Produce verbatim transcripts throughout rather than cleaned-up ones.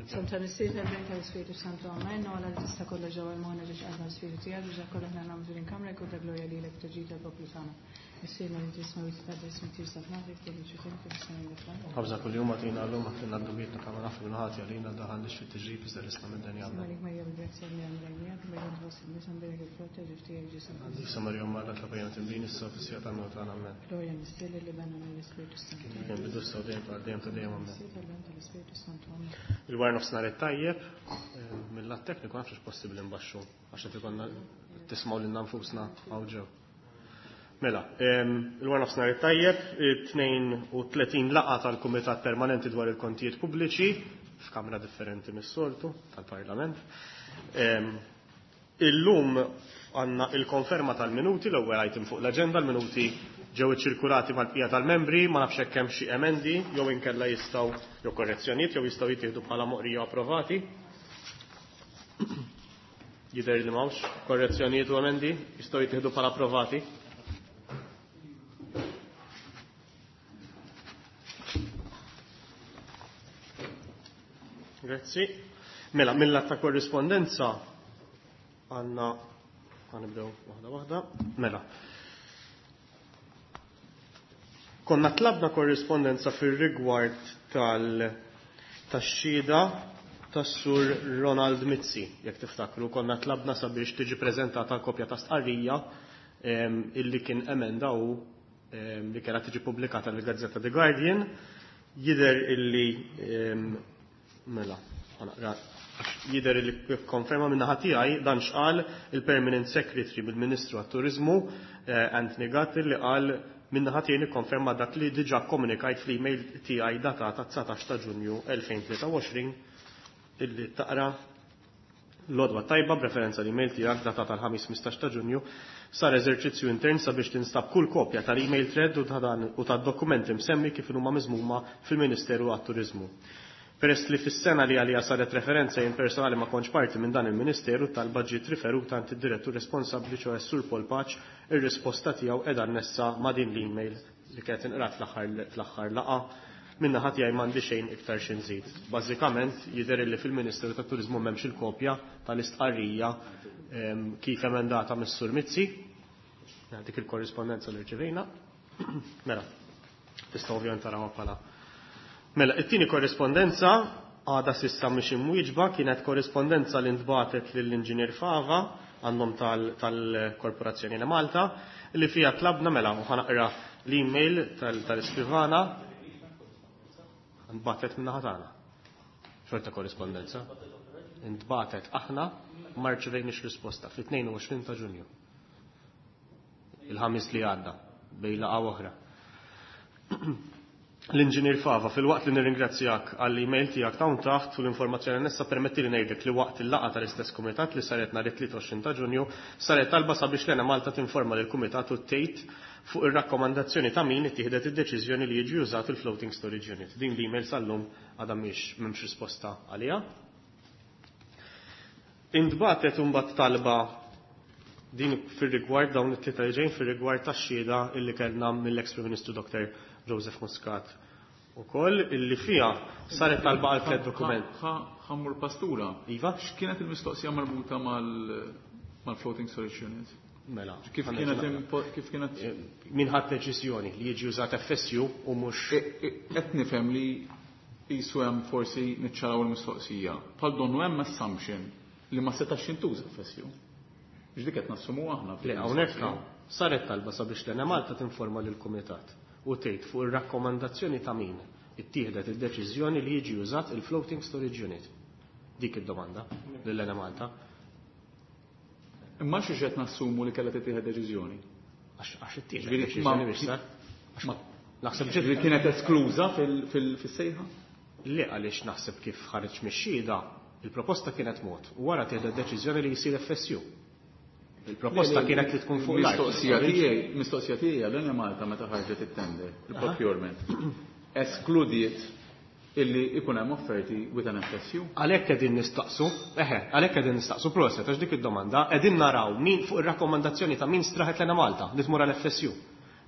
Santa Missier tal-Bejn tal-Ispiritu Santu Amen, u għala li tista' kollha ġewwa l-moħna ġiex qalba l-Ispiritu tiegħek biex dak kollha aħna nagħmlu din kamra jkun ta' glorja lilek u ta' tal-poplu tagħna. Missierna li tisma' ta' ismi tirsa f'nafek tiġi ċitin fis-sena l Ħabża kuljum għatina l-lum għatina d-dubietna kama nafu minħati għalina daħan lix fit-tiġrib iżda l-isna minn dan jgħamna. Malik Marija bil-grazzja li għamlajnijak, bejn tħoss il-nisa mberek il-frott ta' ġiftijak Ġesu. Disa Marija Marra tlabajna timbin issa fis-sija tal-mewt tagħna amen. Glorja Missier li bena mill-Ispiritu Santu. Kien bidu s dejjem ta' dejjem ta' dejjem amen. Missier tal-Ben tal-Ispiritu Santu. Amen. Il-war nofsinhar it-tajjeb, eh, mill-lat tekniku nafx possibbli nbaxxu għax qed ikollna tismgħu lilna nfusna hawn ġew. Mela, em, il-war nofsinhar it-tajjeb, tnejn u tletin laqgħa tal-Kumitat Permanenti dwar il-Kontijiet Pubbliċi f'kamra differenti mis-soltu tal-Parlament. Em, Illum għandna il-konferma tal-minuti, l-ewwel item fuq l-aġenda, l-minuti ġew iċċirkulati mal-bqija tal-membri, ma nafx hekk hemm xi emendi jew inkella jistgħu jew korrezzjonijiet jew jistgħu jittieħdu bħala moqrija approvati. Jidher li m'hawnx korrezzjonijiet u emendi jistgħu jittieħdu bħala approvati. Grazzi. Mela, mill-att ta' korrispondenza għandna ħanibdew waħda waħda. Mela. Konna tlabna korrispondenza fir-rigward tal tax-xhieda tas-sur Ronald Mizzi, jekk tiftakru, konna tlabna sabiex tiġi preżentata kopja ta' stqarrija em, illi kien emenda u em, li kellha tiġi pubblikata l-Gazzetta The Guardian. Jidher illi em, mela, ħanaqra, jidher illi konferma minn naħa tiegħi dan x'qal il-Permanent Secretary bil-Ministru għat-Turiżmu eh, Anthony Gatt li qal minn naħa tiegħi nikkonferma dak li diġà komunikajt fl-email tiegħi datata dsatax ta' Ġunju elfejn tlieta u għoxrin illi taqra l-għodwa tajba b'referenza l-email tiegħek datata l-ħamis ħmistax ta' Ġunju sar eżerċizzju intern sabiex tinstab kull kopja tal-email thread u ta' dan u tad-dokumenti msemmi kif huma miżmuma fil-Ministeru għat-Turiżmu. Peress li fis-sena li għalija saret referenza jien personali ma kontx parti minn dan il-Ministeru talba ġiet riferuta għand id-direttur responsabbli ċoħe Sur Paul Pace, ir-risposta tiegħu qiegħda annessa ma' din l-email li kienet inqrat fl-aħħar, fl-aħħar laqgħa. Minna ħadd jgħid m'għandi xejn iktar xi nżid. Bażikament jidher li fil-Ministeru tat-Turiżmu m'hemmx il-kopja tal-istqarrija, ehm, kif emendata mis-Sur Mizzi. Dik il-korrispondenza li rċevejna. Mela, tista' ovvjament tarawha bħala. Mela, it-tieni korrispondenza għadha sissa mhix imwieġba, kienet korrispondenza li ntbatet lill-Inġinier Fava għandhom tal-, tal-Korporazzjoni Eni Malta li fiha tlabna, mela, u ħanaqra l-email tal-, tal-iskrivana ntbatet minn naħa tagħna. Xorta korrispondenza. Ntbatet aħna ma rċevejniex risposta fit-tnejn u għoxrin ta' Ġunju. Il-ħamis li għadda bejn laqgħa oħra. L-Inġinier Fava, fil-waqt li nirringrazzjak għall-email tiegħek ta' hawn taħt u l-informazzjoni annessa, permetti li ngħidlek li waqt il-laqgħa tal-istess kumitat li saret nhar it-tlieta u għoxrin ta' Ġunju saret talba sabiex l-Ena Malta tinforma lill kumitat u tgħid fuq ir-rakkomandazzjoni ta' min ittieħdet id-deċiżjoni li jiġi użat il-floating storage unit. Din l-email sal-lum għadha mhix m'hemmx risposta għaliha. Intbatet imbagħad talba din fir-rigward dawn it-tlieta li ġejjin fir-rigward tax-xhieda illi kellna mill-ex Prim Ministru Doktor Joseph Muscat ukoll illi fiha saret talba għal tliet dokument. Ħammur pastura. Iva? X'kienet il-mistoqsija marbuta mal-, mal-floating storage unit? Mela, Kif ħanna kienet ġenna. impo-, kif kienet Eh, min ħadd deċiżjoni li jiġi użat F S U u mhux E, e, qed nifhem li qisu hemm forsi niċċaraw il-mistoqsija. Bħal donnu hemm assumption li ma setax jintuża F S U. Ġdik qed nassumu aħna Le, hawnhekk hawn saret talba sabiex l-Ena Malta tinforma lill-Kumitat u tgħid fuq ir-rakkomandazzjoni ta' min ittieħdet id-deċiżjoni li jiġi użat il-floating storage unit. Dik id-domanda lill-Ena Malta. Imma xi qed nassumu li kellha tittieħed deċiżjoni? Għax, għax ittieħdet Ġifieri deċiżjoni ma- biex sar. Għax ma- naħseb Ġifieri ġiet kienet eskluża fil-, fil-, fis-sejħa? Le, għaliex naħseb kif ħareġ mix-xhieda, il-proposta kienet mod u wara tieħdet deċiżjoni li jsir F S U. Il-proposta Le, le, kienet li tkun fuq l-art. Mistoqsija tiegħi, mistoqsija tiegħi għal Malta meta ħarġet it-tender, il-procurement, eskludiet illi ikun hemm offerti with an F S U. Għalhekk qegħdin nistaqsu, eħe, għalhekk qegħdin nistaqsu proset għax dik id-domanda qegħdin naraw min fuq ir-rakkomandazzjoni ta' min straħet l-Ena Malta li tmur għal F S U.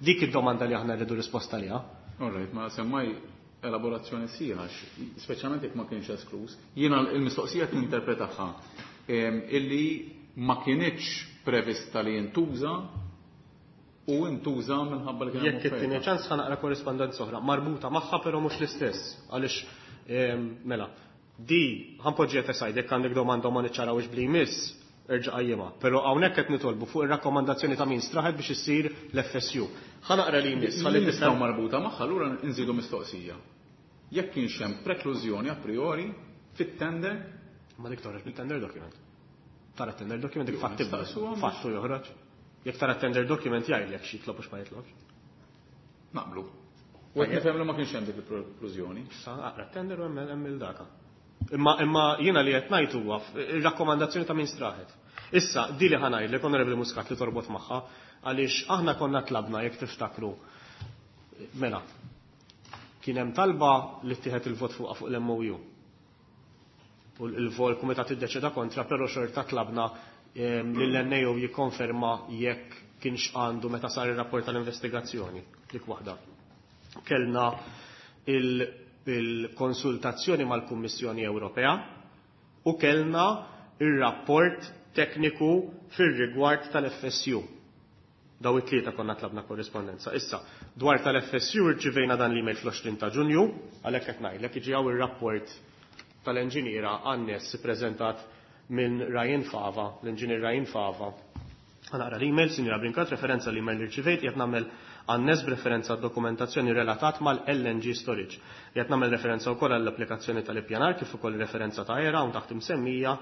Dik id-domanda li aħna rridu risposta liha. All right, ma semmaj elaborazzjoni sħiħa, speċjalment jekk ma kienx esklus. Jiena l-mistoqsija tinterpretaha illi ma kienx prevista li jintuża u intuża minħabba li kien Jekk it-tieni ċans ħa naqra korrispondenza oħra marbuta magħha, però mhux l-istess, għaliex mela di ħa npoġġiha aside, jekk għandek domanda ma niċċarawx bli jmiss, erġa' qajjimha. Però hawnhekk qed nitolbu fuq ir-rakkomandazzjoni ta' min straħet biex issir l-F S U. Ħa naqra li jmiss ħalli nistgħu marbuta magħha, allura nżidu mistoqsija. Jekk kienx hemm preklużjoni a priori fit-tender. Ma dik toħroġ mit-tender document. Tara tender document, dik fatti fattu joħroġ. Jekk tara tender document jgħidlek xi jitlob u x'ma jitlobx. Naqblu. U qed nifhem li ma kienx hemm dik il-preklużjoni. Sa aqra tender u hemm il-data. Imma imma jiena li qed ngħid huwa ir-rakkomandazzjoni ta' min straħet. Issa, di li ħa ngħidlek, Onorevoli Muscat, li torbot magħha, għaliex aħna konna tlabna, jekk tiftakru. Mela, kien hemm talba li ttieħed il-vot fuqha fuq l-M O U. U l-vol kumitat iddeċida kontra, però xorta tlabna lill-N A O jikkonferma jekk kienx għandu meta sar ir-rapport tal-investigazzjoni. Dik waħda. Kellna il-konsultazzjoni mal-Kummissjoni Ewropea u kellna il-rapport tekniku fir-rigward tal-F S U. Daw it-tlieta konna tlabna korrispondenza. Issa, dwar tal-F S U rċivejna dan l-email fl-għoxrin ta' Ġunju, għalhekk qed ngħidlek jiġi hawn ir-rapport tal-enġiniera anness preżentat minn Ryan Fava, l-enġinier Ryan Fava. Ħa naqra l-email: "Sinjora Brincat, referenza l-email li rċivejt, qed nagħmel anness b'referenza dokumentazzjoni relatat mal-L N G storage. Qed nagħmel referenza wkoll għall-applikazzjoni tal-ippjanar kif ukoll referenza ta' era hawn taħt imsemmija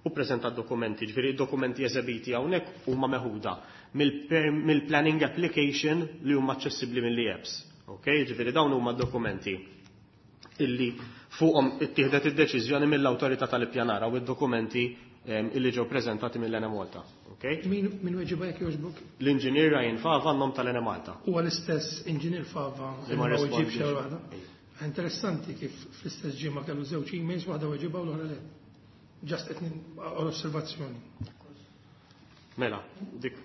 u preżenta dokumenti." Ġifieri dokumenti eżebiti hawnhekk huma meħuda mill-planning application li huma aċċessibbli mill-apps. Ok, ġifieri dawn huma dokumenti illi fuqhom ittieħdet id-deċiżjoni mill-awtorità tal-ippjanar u id-dokumenti illi ġew preżentati mill-Enemalta. Okay? Min min weġiba, jekk jogħġbok? L-inġinier Ryan Fava għan-nom tal-Enemalta. Huwa l-istess inġinier Fava li ma li ma weġibx rispondix. waħda. Interessanti kif fl-istess ġimgħa kellu żewġ emails, waħda weġiba u l-oħra le. Just qed osservazzjoni. Mela, dik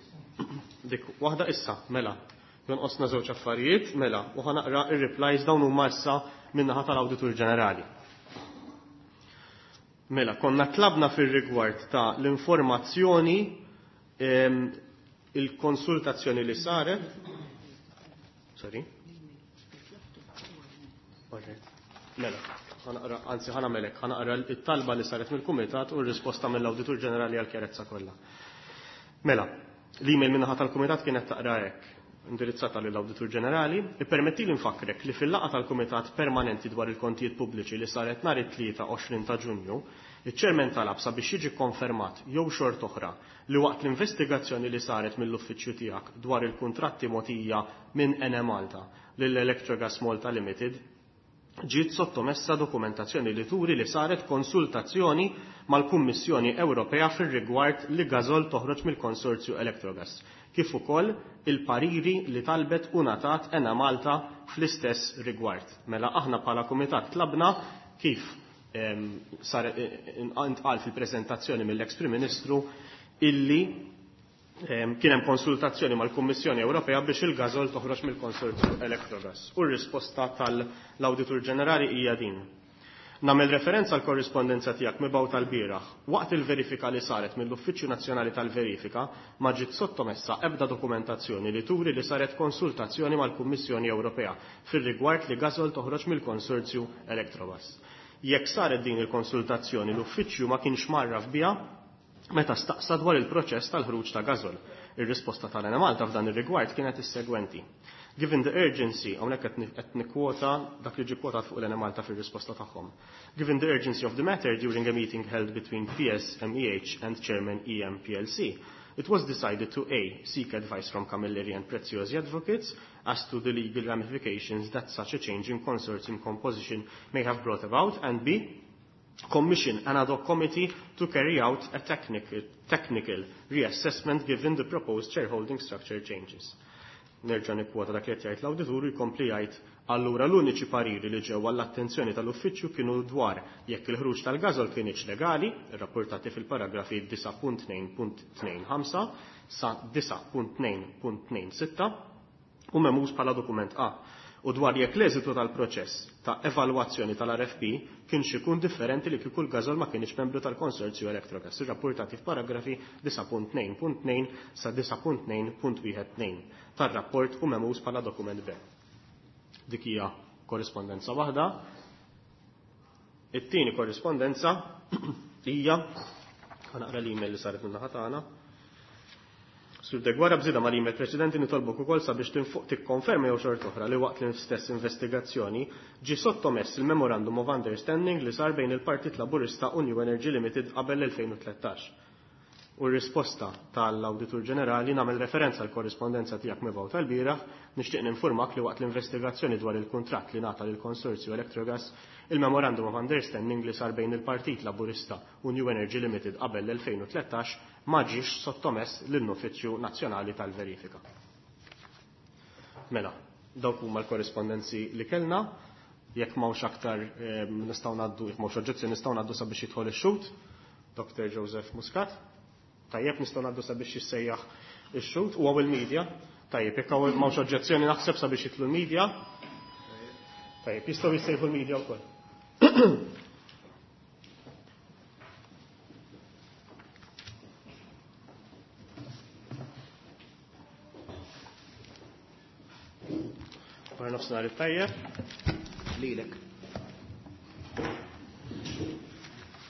dik waħda issa, mela. Jonqosna żewġ affarijiet, mela, u ħa naqra ir-replies, dawn huma issa min-naħa tal-Awditur Ġenerali. Mela, konna tlabna fir-rigward ta' l-informazzjoni, il-konsultazzjoni li saret. Sorry. Mela, ħa naqra, anzi ħa nagħmelek, ħa naqra it-talba li saret mill-Kumitat u r-risposta mill-Awditur Ġenerali għal-kjerezza kollha. Mela, l-email min-naħa tal-Kumitat kienet taqra hekk, indirizzata lill-Awditur Ġenerali: "Ippermetti li nfakkrek li fil-laqgħa tal-Kumitat Permanenti dwar il-Kontijiet Pubbliċi li saret nhar it-Tlieta għoxrin ta' Ġunju, iċ-Chairman talab sabiex jiġi konfermat jew xort oħra li waqt l-investigazzjoni li saret mill-uffiċċju tiegħek dwar il-kuntratti mogħtija minn Enemalta lil Electrogas Malta Limited ġiet sottomessa dokumentazzjoni li turi li saret konsultazzjoni mal-Kummissjoni Ewropea fir-rigward li Gasol toħroġ mill-konsorzju Electrogas, kif ukoll il-pariri li talbet u ngħatat Enemalta fl-istess rigward." Mela aħna bħala kumitat tlabna kif sar intqal fil-preżentazzjoni mill-ex Prim Ministru illi kien hemm konsultazzjoni mal-Kummissjoni Ewropea biex il-Gasol toħroġ mill-konsorzju Electrogas. U r-risposta tal-Awditur Ġenerali hija din: "Nagħmel referenza għal korrispondenza tiegħek mibgħuta lbieraħ. Waqt il-verifika li saret mill-Uffiċċju Nazzjonali tal-Verifika ma ġiet sottomessa ebda dokumentazzjoni li turi li saret konsultazzjoni mal-Kummissjoni Ewropea fir-rigward li Gasol toħroġ mill-konsorzju Electrogas. Jekk saret din il-konsultazzjoni, l-Uffiċċju ma kienx mgħarraf biha meta staqsa dwar il-proċess tal-ħruġ ta' Gasol. Ir-risposta tal-Enemalta f'dan ir-rigward kienet is-segwenti." Given the urgency, hawnhekk qed nikkwota dak li ġie kwotat fuq l-Enemalta fir-risposta tagħhom. "Given the urgency of the matter, during a meeting held between P S, M E H and Chairman E M P L C, it was decided to A. Seek advice from Camilleri and Preziosi Advocates as to the legal ramifications that such a change in consortium composition may have brought about, and B. Commission an ad hoc committee to carry out a technical, technical reassessment given the proposed shareholding structure changes." Nerġa' nikkwota dak li qed jgħid l-awditur, jkompli jgħid: "Allura l-uniċi pariri li ġew għall-attenzjoni tal-uffiċċju kienu dwar jekk il-ħruġ tal-Gasol kienx legali, rapportati fil-paragrafi disgħa punt tnejn punt tnejn ħamsa sa disgħa punt tnejn punt tnejn sitta u memuż bħala dokument A. u dwar jekk l-eżitu tal-proċess ta' evalwazzjoni tal-R F P kienx ikun differenti li kieku l-Gasol ma kienx membru tal-Konsorzju Electrogas, irrapportati f'paragrafi disgħa punt tnejn punt tnejn sa disgħa punt tnejn punt wieħed tnejn tar-rapport u memuż bħala dokument B. Dik hija korrispondenza waħda. It-tieni korrispondenza hija, ħa naqra l-email li saret min-naħa tagħna. Sur Deguara, bżida mal-email preċedenti nitolbok ukoll sabiex tinfuq tikkonferma jew xort oħra li waqt l-istess investigazzjoni ġie sottomess il-Memorandum of Understanding li sar bejn il-Partit Laburista u New Energy Limited qabel l-elfejn u tlettax. U r-risposta tal-Awditur Ġenerali: nagħmel referenza għal korrispondenza tiegħek mibgħuta tal-bieraħ, nixtieq ninformak li waqt l-investigazzjoni dwar il-kuntratt li ngħata lill-Konsorzju Electrogas, il-Memorandum of Understanding li sar bejn il-Partit Laburista u New Energy Limited qabel l-elfejn u tlettax ma ġiex sottomess lill-Uffiċċju Nazzjonali tal-Verifika. Mela, dawk huma l-korrispondenzi li kellna. Jekk m'hawnx aktar eh, nistgħu ngħaddu, jekk m'hawnx oġġezzjoni, nistgħu ngħaddu sabiex jidħol ix-xhud, Doctor Joseph Muscat. Tajjeb, nistgħu ngħaddu sabiex jissejjaħ ix-xhud u hawn il-media. Tajjeb, jekk hawn m'hawnx oġġezzjoni, naħseb sabiex jidħlu l-media. Tajjeb, jistgħu jissejħu l-media wkoll. Wara nofsinhar it-tajjeb. Lilek.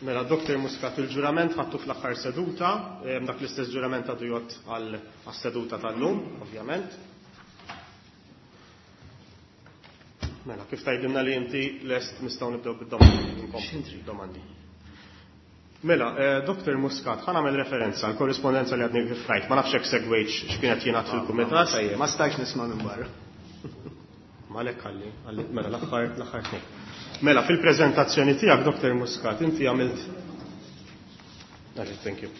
Mela, Doctor Muscat, il-ġurament ħattu fl-aħħar seduta, em, dak l-istess ġurament għadu jgħodd għal seduta tal-lum, ovvjament. Mela, kif tgħidilna li inti lest, nistgħu nibdew bid-domandi. Domandi. Mela, eh, Doctor Muscat, ħa nagħmel referenza għal korrispondenza li għadni kif rajt. Ma nafx hekk segwejtx x'kienet jingħad fil-kumitat. Ma stajx nisma' minn barra. Malek għalli, għalli, mela l-aħħar l-aħħar tnejn. Mela, fil-preżentazzjoni tiegħek, Doctor Muscat, inti għamilt. Għalli, thank you.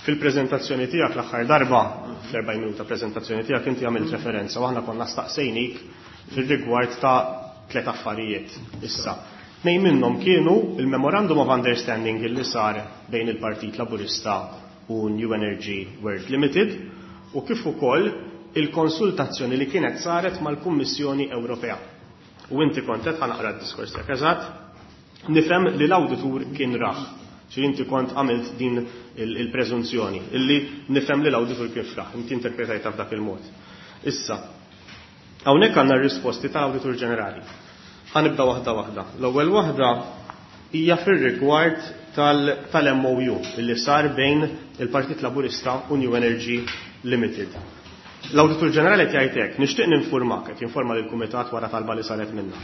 Fil-preżentazzjoni tiegħek l-aħħar darba, fl-erbgħin minuta preżentazzjoni tiegħek, inti għamilt referenza u aħna konna staqsejnik fil-rigward ta' tliet affarijiet. Issa, tnejn minnhom kienu il-Memorandum of Understanding li sar bejn il-Partit Laburista u New Energy World Limited u kif ukoll il-konsultazzjoni li kienet saret mal-Kummissjoni Ewropea. U inti kont qed, ħa naqra d-diskors tiegħek eżatt, nifhem li l-awditur kien rah. Ċi inti kont għamilt din il-preżunzjoni, illi nifhem li l-awditur kien rah, inti interpretajta f'dak il-mod. Issa, hawnhekk għandna r-risposti tal-Awditur Ġenerali. Ħa nibda waħda waħda. L-ewwel waħda hija fir-rigward tal-M O U illi sar bejn il-Partit Laburista u New Energy Limited. L-Awditur Ġenerali jgħid hekk: nixtieq ninformak, qed jinforma lill-Kumitat wara talba li saret minna.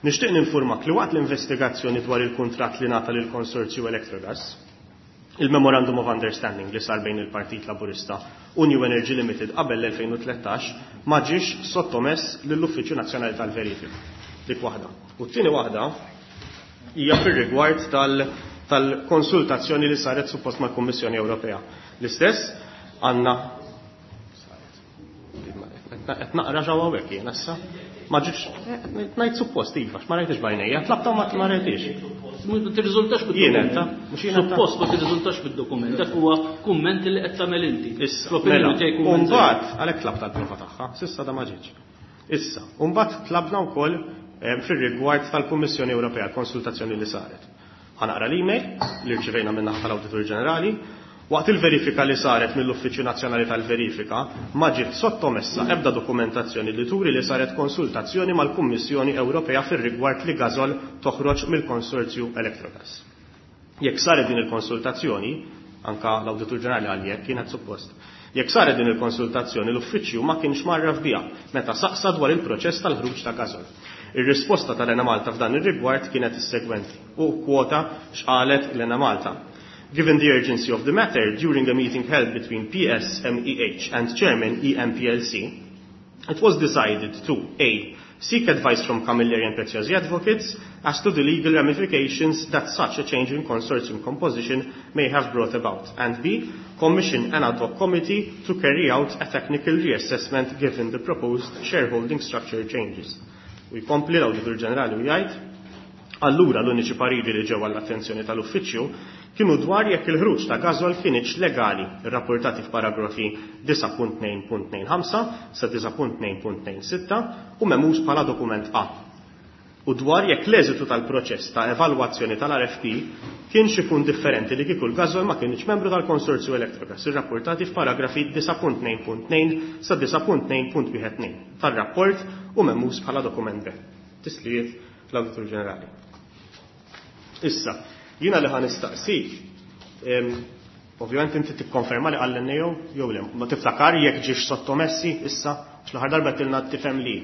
Nixtieq ninformak li waqt l-investigazzjoni dwar il-kuntratt li ngħata lil konsorzju Electrogas, il-Memorandum of Understanding li sar bejn il-Partit Laburista u New Energy Limited qabel l-elfejn u tlettax ma ġiex sottomess lill-Uffiċċju Nazzjonali tal-Verifika. Dik waħda. U t-tieni waħda hija fir-rigward tal-konsultazzjoni li saret suppost mal-Kummissjoni Ewropea. L-istess għandna qed naqra ġewwa hawnhekk jien issa. Ma ġietx, ngħid suppost iva, ma rajtix b'għajnejja, tlabta ma ma rajtix. Ma tirriżultax Jien bid-dokument. qed, mhux jien qed. Suppost ma tirriżultax bid-dokument. Dak huwa kumment li qed tagħmel inti. Issa, Fl-opinjoni mela, tiegħi kumment. Umbagħad, għalhekk tlabta l-prova tagħha, s'issa da ma ġietx. Issa, umbagħad tlabna wkoll eh, fir-rigward tal-Kummissjoni Ewropea, konsultazzjoni li saret. Ħa naqra l-email li rċivejna minn naħa tal-Awditur Ġenerali. Waqt il-verifika li saret mill-Uffiċċju Nazzjonali tal-Verifika, ma ġiet sottomessa ebda dokumentazzjoni li turi li saret konsultazzjoni mal-Kummissjoni Ewropea fir-rigward li Gasol toħroġ mill-Konsorzju Electrogas. Jekk saret din il-konsultazzjoni, anka l-Awditur Ġenerali għal jekk kienet suppost. Jekk saret din il-konsultazzjoni, l-uffiċċju ma kienx mgħarraf biha meta saqsa dwar il-proċess tal-ħruġ ta' Gasol. Ir-risposta tal-Enemalta f'dan ir-rigward kienet is-segwenti u kwota x'qalet l-Enemalta. Given the urgency of the matter, during a meeting held between P S, M E H and Chairman E M P L C, it was decided to A. Seek advice from Camilleri and Preziosi Advocates as to the legal ramifications that such a change in consortium composition may have brought about, and B. Commission an ad hoc committee to carry out a technical reassessment given the proposed shareholding structure changes. U jkompli l-Awditur Ġenerali u jgħid: Allura l-uniċi pariri li ġew għall-attenzjoni tal-uffiċċju kienu dwar jekk il-ħruġ ta' gażol kienx legali, rapportati f'paragrafi disgħa punt tnejn punt tnejn ħamsa sa disgħa punt tnejn punt tnejn sitta u memuż bħala dokument A. U dwar jekk l-eżitu tal-proċess ta' evalwazzjoni tal-R F P kienx ikun differenti li kieku l-gażol ma kienx membru tal-Konsorzju Electrogas, irrapportati f'paragrafi disgħa punt tnejn punt tnejn sa disgħa punt tnejn punt wieħed tnejn tar-rapport u memuż bħala dokument B. Tislijiet l-Awditur Ġenerali. Issa, jiena li ħa nistaqsik, em, ovvjament inti tikkonferma li qal N A O jew le, ma tiftakar jekk ġiex sottomessi issa, għax l-aħħar darba tilna tifhem li.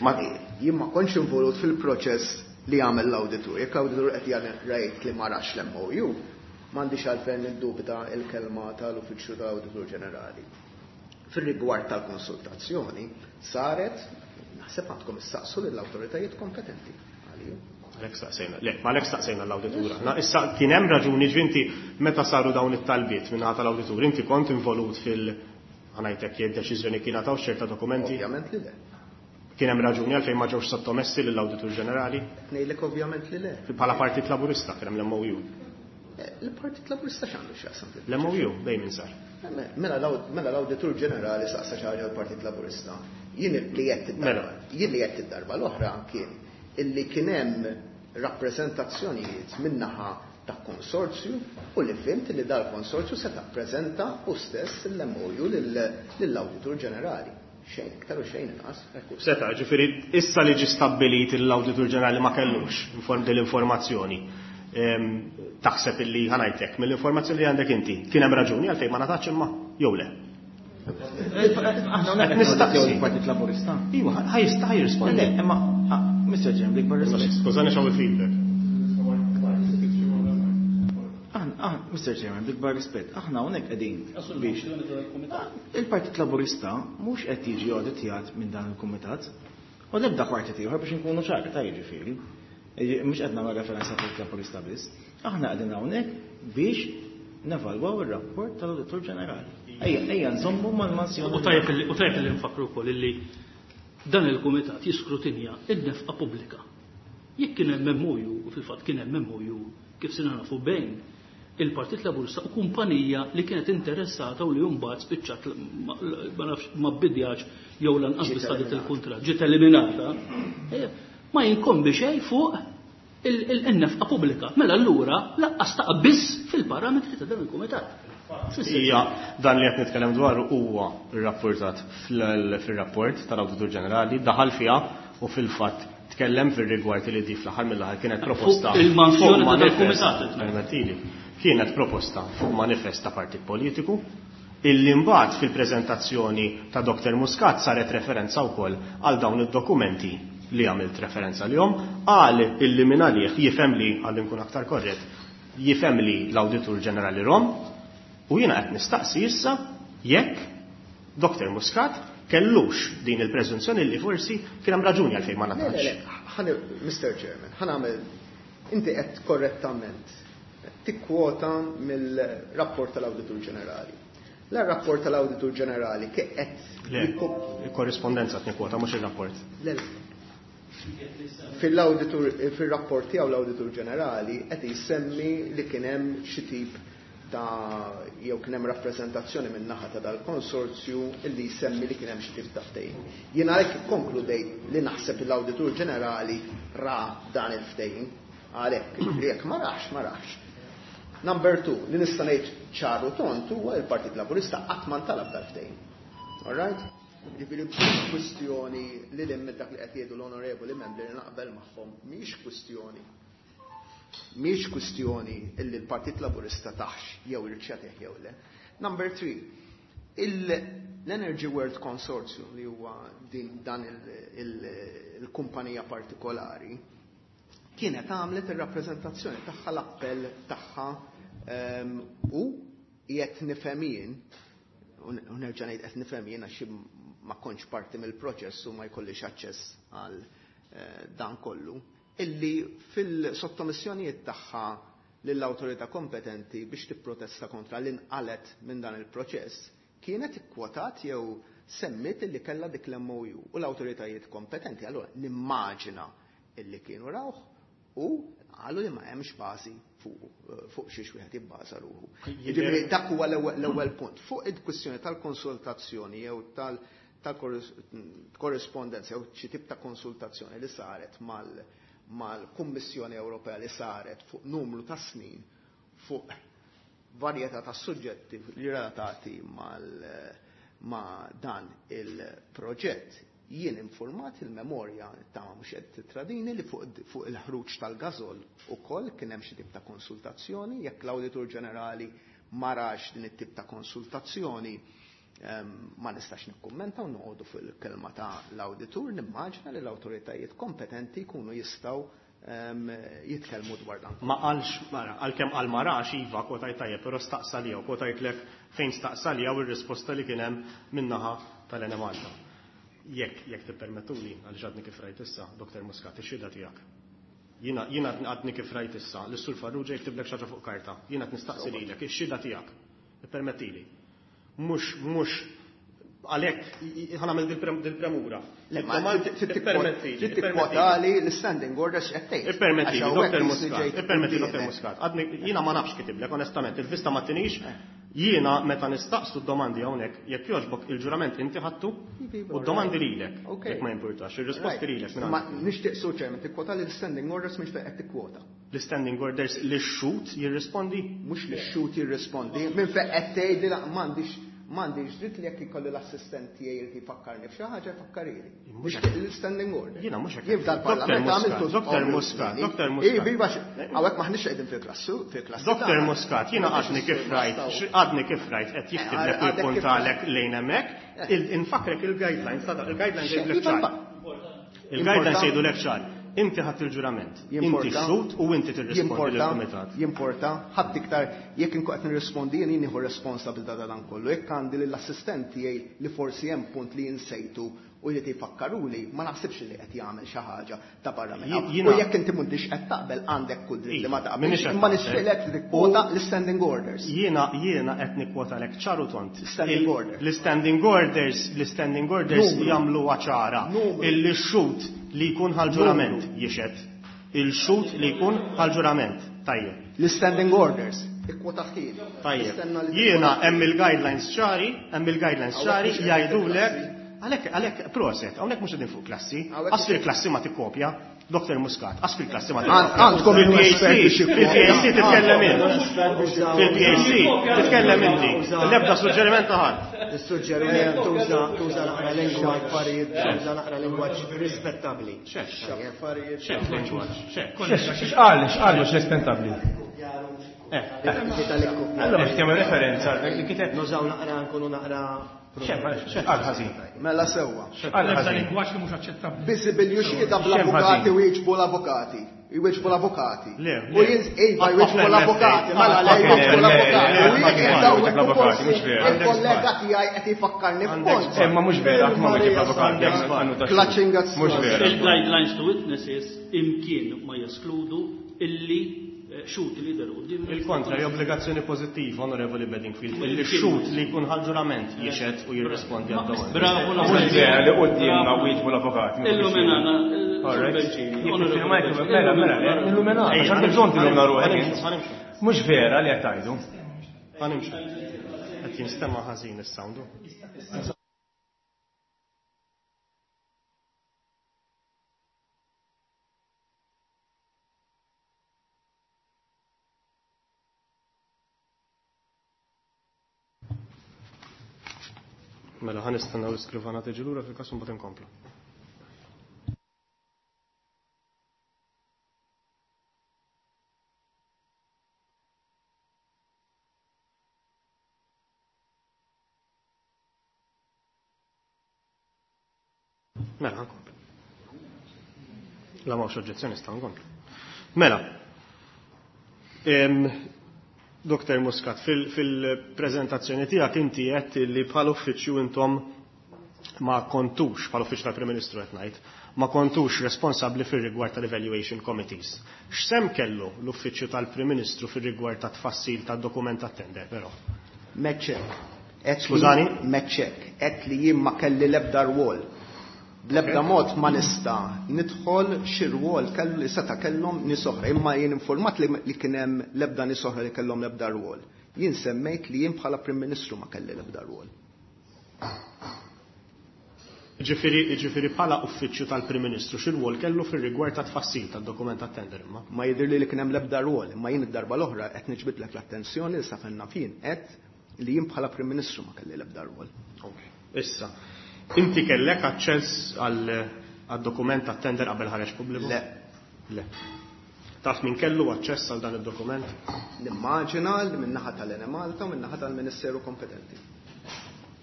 Ma jien ma kontx involut fil-proċess li għamel l-awditur. Jekk l-awditur qed jgħid li ma rax l-M O U, m'għandix għalfejn niddubita l-kelma tal-Uffiċċju tal-Awditur Ġenerali. Fir-rigward tal-konsultazzjoni saret, naħseb għandkom issaqsu lill-awtoritajiet kompetenti. Għaliju. Għalhekk staqsejna, le, ma għalhekk staqsejna l-awditur. Aħna issa kien hemm raġuni ġvinti meta saru dawn it-talbiet minn ħadd tal-awditur, inti kont involut fil-, ħanajtek jekk deċiżjoni kien għataw ċerta dokumenti? Ovvjament li le. Kien hemm raġuni għalfejn ma ġewx sottomessi lill-Awditur Ġenerali? Ngħidlek ovvjament li le. Bħala Partit Laburista kien hemm l-M O U. Eh, il-Partit Laburista x'għandu x'jaqsam fil- L-M O U dejjem insar. Mela l-aw-, mela l-Awditur Ġenerali saqsa xi ħaġa l-Partit Laburista. Jien li qed id-darba, Mela. jien li qed id-darba l-oħra kien illi kien hemm rappreżentazzjonijiet min-naħa ta' konsorzju u li fimt li dal-konsorzju se tappreżenta u stess l-M O U lill-Awditur Ġenerali. Xejn iktar u xejn inqas. Ekku, seta, ġifieri issa li ġi stabbilit l-Awditur Ġenerali ma kellux inform dell-informazzjoni. Ehm, taħseb illi ħanajtek mill-informazzjoni li għandek inti, kien hemm raġuni għalfejn ma ngħatax imma jew le? Aħna hawnhekk Qed nistaqsi. il-Partit Laburista. Iva, ħaj jista' ħaj jirrispondi. Le, imma, ah, Mister Chairman, dik barra Skużani, skużani x'hawn il-feedback. Aħna, aħna, Mister Chairman, dik barra rispett, aħna hawnhekk qegħdin biex il-Partit Laburista mhux qed jiġi awditjat minn dan il-kumitat u l-ebda partit ieħor biex inkunu ċari ta' jiġifieri. Mhux qed nagħmel referenza Partit Laburista biss. Aħna qegħdin hawnhekk biex nevalwaw ir-rapport tal-Awditur Ġenerali. Ejja, ejja nżommu mal-mansjoni. U tajjeb li, u tajjeb li nfakru wkoll illi dan il-kumitat jiskrutinja n-nefqa pubblika. Jekk kien hemm M O U, u fil-fatt kien hemm M O U kif sirna nafu bejn il-Partit Laburista u kumpanija li kienet interessata u li mbagħad spiċċat ma, ma nafx ma bidjax jew lanqas Ġiet biss ħadet eliminata. il-kuntratt, ġiet eliminata. Eh, ma jinkombi xejn fuq il-, il-, in-nefqa pubblika. Mela allura laqqas taqa' biss fil-parametri ta' dan il-kumitat. Hija dan li qed nitkellem dwaru huwa rrapportat fl-, fir-rapport tal-Awditur Ġenerali, daħal fiha u fil-fatt tkellem fir-rigward li di fl-aħħar mill-aħħar kienet proposta Fuq il-mansjoni fuq ta' manifest, dal-kumitat, qed ngħid. permettili, kienet proposta fuq manifest ta' partit politiku illi mbagħad fil-preżentazzjoni ta' Doktor Muscat saret referenza wkoll għal dawn id-dokumenti li għamilt referenza lihom, qal illi minn għalih jifhem li, għal nkun aktar korrett, jifhem li l-Awditur Ġenerali Rom, u jiena qed nistaqsi issa jekk Doktor Muscat kellux din il-preżunzjoni li forsi kien hemm raġuni għalfejn ma Le, le, ngħatax. le, ħan-, Mister Chairman, ħa nagħmel, inti qed korrettament tikkwota mill-rapport tal-Awditur Ġenerali. L-rapport tal-Awditur Ġenerali kif qed Le, jikko- il-korrispondenza qed nikkwota mhux ir-rapport. Le, le. Fil-awditur, fil-rapport tiegħu l-Awditur Ġenerali qed jsemmi li kien hemm xi tip ta' jew kien hemm rappreżentazzjoni minn naħa ta' dal-konsorzju illi jsemmi li kien hemm xi tip ta' ftehim. Jien għalhekk ikkonkludejt li naħseb l-Awditur Ġenerali ra dan il-ftehim, għalhekk li jekk ma rax, ma rax. Number two, li nista' ngħid ċaru tont huwa l-Partit Laburista qatt ma ntalab dal-ftehim. All right? Ġifieri kwistjoni li l dak li qed jgħidu l-onorevoli membri li naqbel magħhom mhix kwistjoni. Mhix kwistjoni illi l-Partit Laburista taħx jew irċetih jew le. Number three, il-, l-Energy World Consortium li huwa din dan il-, il-, il-kumpanija partikolari kienet għamlet ir-rappreżentazzjoni tagħha, l-appell tagħha, ehm, u qed nifhem jien, u nerġa' ngħid qed nifhem jien għax ma kontx parti mill-proċess u ma jkollix aċċess għal, eh, dan kollu, illi fil-sottomissjonijiet tagħha lill-awtorità kompetenti biex tipprotesta kontra l-inqalet minn dan il-proċess kienet ikkwotat jew semmit illi kellha dik l-M O U u l-awtoritajiet kompetenti. Allura nimmaġina illi kienu rawh U qalu li ma hemmx bażi fuq xiex wieħed jibbaża ruħu. Jiġifieri dak huwa l-ewwel punt. Fuq il-kwistjoni tal-konsultazzjoni jew tal-korrispondenza jew xi tip ta' konsultazzjoni li saret mal-Kummissjoni Ewropea li saret fuq numru ta' snin fuq varjetà ta' suġġetti li relatati ma' dan il-proġett. Jien informat il-memorja ta' mhux qed titradini li fuq il-ħruġ tal-gażol ukoll kien hemm xi tip ta' konsultazzjoni, jekk l-Awditur Ġenerali ma rax din it-tip ta' konsultazzjoni ma nistax nikkummenta u noqogħdu fil-kelma ta' l-awditur, nimmaġina li l-awtoritajiet kompetenti jkunu jistgħu jitkellmu dwar dan. Ma qalx, għalkemm qal ma rax, iva, kwotajt tajjeb, però staqsa li jew kwotajtlek fejn staqsa li jew ir-risposta li kien hemm min-naħa tal-Enemalta. Jekk, jekk tippermettuli, għaliex għadni kif rajt issa, Doktor Muscat, ix-xhieda tiegħek. Jiena, jiena għadni kif rajt issa, l-Sur Farrugia jiktiblek xi ħaġa fuq karta. Jiena qed nistaqsi lilek, ix-xhieda tiegħek. Ippermettili. Mhux, mhux għalhekk ħa nagħmel dil-premura. Le, ma trid tikkwotali l-standing orders qed tgħid. Ippermettili, Doktor Muscat, ippermettili, Doktor Muscat. Għadni, jiena ma nafx kitiblek, onestament, il-vista ma tinix. Jiena meta nistaqsu d-domandi hawnhekk, jekk jogħġbok il-ġurament inti ħadtu u d-domandi lilek, jekk ma jimpurtax, ir-risposti lilek minn Ma nixtieq Sur Chairman tikkwota l-standing orders mhux fejn qed tikkwota. L-standing orders li x-xhud jirrispondi? Mhux li x-xhud jirrispondi, minn fejn qed tgħid li m'għandix m'għandix dritt li jekk ikolli l-assistent tiegħi li jfakkarni f'xi ħaġa jfakkarili. Mhux Nixtieq l-standing order. Jiena mhux hekk. Jien f'dal-parlament Doktor għamiltu Muscat, Doktor obbligu Muscat, tiegħi. Doktor Muscat. Iva, iva, hawnhekk maħniex qegħdin fil-klassu, fil-klassi Doktor tagħna. Muscat, jiena għadni kif rajt, għadni kif rajt qed jiktib lek u Għadek kif jippuntalek lejn hemmhekk, infakrek il-guidelines, ta' il-guidelines jgħidulek Iva, ċar. iva. Il-guidelines jgħidulek ċar. Inti ħadd il-ġurament, inti Jimporta. xhud u inti tirrispondi Jimporta, lill-kumitat. Jimporta, ħadd iktar jekk inkun qed nirrispondi jien jien nieħu responsabilità ta' dan kollu. Jekk għandi lill-assistent tiegħi li forsi hemm punt li jinsejtu u li tifakkaruli, ma naħsibx li qed jagħmel xi ħaġa ta' barra minn hawn. Jiena U jekk inti m'intix qed taqbel għandek kull dritt li ma Iva, taqbilx, minix qed imma taqbel. nixtieqlek li tikkwota l-standing orders. Jiena, jiena qed nikkwotalek ċar u tont. Standing Il- order. L-standing orders, l-standing orders Numru. jagħmluha ċara. Numru. Illi x-xhud li jkun ħal-ġurament jixhed. Il-xhud li jkun ħal-ġurament. Tajjeb. L-standing orders. Ikkwotaħili. Tajjeb. Nistenna li Jiena hemm il-guidelines ċari, hemm il-guidelines Hawnhekk ċari mhux qegħdin jgħidulek fil-klassi. għalhekk, għalhekk proset, hawnhekk mhux qegħdin fuq klassi. Hawnhekk Qas fil-klassi ma tikkopja. Doktor Muscat, qas fil-klassi ma tikkopja. Għandkom Fil-P A C, il-expert biex jikkopja. fil-P A C titkellem int. Fil-P A C titkellem inti. L-ebda suġġeriment ta' ħadd. Is-suġġeriment tuża tuża naqra lingwaġġ, tuża naqra lingwaġġ rispettabbli. Xek, xek lingwaġġ, xek. X'qal, x'qal mhux rispettabbli? Eh, Allora biex tagħmel referenza li kiteb. Nużaw naqra nkunu naqra X'qal ħażin. Mela sewwa. X'qal L-ebda ħażin. lingwaġġ li mhux aċċettabbli. Biżibilju xhieda bl-avukati X'hemm u jiġbu l-avukati. Jwieġbu l-avukati. Le, U le. jins iva jwieġbu Għafna l-avukati, l-F A. mela le Għafna jwieġbu l-F A. l-avukati. U Le, jien le, qiegħed le, hawnhekk l-avukati, forsi mhux vera. il-kollega tiegħi qed jfakkarni f'punt. Imma mhux vera, ma wieġeb l-avukati, għandu ta' Clutching at Mhux vera. Il-guidelines to witnesses imkien ma jeskludu illi xhud li jidher quddiem. Il-kontra, hija obbligazzjoni pożittiva, Onorevoli Bedingfield, illi x-xhud li jkun ħal-ġurament jixhed u jirrispondi għad-domandi. Bravo, Mhux vera li quddiemna wieġbu l-avukati. Illuminana, All right. Benċini, Jekk Onorevoli tiffirma jekk- Benċini, Mela, mela, illuminana. illuminana, Ejja, għax għandek bżonn tillumina ruħek ħanimxu, int. ħanimxu. Mhux vera li qed tgħidu. Ħanimxu. Qed jinstema' ħażin is-sound. Mela, ħa nistennew l-iskrivana tiġi lura fil-każ imbagħad inkomplu. Mela, ħa nkomplu. La m'hawnx oġġezzjoni sta nkomplu. Mela, em, Doktor Muscat, fil-prezentazzjoni tiegħek inti għedt li bħal uffiċċju intom ma kontux, bħal uffiċċju tal-Prim Ministru qed ngħid, ma kontux responsabbli fir-rigward tal-evaluation committees. X'sehem kellu l-uffiċċju tal-Prim Ministru fir-rigward ta' tfassil tad-dokument tat-tender però? Meċċek. Skużani? Meċċek. Għedt li jien ma kelli l-ebda rwol. Bl-ebda mod ma nista' nidħol xi rwol kellu li seta' kellhom nies oħra, imma jien informat li, li kien hemm l-ebda nies oħra li kellhom l-ebda rwol. Jien semmejt li jien bħala Prim Ministru ma kelli l-ebda rwol. Ġifieri, ġifieri bħala uffiċċju tal-Prim Ministru xi rwol kellu fir-rigward ta' tfassil tad-dokument tat-tender imma? Ma jidhirli li kien hemm l-ebda rwol, imma jien id-darba l-oħra qed niġbidlek l-attenzjoni li sa fejn naf jien qed li jien bħala Prim Ministru ma kelli l-ebda rwol. Okay. Issa, inti kellek aċċess għal dokument tat-tender qabel ħareġ pubbliku? Le. Le. Taf min kellu aċċess għal dan id-dokument? Nimmaġina li min-naħa tal-Enemalta u min-naħa tal-Ministeru kompetenti.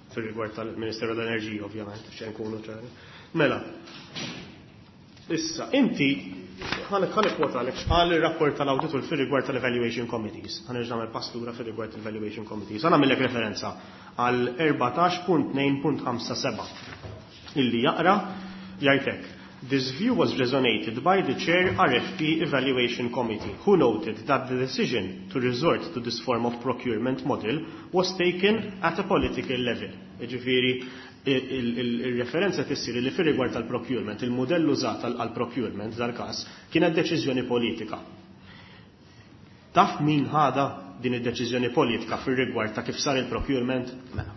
Fil-rigward tal-Ministeru tal-Enerġija, ovvjament, xejn nkunu ċari. Mela, issa, inti, ħa nikkwotalek x'qal ir-rapport tal-awditur fil-rigward tal-Evaluation Committees. Ħa nerġa' nagħmel pass lura fil-rigward tal-Evaluation Committees. Ħa nagħmellek referenza għal erbatax punt tnejn punt ħamsa seba' illi jaqra jgħidlek: "This view was resonated by the chair R F P Evaluation Committee, who noted that the decision to resort to this form of procurement model was taken at a political level." Ġifieri, il-referenza tissir li fir-rigward tal-procurement, il-modell użat għal-procurement dal-każ kienet deċiżjoni politika. Taf min ħada din id-deċiżjoni politika fir-rigward ta' kif sar il-procurement? Mela.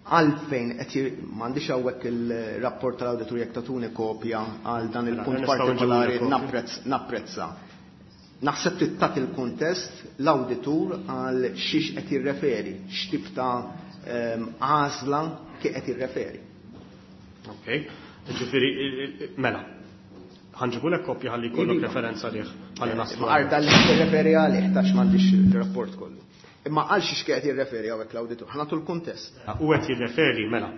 Għalfejn qed m'għandix hawnhekk il-rapport tal-awditur, jekk tagħtuni kopja għal dan il-punt partikolari napprezz napprezza. Naħseb li tagħti il-kuntest l-awditur għal xiex qed jirreferi, x'tip ta' ehm, għażla kif qed jirreferi. Ok, ġifieri, mela, ħa nġibulek kopja ħalli jkollok Iva. referenza liħ ħalli naslu. Għarda li jirreferi għalih tax m'għandix il-rapport kollu. Imma għal xiex qed jirreferi hawnhekk l-awditur, ħa nagħtu l-kuntest. U qed jirreferi, mela,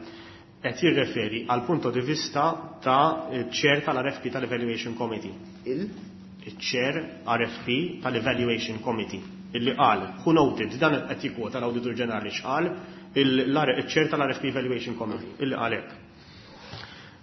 qed jirreferi għal punto di vista ta' chair tal-R F P tal-Evaluation Committee. Il? Il-chair R F P tal-Evaluation Committee. Illi qal, who noted, dan qed jikkwota l-Awditur Ġenerali x'qal il-chair tal-R F P Evaluation Committee, illi qal hekk.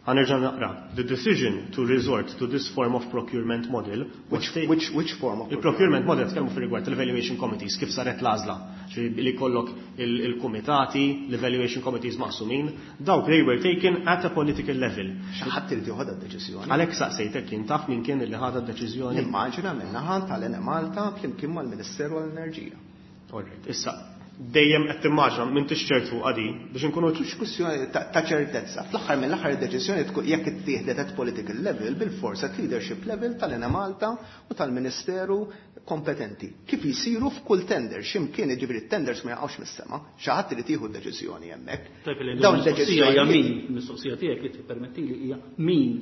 Ħa nerġa' naqra. "The decision to resort to this form of procurement model was Which, taken" which, which form of Il-procurement model tkellmu fir-rigward tal-evaluation committees, kif saret l-għażla. Ġifieri li kollok il-kumitati, l-evaluation committees maqsumin, dawk they were taken at a political level. Xi ħadd irid joħodha d-deċiżjoni. Għalhekk saqsejtek kien taf min kien illi ħadha d-deċiżjoni. Nimmaġina min-naħa tal-Enemalta flimkien mal-Ministeru għall-Enerġija. Alright, issa dejjem qed timmaġina, m'intix ċert fuq għadi biex inkunu Mhux kwistjoni ta' ta' ċertezza. Fl-aħħar mill-aħħar id-deċiżjoni tkun jekk ittieħdet at political level bil-forsa at leadership level tal-Enemalta u tal-Ministeru kompetenti. Kif jisiru f'kull tender, x'imkien, jiġifieri tenders ma jaqgħux mis-sema, xi ħadd irid jieħu d-deċiżjoni hemmhekk. Tajb li Dawn il-mistoqsija hija min, id-deċiżjonijiet il-mistoqsija tiegħek li tippermettili hija min.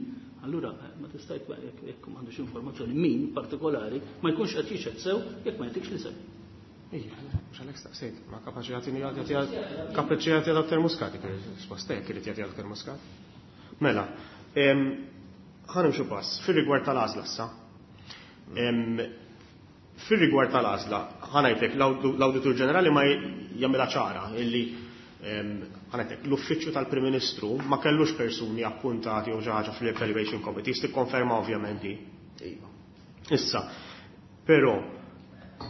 Allura eh, ma tista' jekk jekk m'għandux informazzjoni min partikolari ma jkunx qed jixhed sew jekk ma jtikx li sew. Ija, mhux għalhekk staqsejt, ma kapaċi jagħtini jagħti kapaċi jagħti Dottor Muscat, risposta jekk irid jagħti Dottor Muscat. Mela, em, ħa nimxu pass fir-rigward tal-għażla issa. Em, Fir-rigward tal-għażla, ħa ngħidlek l-Awditur Ġenerali ma jagħmilha ċara illi em, ħa ngħidlek l-Uffiċċju tal-Prim Ministru ma kellux persuni appuntati jew xi ħaġa fl-Evaluation Committee, tikkonferma ovvjament di. Iva. Issa, però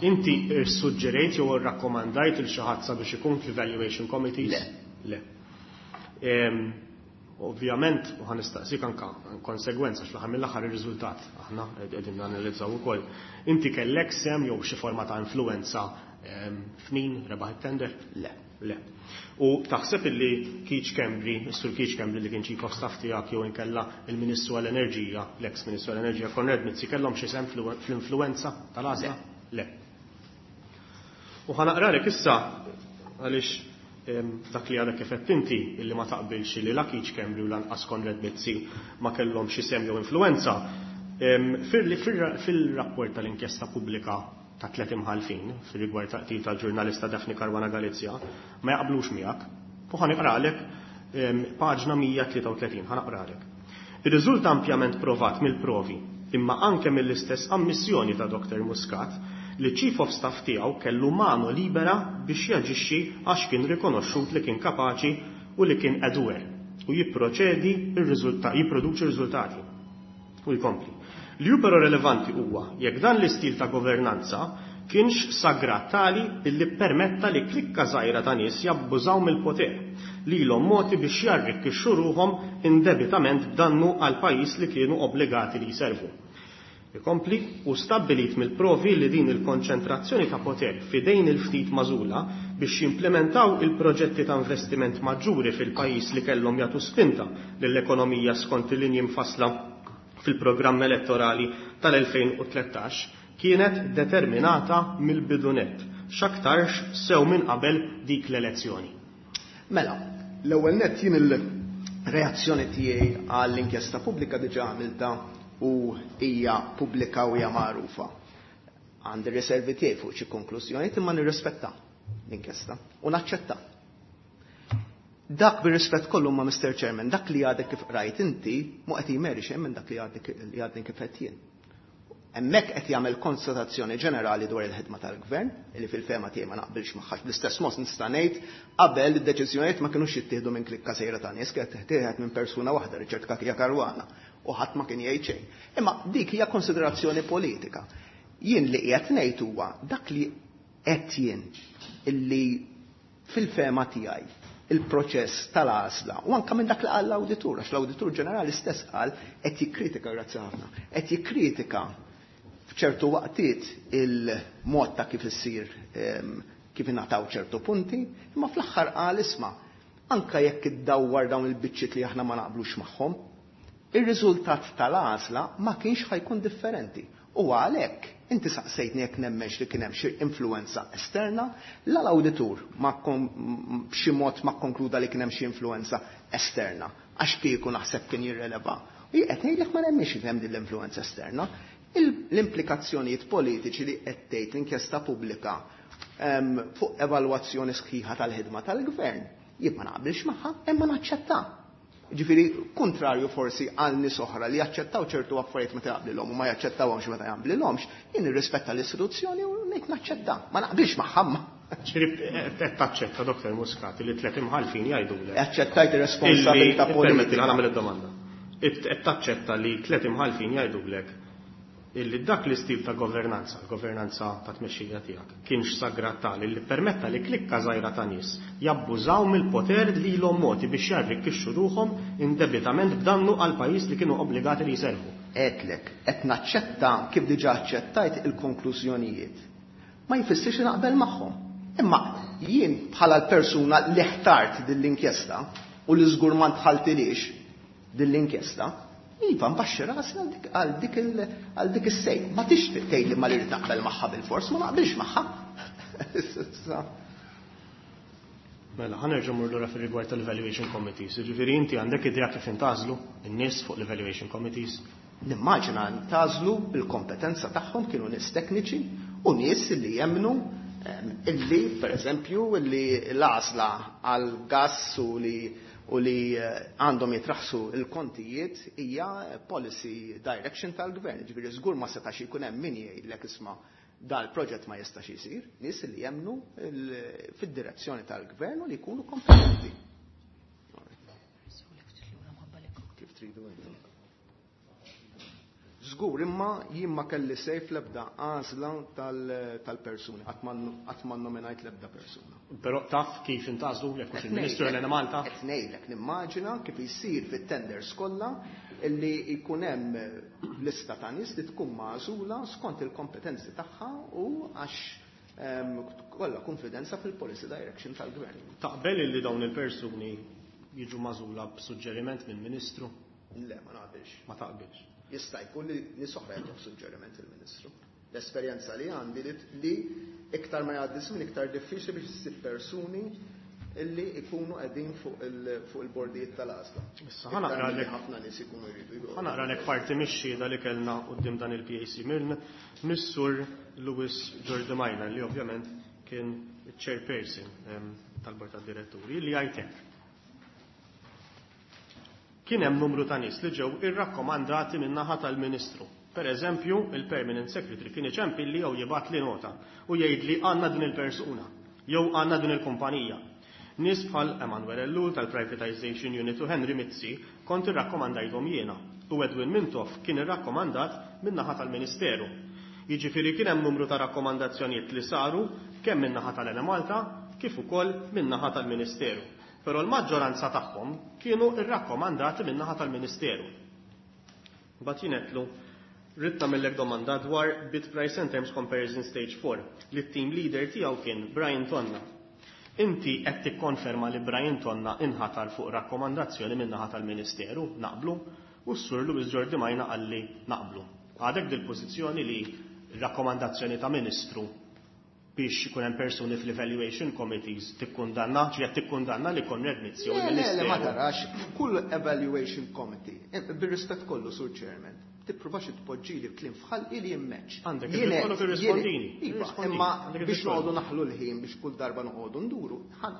inti suġġerejt jew rakkomandajt il xi ħadd sabiex ikun fl-evaluation committees? Le. Le. Em, Ovvjament, u ħa nistaqsik anka konsegwenza x'l-aħħar mill-aħħar ir-riżultat aħna qegħdin nanalizzaw ukoll. Inti kellek sehem jew xi forma ta' influenza em, f'min rebaħ it-tender? Le. Le. U taħseb illi Keith Schembri, is-Sur Keith Schembri li kien chief of staff tiegħek jew inkella il-Ministru għall-Enerġija, l-ex Ministru għall-Enerġija Konrad Mizzi kellhom xi sehem fl-influenza tal-għażla? Le. U ħa naqralek issa għaliex em, dak li għadek kif għedt inti illi ma taqbilx li la Keith Schembri u lanqas Konrad Mizzi ma kellhom xi sehem jew influenza. em, fil- fil- Fil-rapport tal-inkjesta pubblika ta' tlet imħalfin fil-rigward ta' qtil tal-ġurnalista Daphne Caruana Galizia ma jaqblux miegħek. U ħa naqralek em, paġna mija tlieta u tletin, ħa naqralek. Ir-riżulta ampjament provat mill-provi imma anke mill-istess ammissjoni ta' Dottor Muscat li Chief of Staff tiegħu kellu mano libera biex jaġixxi għax kien rikonoxxut li kien kapaċi u li kien a doer u jipproċedi ir-riżultat jipproduċi riżultati. U jkompli. Li hu però relevanti huwa jekk dan l-istil ta' governanza kienx sagrat tali illi permetta li klikka żgħira ta' nies jabbużaw mill-poter lilhom mogħti biex jarrikkixxu ruħhom indebitament b'dannu għal pajjiż li kienu obbligati li jservu. Ikompli u stabbilit mill-provi li din il-konċentrazzjoni ta' poter fidejn il-ftit magħżula biex jimplementaw il-proġetti ta' investiment maġġuri fil-pajjiż li kellhom jagħtu spinta lill-ekonomija skont il-linji mfassla fil-programm elettorali tal-elfejn u tlettax kienet determinata mill-bidunet, x'aktarx sew minn qabel dik l-elezzjoni. Mela, l-ewwel nett jien il-reazzjoni tiegħi għall-inkjesta pubblika diġà għamilta u hija pubblika u hija magħrufa. Għandi riservi tiegħi fuq xi konklużjonijiet imma nirrispetta l-inkjesta u naċċetta. Dak bir-rispett kollu ma' Mister Chairman, dak li għadek kif qrajt inti mu qed jmeri xejn minn dak li għadek li għadni kif qed jien. Hemmhekk qed jagħmel konstatazzjoni ġenerali dwar il-ħidma tal-gvern, li fil-fehma tiegħi ma naqbilx magħha, bl-istess mod nista' ngħid qabel id-deċiżjonijiet ma kinux jittieħdu minn klikka sejra ta' nies, kienet tittieħed minn persuna waħda, Richard Cachia Caruana, u ħadd ma kien jgħid xejn. Imma dik hija konsiderazzjoni politika. Jien li qiegħed ngħid huwa dak li qed jien illi fil-fehma tiegħi il-proċess tal-għażla u anke minn dak li qal l-awditur, għax l-awditur ġenerali stess qal qed jikkritika, grazzi ħafna, qed jikkritika f'ċertu waqtiet il-mod ta' kif issir, ehm, kif ingħataw ċertu punti, imma fl-aħħar qal isma' anke jekk iddawwar dawn il-biċċiet li aħna ma naqblux magħhom, ir-riżultat tal-għażla ma kienx ħajkun differenti. U għalhekk inti saqsejtni jekk nemmenx li kien hemm xi influenza esterna, la l-awditur ma kon-, b'xi mod ma konkluda li kien hemm xi influenza esterna, għax kieku naħseb kien jirreleva. U jien qed ngħidlek ma nemmenx li kien hemm din l-influenza esterna. Il-, l-implikazzjonijiet politiċi li qed tgħid l-inkjesta pubblika, ehm, fuq evalwazzjoni sħiħa tal-ħidma tal-gvern, jien ma naqbilx magħha, imma naċċetta. Ġifieri, kontrarju forsi għal nies oħra li jaċċettaw ċertu affarijiet meta jaqblilhom u ma jaċċettawhomx meta jaqblilhomx, jien nirrispetta l-istituzzjoni u ngħid naċċetta, ma naqbilx magħha. Ġifieri, qed taċċetta, Doktor Muscat, li tliet imħallfin jgħidulek. Aċċettajt ir-responsabilità Illi, politika. Permetti li nagħmel id-domanda. Qed taċċetta li tliet imħallfin jgħidulek illi dak l-istil ta' governanza, l-governanza ta' tmexxija tiegħek, kienx sagrat tali li permetta li klikka żgħira ta' nies jabbużaw mill-poter li ilhom mogħti biex jarrikkixxu ruħhom indebitament b'dannu għal pajjiż li kienu obbligati li jservu. Għedtlek, qed naċċetta kif diġà aċċettajt il-konklużjonijiet. Ma jfissirx li naqbel magħhom. Imma jien bħala l-persuna li ħtart din l-inkjesta u li żgur ma ntħaltilix din l-inkjesta, iva, nbaxxi rasi għal dik, għal dik il-, għal dik is-sejn. Ma tixtieq tgħid li ma li naqbel magħha bil-fors, ma naqbilx magħha. Mela, ħa nerġa' mmur lura fir-rigward tal-evaluation committees. Jiġifieri inti għandek idea kif intgħażlu in-nies fuq l-evaluation committees? Nimmaġina ntgħażlu bil-kompetenza tagħhom, kienu nies tekniċi u nies li jemmnu, ehm, illi, per eżempju, illi l-għażla għal gass u li u li, eh, għandhom jitraħsu il-kontijiet hija policy direction tal-gvern. Ġifieri żgur ma setax ikun hemm min jgħidlek isma' dal-proġett ma jistax isir, nies li jemmnu il-, fid-direzzjoni tal-gvern u li jkunu kompetenti. Kif tridu intom? Żgur, imma jien ma kelli sejf l-ebda għażla tal-, tal-persuni, qatt ma n-, qatt ma nnominajt l-ebda persuna. Però taf kif intgħażlu jekk hux il-Ministru Qed Elena Malta? Qed ngħidlek, nimmaġina kif isir fit-tenders kollha illi jkun hemm lista ta' nies li tkun magħżula skont il-kompetenzi tagħha u għax, ehm, kollha konfidenza fil-policy direction tal-gvern. Taqbel illi dawn il-persuni jiġu magħżula b'suġġeriment mill-Ministru? Le, ma naqbilx. Ma taqbilx. Jista' jkun li nies oħra jagħtu suġġeriment il-Ministru. L-esperjenza li għandi li, li iktar ma jgħaddi żmien iktar diffiċli biex issib persuni illi ikunu qegħdin fuq il-, fuq il-bordijiet tal-għażla. Issa ħa naqra Iktar milli lek ħafna nies ikunu jridu jgħodu. Ħa naqra lek parti mix-xhieda li kellna quddiem dan il-P A C minn Missur Louis Giordimaina li ovvjament kien chairperson, ehm, tal-Bord tad-Diretturi li jgħid hekk. Kien hemm numru ta' nies li ġew irrakkomandati min-naħa tal-Ministru. Per eżempju, il-Permanent Secretary kien iċempilli jew jibgħat li nota u jgħid li għandna din il-persuna jew għandna din il-kumpanija. Nies bħal Emanuel Ellul tal-Privatization Unit u Henry Mizzi kont irrakkomandajthom jiena u Edwin Mintoff kien irrakkomandat min-naħa tal-Ministeru. Jiġifieri kien hemm numru ta' rakkomandazzjonijiet li saru kemm min-naħa tal-Enemalta kif ukoll min-naħa tal-Ministeru. Però l-maġġoranza tagħhom kienu rrakkomandati min-naħa tal-Ministeru. Mbagħad jien għedtlu, ridt nagħmellek domanda dwar Bid Price and Terms Comparison Stage four li t-team leader tiegħu kien Brian Tonna. Inti qed tikkonferma li Brian Tonna inħatar fuq rakkomandazzjoni min-naħa tal-Ministeru, naqblu, u s-Sur Louis Giordimaina qalli naqblu. Għadek dil-pożizzjoni li rakkomandazzjoni ta' Ministru biex ikun hemm persuni fl-evaluation committees tikkundanna, ġi qed tikkundanna li Konrad Mizzi jew Le, le, le, il-Ministeru. ma tarax, f'kull evaluation committee, eh, bir-rispett kollu, Sur Chairman, tippruvax tpoġġili kliem f'ħalqi li jimmeċ. Għandek Jien id-dritt kollok qed- irrispondini. jien- Iva, Irrispondini. imma Għandek biex id-dritt kollu. noqogħdu naħlu l-ħin biex kull darba noqogħdu nduru,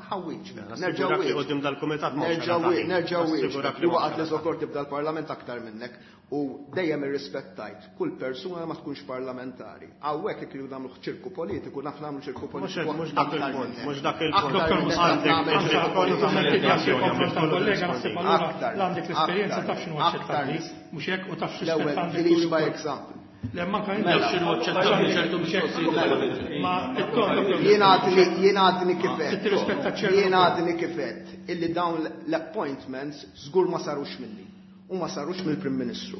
ħawwiġ. Nassigurak li quddiem dal-kumitat ma Nerġa' hawnx wi- nerġa' wieġ. Nassigurak li Li ma waqgħet hawnx li żokorti b'dal-parlament aktar minnek u dejjem irrispettajt kull persuna ma tkunx parlamentari. Hawnhekk jekk iridu nagħmlu ċirku politiku, naf nagħmlu ċirku politiku. Mhux dak aktar il-punt, minnek. mhux dak il-punt. Aktar minnek naf Għandek nagħmel id-dritt ċirku kollu tagħmel politiku. id-dikjarazzjoni, għandek kollu Kollega, naħseb tirrispondini. allura Aktar, għandek l-esperjenza aktar, taf x'inhu aktar. aċċettabbli, mhux hekk u taf L-ewwel, x'rispett għandek release tul by ukoll. example. Le, manka inti. Taf x'inhu aċċettabbli ċertu mistoqsijiet. Ma it-ton Jien għadni jien għadni kifet. Tirrispetta ċertu. Jien għadni kifet illi dawn l-appointments żgur ma sarux minni u ma sarux mill-Prim Ministru.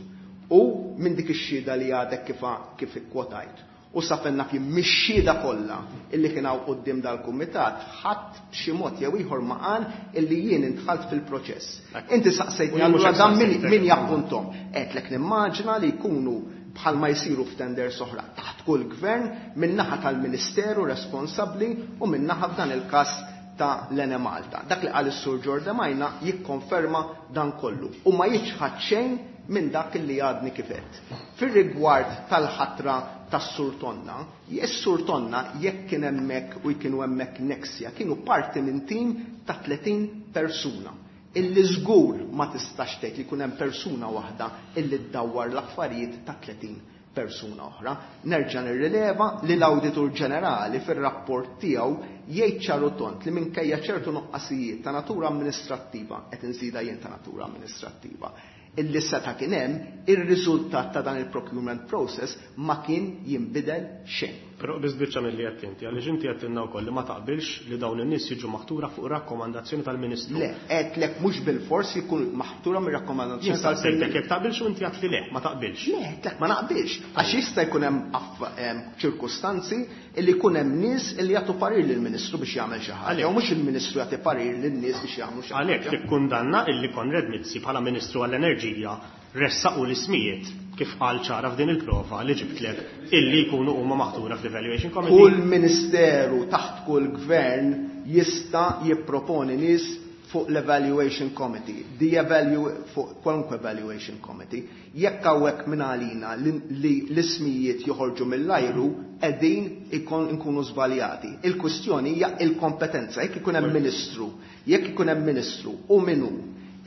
U minn dik ix-xhieda li għadek kif kif ikkwotajt. U sa fejn naf jien mix-xhieda kollha illi kien hawn quddiem dal-kumitat ħadd b'xi mod jew ieħor ma qal illi jien intħalt fil-proċess. Inti saqsejtni U jien mhux allura dan min, saqsejtek. min jappuntom. Għedtlek nimmaġina li jkunu bħalma jsiru f'tenders oħra taħt kull gvern min-naħa tal-Ministeru responsabbli u min-naħa f'dan il-każ ta' l-Enemalta. Dak li qal is-Sur Giordimaina jikkonferma dan kollu u ma jiċħad xejn minn dak li għadni kifet. Fir-rigward tal-ħatra tas-Sur Tonna, is-Sur Tonna jekk kien hemmhekk u kienu hemmhekk Nexia, kienu parti minn tim ta' tletin persuna. Illi żgur ma tistax tgħid li jkun hemm persuna waħda illi ddawwar l-affarijiet ta' tletin persuna oħra. Nerġa' nirrileva li l-Awditur Ġenerali fir-rapport tiegħu jgħid ċaru tont li minkejja ċertu nuqqasijiet ta' natura amministrattiva, qed inżida jien ta' natura amministrattiva, illi seta' kien hemm, ir-riżultat ta' dan il-procurement process ma kien jinbidel xejn. Però biss biċċa milli qed inti, għaliex inti qed tilna wkoll li ma taqbilx li dawn in-nies jiġu maħtura fuq rakkomandazzjoni tal-Ministru. Le, għedtlek mhux bil-fors jkun maħtura mir-rakkomandazzjoni Jien saqsejtek tal-Ministru. jekk taqbilx u inti għedt li le, ma taqbilx. Le, għedtlek ma naqbilx, għax jista' jkun hemm aff-, em, ċirkustanzi illi jkun hemm nies illi jagħtu parir lill-Ministru biex jagħmel xi ħaġa, Għalhekk. jew mhux il-Ministru jagħti parir lin-nies biex jagħmlu xi ħaġa. Għalhekk tikkundanna illi Konrad Mizzi bħala Ministru għall-Enerġija ressaqu l-ismijiet kif qal ċara f'din il-prova li ġibtlek illi jkunu huma maħtura fl-Evaluation Committee. Kull ministeru taħt kull gvern jista' jipproponi nies fuq l-Evaluation Committee, the evalu fuq kwalunkwe Evaluation Committee. Jekk hawnhekk minn għalina li, li l-ismijiet joħorġu mill-ajru, qegħdin ikon nkunu żbaljati. Il-kwistjoni hija il-kompetenza. Jekk ikun hemm ministru, jekk ikun hemm ministru u min hu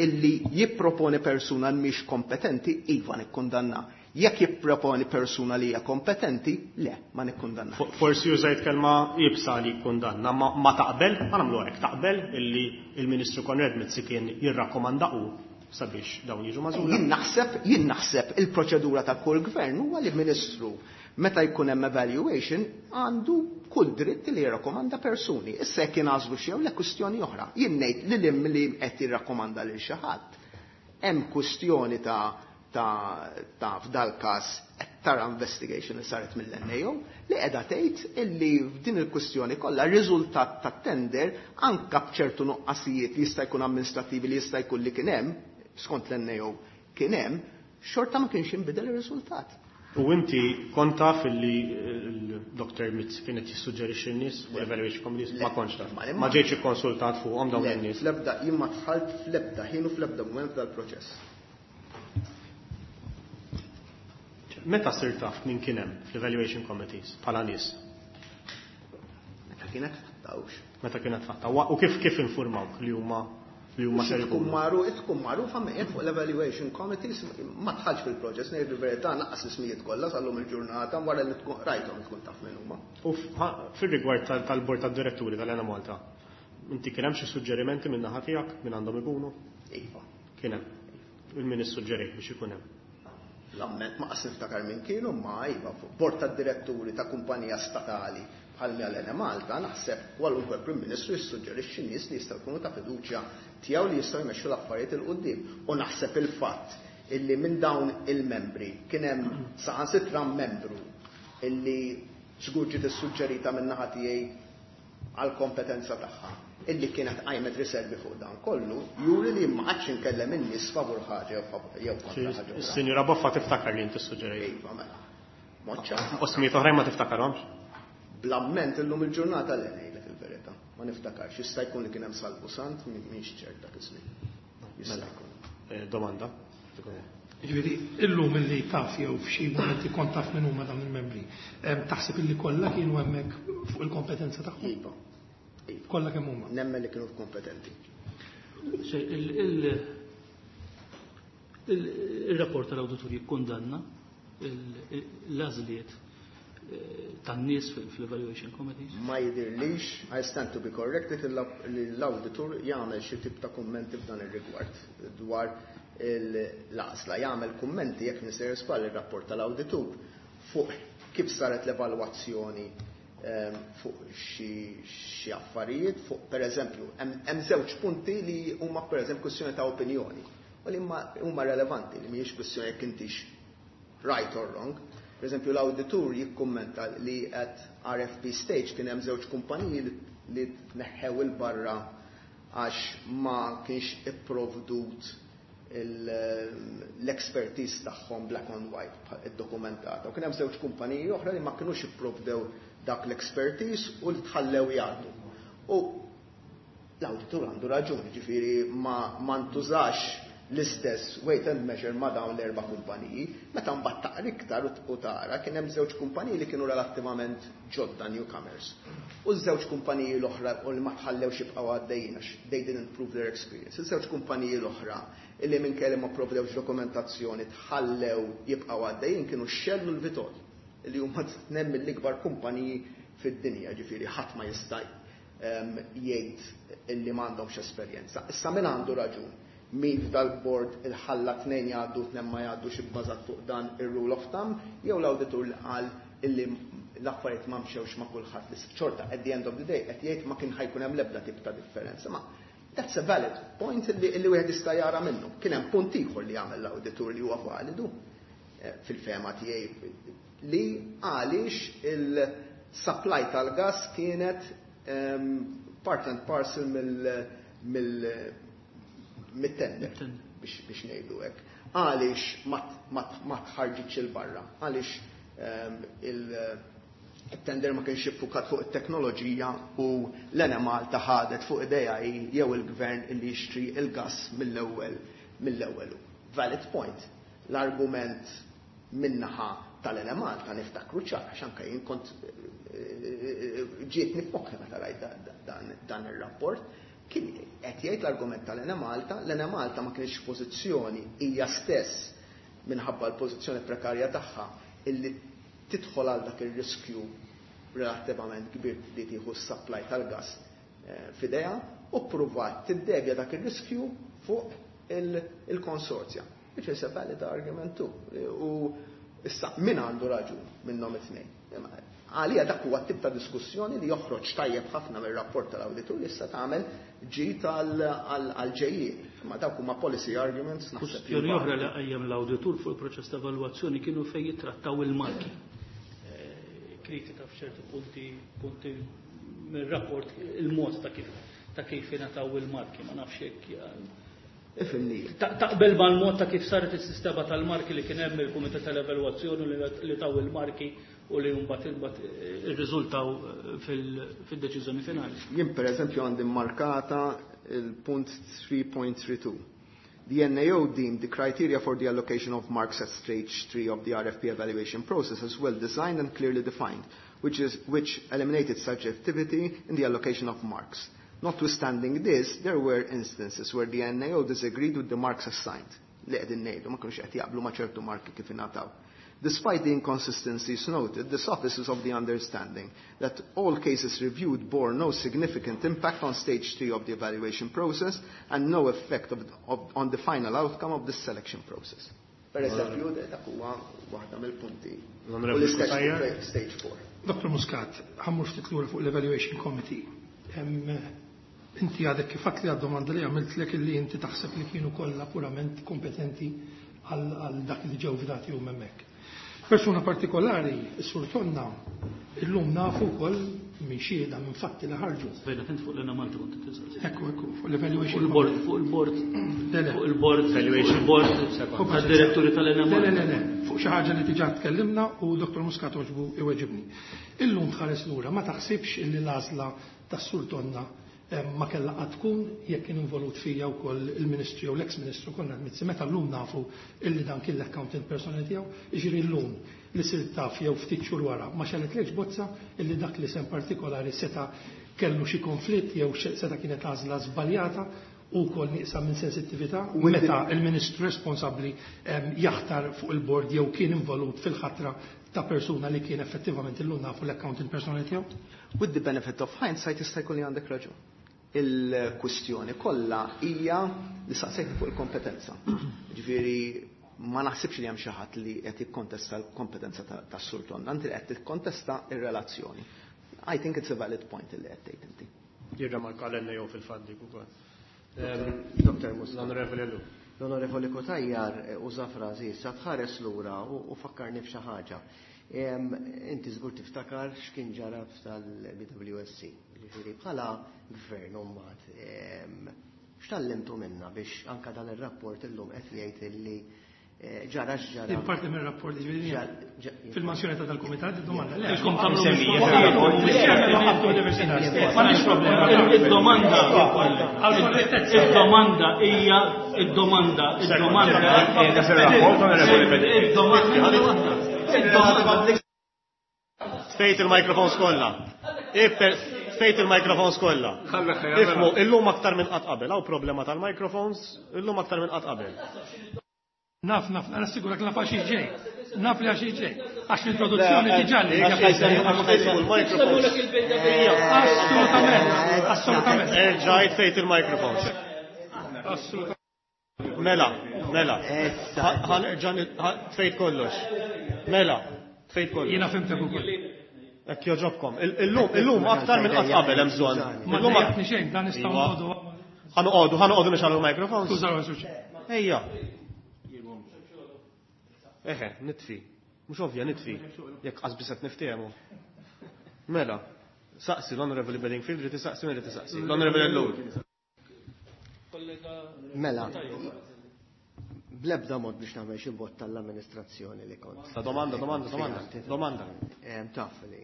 illi jipproponi persuna mhix kompetenti, iva nikkundanna. Jekk jipproponi persuna li hija kompetenti, le, ma nikkundanna. Fo-, Forsi użajt kelma iebsa li kundanna, ma, ma taqbel, ma nagħmlu hekk, taqbel illi il-Ministru Konrad Mizzi kien jirrakkomanda u sabiex dawn jiġu magħżula. Jien naħseb, jien naħseb il-proċedura ta' kull gvern huwa li ministru meta jkun hemm evaluation għandu kull dritt li jirrakkomanda persuni. Issa jekk jingħażlu xi jew le kwistjoni oħra. Jien ngħid li lim li qed jirrakkomanda lil xi ħadd. Hemm kwistjoni ta' ta' ta' f'dal każ qed tara investigation li saret mill-N A O li qiegħda tgħid illi f'din il-kwistjoni kollha r-riżultat tat-tender anke b'ċertu nuqqasijiet li jista' jkun amministrativi li jista' jkun li kien hemm, skont l-N A O kien hemm, xorta ma kienx inbidel ir-riżultat. U inti kont taf illi il-Doktor Mizzi kienet jissuġġerixxi n-nies u l-Evaluation Committees? Ma kontx taf. Ma Ma ġejtx ikkonsultat fuqhom dawn Le, in-nies. fl-ebda, jien ma dħalt fl-ebda ħin u fl-ebda mument dal-proċess. Meta sirt taf min kien hemm fl-Evaluation Committees bħala nies? Meta kienet fattawx. Meta kienet fatta. Wa-, u kif, kif informawk li huma li huma ser Tkun ikunu? magħruf, tkun magħrufa minn fuq l-Evaluation Committees, ma dħalx fil-proċess, ngħid il-verità naqqas l-ismijiet kollha sal-lum il-ġurnata wara li tkun rajthom tkun taf min huma. U f-, ha-, fir-rigward tal-, tal-Bord tad-Diretturi tal-Enemalta, inti kien hemm xi suġġerimenti minn naħa tiegħek minn għandhom ikunu? Iva. Kien hemm. Il-min issuġġerik biex ikun hemm. L-amment ma qas niftakar minn kienu, ma iva, bord tad-diretturi ta' kumpanija statali bħal l-Enemalta, naħseb kwalunkwe Prim Ministru jissuġġerixxi nies li jistgħu jkunu ta' fiduċja tiegħu li jistgħu jmexxu l-affarijiet 'il quddiem. U naħseb il-fatt illi minn dawn il-membri kien hemm saħansitra membru illi żgur ġiet issuġġerita minn naħa tiegħi għal kompetenza tagħha illi kienet qajmet riservi fuq dan kollu, juri li ma qgħadx inkellem in-nies favur ħaġa jew kontra ħaġa. Is-Sinjura Boffa tiftakar li inti suġġerejt. Iva, mela. Moċċa. U smiet oħrajn ma tiftakarhomx? Bl-amment illum il-ġurnata le ngħidlek il-verità. Ma niftakarx, jista' jkun li kien hemm Salvu Sant, m'iniex ċert dak iż-żmien. Jista' Mela. jkun. Eh, Domanda. Ġifieri, illum illi taf jew f'xi momenti kont taf minn huma dawn il-membri, em, taħseb illi kollha kienu hemmhekk fuq il-kompetenza tagħhom? Iva. Iva. Kollha kemm huma. Nemmen li kienu kompetenti. Se, il- il- il- Il-rapport tal-awditur jikkundanna il- l-għażliet eh, tan-nies fil- fil-evaluation committees. Ma jidirlix, I stand to be corrected, li l-auditur jagħmel xi tip ta' kummenti f'dan ir-rigward dwar l-għażla. Jagħmel kummenti jekk nisir żball ir-rapport tal-awditur fuq kif saret l-evalwazzjoni ehm, fuq xi xi affarijiet, fuq pereżempju, hemm hemm żewġ punti li huma pereżempju kwestjoni ta' opinjoni u li huma huma relevanti li mhijiex kwestjoni jekk intix right or wrong. Per eżempju, l-auditur jikkummenta li at R F P stage kien hemm żewġ kumpaniji li- li tneħħew il-barra għax ma kienx ipprovdut il- l-expertise tagħhom black on white bħal- iddokumentata. U kien hemm żewġ kumpaniji oħra li ma kinux ipprovdew dak l-expertise u li tħallew jgħaddu. U l-auditur għandu raġuni, ġifieri ma, ma ntużax l-istess weight and measure ma dawn l-erba' kumpaniji, meta mbagħad taqra iktar u tara kien hemm żewġ kumpaniji li kienu relattivament ġodda, newcomers. U ż-żewġ kumpaniji l-oħra u li ma tħallewx jibqgħu għaddejjin għax they didn't prove their experience. Iż-żewġ kumpaniji l-oħra illi minn kelli ma provdewx dokumentazzjoni tħallew jibqgħu għaddejjin kienu Shell u l-Vitol, li huma tnejn mill-ikbar kumpaniji fid-dinja, ġifieri ħadd ma jista' em, jgħid illi m'għandhomx esperjenza. Issa min għandu raġun? Min f'dal-board il-ħalla tnejn jgħaddu, tnejn ma jgħaddux ibbażat fuq dan ir-rule of thumb, jew l-awditur li qal illi l-affarijiet ma mxewx ma' kulħadd li xorta at the end of the day qed jgħid ma kien ħa jkun hemm l-ebda tip ta' differenza. Ma that's a valid point li, li wieħed jista' jara minnu. Kien hemm punt ieħor li jagħmel l-awditur li huwa validu eh, fil-fehma tiegħi, li għaliex il-supply tal-gas kienet um, part and parcel mill mill mit-tender biex, biex ngħidu hekk. Għaliex ma, ma, ma tħarġitx il-barra, għaliex um, il-tender ma kienx iffukat fuq it-teknoloġija u l-Enemalta ħadet fuq idejha jew il-gvern illi jixtri il-gas mill-ewwel mill-ewwel. Valid point. L-argument min-naħa tal-Enemalta niftakru ċar, għax anke jien kont ġietni f'moħħi meta rajt dan, dan ir-rapport, kien qed jgħid l-argument tal-Enemalta, l-Enemalta ma kienx pożizzjoni hija stess minħabba l-pożizzjoni prekarja tagħha illi tidħol għal dak ir-riskju relattivament kbir li tieħu s-supply tal-gas eh, f'idejha u ppruvat tiddevja dak ir-riskju fuq il-konsorzja. Which is a valid argument too. U issa min għandu raġun minnhom it-tnejn? Għalija dak huwa tip ta' diskussjoni li joħroġ tajjeb ħafna mir-rapport tal-awditur li issa tagħmel ġid għal-ġejjien. Ma dawk huma policy arguments, naħseb. Kwestjoni oħra li qajjem l-awditur fuq il-proċess ta' evalwazzjoni kienu fejn jittrattaw il-marki. Eh, Kritika f'ċerti punti punti mir-rapport il-mod ta' kif ta' kif ingħataw il-marki, ma nafx hekk. Ifhimni. Taqbel mal-mod ta' kif saret is-sistema tal-marki li kien hemm il-kumitat tal-evalwazzjoni li taw il-marki u li mbagħad imbagħad irriżultaw fil-deċiżjoni finali? Jien per eżempju għandi markata il-punt tlieta punt tnejn tlieta. The N A O deemed the criteria for the allocation of marks at stage three of the R F P evaluation process as well designed and clearly defined, which, is, which eliminated subjectivity in the allocation of marks. Notwithstanding this, there were instances where the N A O disagreed with the marks assigned. Li qegħdin ngħidu, ma kinux qed jaqblu ma' ċertu marki kif ingħataw. Despite the inconsistencies noted, this office is of the understanding that all cases reviewed bore no significant impact on stage three of the evaluation process and no effect of, of, on the final outcome of the selection process. Per eżempju, dak huwa waħda mill-punti. U L-Onorevoli l-istess Cutajar. fuq stage four. Dottor Muscat, ħa mmur ftit lura fuq l-Evaluation Committee. Em, Inti għadek kif li għad-domanda li għamiltlek illi inti taħseb li kienu kollha purament kompetenti għal għal dak li ġew fdati u hemmhekk. Persuna partikolari, is-Sur Tonna, illum nafu wkoll minn xhieda minn fatti li ħarġu. Bejna kent fuq l-Enemalta kont tisaqsi. Ekku, ekku, fuq l-Evaluation Fuq il-board, fuq il-board, Le, le. fuq il-board, fuq Evaluation. il-board tad-diretturi Le, le, le, tal-Enemalta. le, fuq xi ħaġa li diġà tkellimna u Dottor Muscat oġbu iweġibni. Illum tħares lura ma taħsibx illi l-għażla tas-Sur Tonna eh, ma kellha qatt tkun jekk kien involut fija wkoll il-Ministru jew l-ex-Ministru Konrad Mizzi meta llum nafu illi dan kien l-accountant personali tiegħu, jiġifieri llum li sirt taf jew ftit xhur wara ma xegħlitlekx bozza illi dak li sem partikolari seta' kellu xi konflitt jew xe- seta' kienet għażla żbaljata u wkoll nieqsa minn sensittività meta il-Ministru responsabbli em, jaħtar fuq il-bord jew kien involut fil-ħatra ta' persuna li kien effettivament illum nafu l-accountant personali tiegħu? With the benefit of hindsight jista' jkun li għandek raġun. Il-kwistjoni kollha hija li saqsejtni fuq il-kompetenza. Ġifieri ma naħsibx li hemm xi ħadd li qed jikkontesta l-kompetenza ta- tas-Sur Tonna, anti li qed tikkontesta ir-relazzjoni. I think it's a valid point li qed tgħid inti. Jirremarka l-N A O fil-fatt dik ukoll. Dottor Muscat. L-Onorevoli Ellul. L-Onorevoli Cutajar eh, uża frażi issa tħares lura u u fakkarni f'xi ħaġa. Em, Inti żgur tiftakar x'kien ġara tal-B W S C. Ġifieri bħala gvern u mbagħad em, x'tallimtu minna biex anka dan ir-rapport illum qed jgħid illi eh, ġara x'ġara. Din parti mir-rapport ġifieri Ġar- ġa- fil-mansjoni ta' dal-kumitat id-domanda. Le, Ilkom tagħmlu Msemmija M'għandix problema. Il-domanda, Għal-korrettezza. il-domanda hija id-domanda, id-domanda. Qiegħda fir-rapport, Onorevoli Bedingfield. Id-domanda. Id-domanda. Tfejt il-microphones kollha. Ipper, tfejt il-microphones kollha. Ifhmu, illum aktar minn qatt qabel, hawn problema tal-microphones, illum aktar minn qatt qabel. Naf, naf, nassigurak naf għax ġej. Naf li għax ġej. Għax l-introduzzjoni diġà li. Il-microphones. Assolutament, assolutament. Erġajt tfejt il-microphones. Assolutament. Mela, mela. Issa. Ħa nerġa' tfejt kollox. Mela, tfejt kollox. Jiena fhimtek ukoll. Jekk jogħġobkom. Illum, illum aktar minn qatt qabel hemm bżonn. Ma Illum dejjaqni xejn, dan nistgħu Iva. noqogħdu. Ħa noqogħdu, ħa noqogħdu nixgħelu l-microphones. Skuża ruħi, Ejja. Eħe, nitfi. Mhux ovvja nitfi. Jekk qas biss qed niftehmu. Mela, saqsi l-Honorable Bedingfield, rid isaqsi min rid isaqsi. L-Honorable Ellul. Mela, blebda mod biex nagħmel xi bot tal-amministrazzjoni li kont. Ta' domanda, domanda, domanda. Domanda. Em, Taf li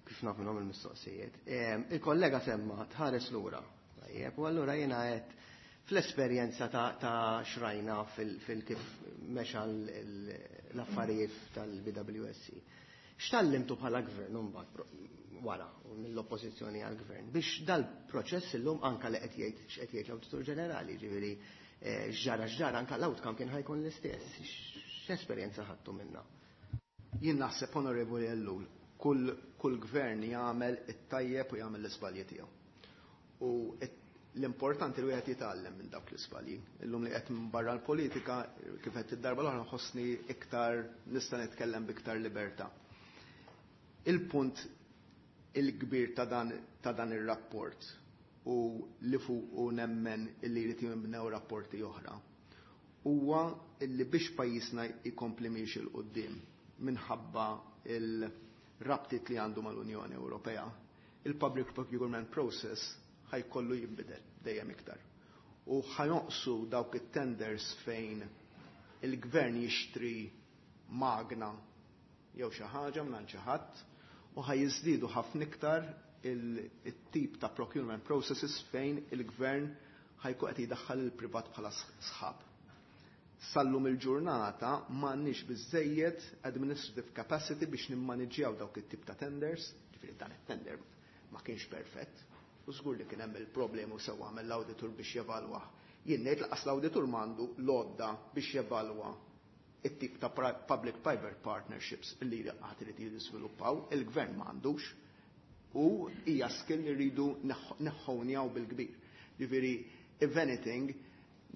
kif naf minnhom il-mistoqsijiet. Em, Il-kollega semma tħares lura. Tajjeb, u allura jiena qed fl-esperjenza ta' ta' xrajna fil-kif mexa l- l-affarijiet tal-B W S C. X'tallimtu bħala gvern mbagħad pro- wara mill-oppożizzjoni għall-gvern biex dal-proċess illum anka li qed jgħid x'qed jgħid l-Awditur Ġenerali, ġifieri eh, x'ġara x'ġara anka l-outcome kien ħa jkun l-istess. X'esperjenza ħadtu minna? Jien naħseb, Onorevoli Ellul, kull, kull gvern jagħmel it-tajjeb u jagħmel l-iżbalji tiegħu. U it- l-importanti li wieħed jitgħallem minn dawk l-iżbalji. Illum li qed minn barra l-politika, kif qed id-darba l-oħra nħossni iktar nista' nitkellem biktar libertà. Il-punt il-kbir ta' dan, ta' dan ir-rapport u li fuq u nemmen illi jrid jinbnew rapporti oħra huwa illi biex pajjiżna jkompli miexi 'l quddiem minħabba il-rabtiet li għandu mal-Unjoni Ewropea, il-public procurement process ħa jkollu jinbidel dejjem iktar. U ħa jonqsu dawk it-tenders fejn il-gvern jixtri magna jew xi ħaġa minn xi ħadd u ħa jiżdiedu ħafna iktar il-tip ta' procurement processes fejn il-gvern ħa jkun qed jidaħħal il-privat bħala sħab. Sallum il-ġurnata m'għandniex biżejjed administrative capacity biex nimmaniġġjaw dawk it-tip ta' tenders, ġifieri dan it-tender ma kienx perfett, u żgur li kien hemm il-problemi u sewwa għamel l-awditur biex jevalwa. Jien ngħid lanqas l-awditur m'għandu l-għodda biex jevalwa it-tip ta' public-private partnerships li għad irid jiżviluppaw, il-gvern m'għandux u hija skill li rridu neħħonjaw bil-kbir. Ġifieri, if anything,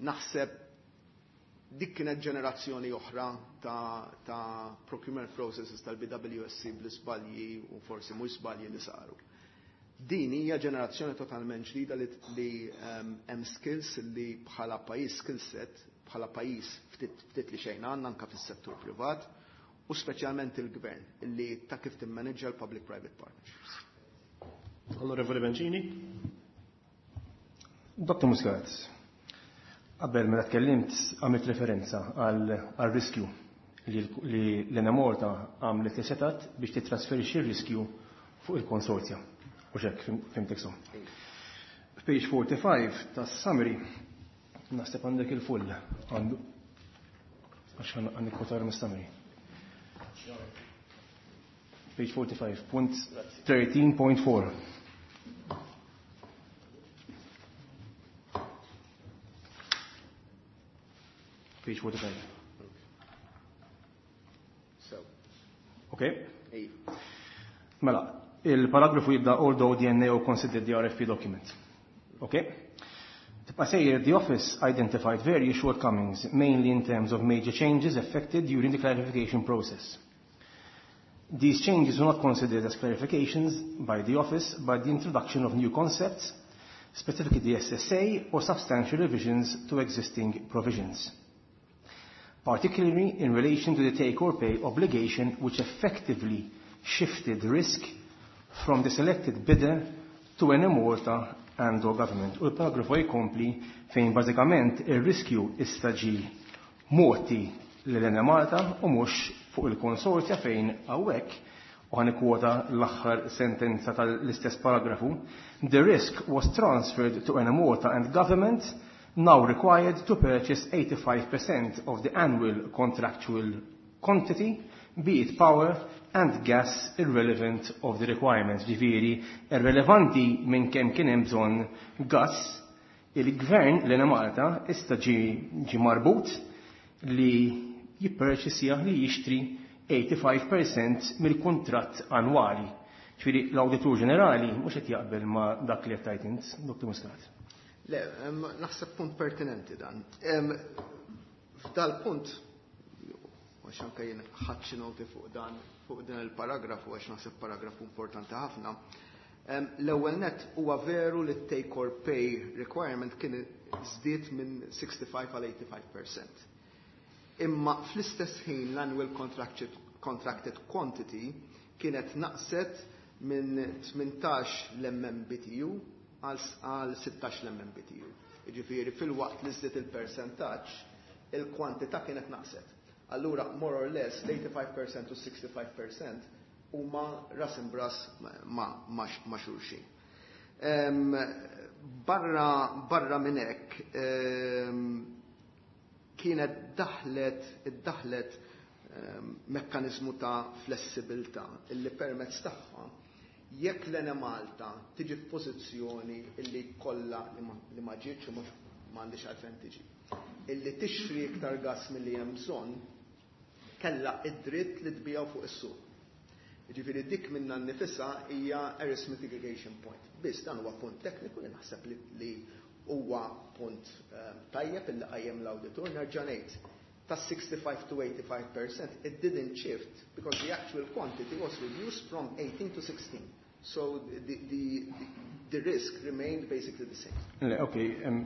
naħseb Dik kienet ġenerazzjoni oħra ta', ta procurement processes tal-B W S C bl-isbalji u forsi mhux żbalji li saru. Din hija ġenerazzjoni totalment ġdida li, li um, hemm skills li bħala pajjiż, skill set bħala pajjiż ftit, ftit li xejn għandna anke fis-settur privat u speċjalment il-gvern illi ta' kif timmaneġġa l-public-private partnerships. Onorevoli Bencini. Doktor Muscat, qabel meta tkellimt għamilt referenza għal riskju li l-Enemalta għamlet li setat biex titrasferixxi r-riskju fuq il-konsorzja. U hekk fhimtek so. Page forty-five tas-summary, naħseb għandek il-full għandu għax għandek kwotar mis-summary. Page forty-five, punt thirteen point four. Page forty-five. So. Okay. Mela, il-paragrafu jibda "although the N A O considered the R F P document". Okay? Tibqa' sejjer, "The office identified various shortcomings, mainly in terms of major changes effected during the clarification process. These changes were not considered as clarifications by the office, but the introduction of new concepts, specifically the S S A or substantial revisions to existing provisions. Particularly in relation to the take or pay obligation, which effectively shifted risk from the selected bidder to Enemalta and or government." U l-paragrafu jkompli fejn bażikament ir-riskju issa ġie mogħti lil Enemalta u mhux fuq il-konsorzja, fejn hawnhekk, u ħa nikkwota l-aħħar sentenza tal-istess paragrafu, "The risk was transferred to Enemalta and government, now required to purchase eighty-five percent of the annual contractual quantity, be it power and gas, irrelevant of the requirements." Ġifieri, irrelevanti minn kemm kien hemm bżonn gas, il-gvern l-Enemalta issa ġi, ġi marbut li jipperċisja, li jixtri eighty-five percent mill-kuntratt annwali. Ġifieri l-Awditur Ġenerali mhux qed jaqbel ma' dak li qed tgħid int, Doktor Muscat. Le, naħseb punt pertinenti dan. F'dal punt, għax anke jien ħadt xi noti fuq dan, fuq din il-paragrafu, għax naħseb paragrafu importanti ħafna. L-ewwel net, huwa veru li take or pay requirement kien żdied minn sixty-five għal eighty-five percent. Imma fl-istess ħin l-annual contracted, contracted quantity kienet naqset minn tmintax l-M M B T U għal sittax l-M M B T U. Ġifieri fil-waqt li żdied il-percentaġġ, il-kwantità kienet naqset. Allura, more or less, l-eighty-five percent u sixty-five percent huma ras imbras ma, ma, ma xulxin. Um, barra, barra minn hekk, um, kienet daħlet, iddaħlet um, mekkanizmu ta' flessibilità illi permezz tagħha jekk l-Enemalta tiġi f'pożizzjoni illi kollha li ma, li ma ġietx u mhux m'għandix għalfejn tiġi, illi tixtri iktar gas milli hemm bżonn, kellha id-dritt li tbiegħu fuq is-suq. Ġifieri dik minnha nnifisha hija a risk mitigation point. Biss dan huwa punt tekniku li naħseb li, li huwa punt um, tajjeb illi qajjem l-awditur. Nerġa' ngħid, ta' sixty-five to eighty-five percent it didn't shift because the actual quantity was reduced from eighteen to sixteen. So the, the, the, the risk remained basically the same. Le, ok, em,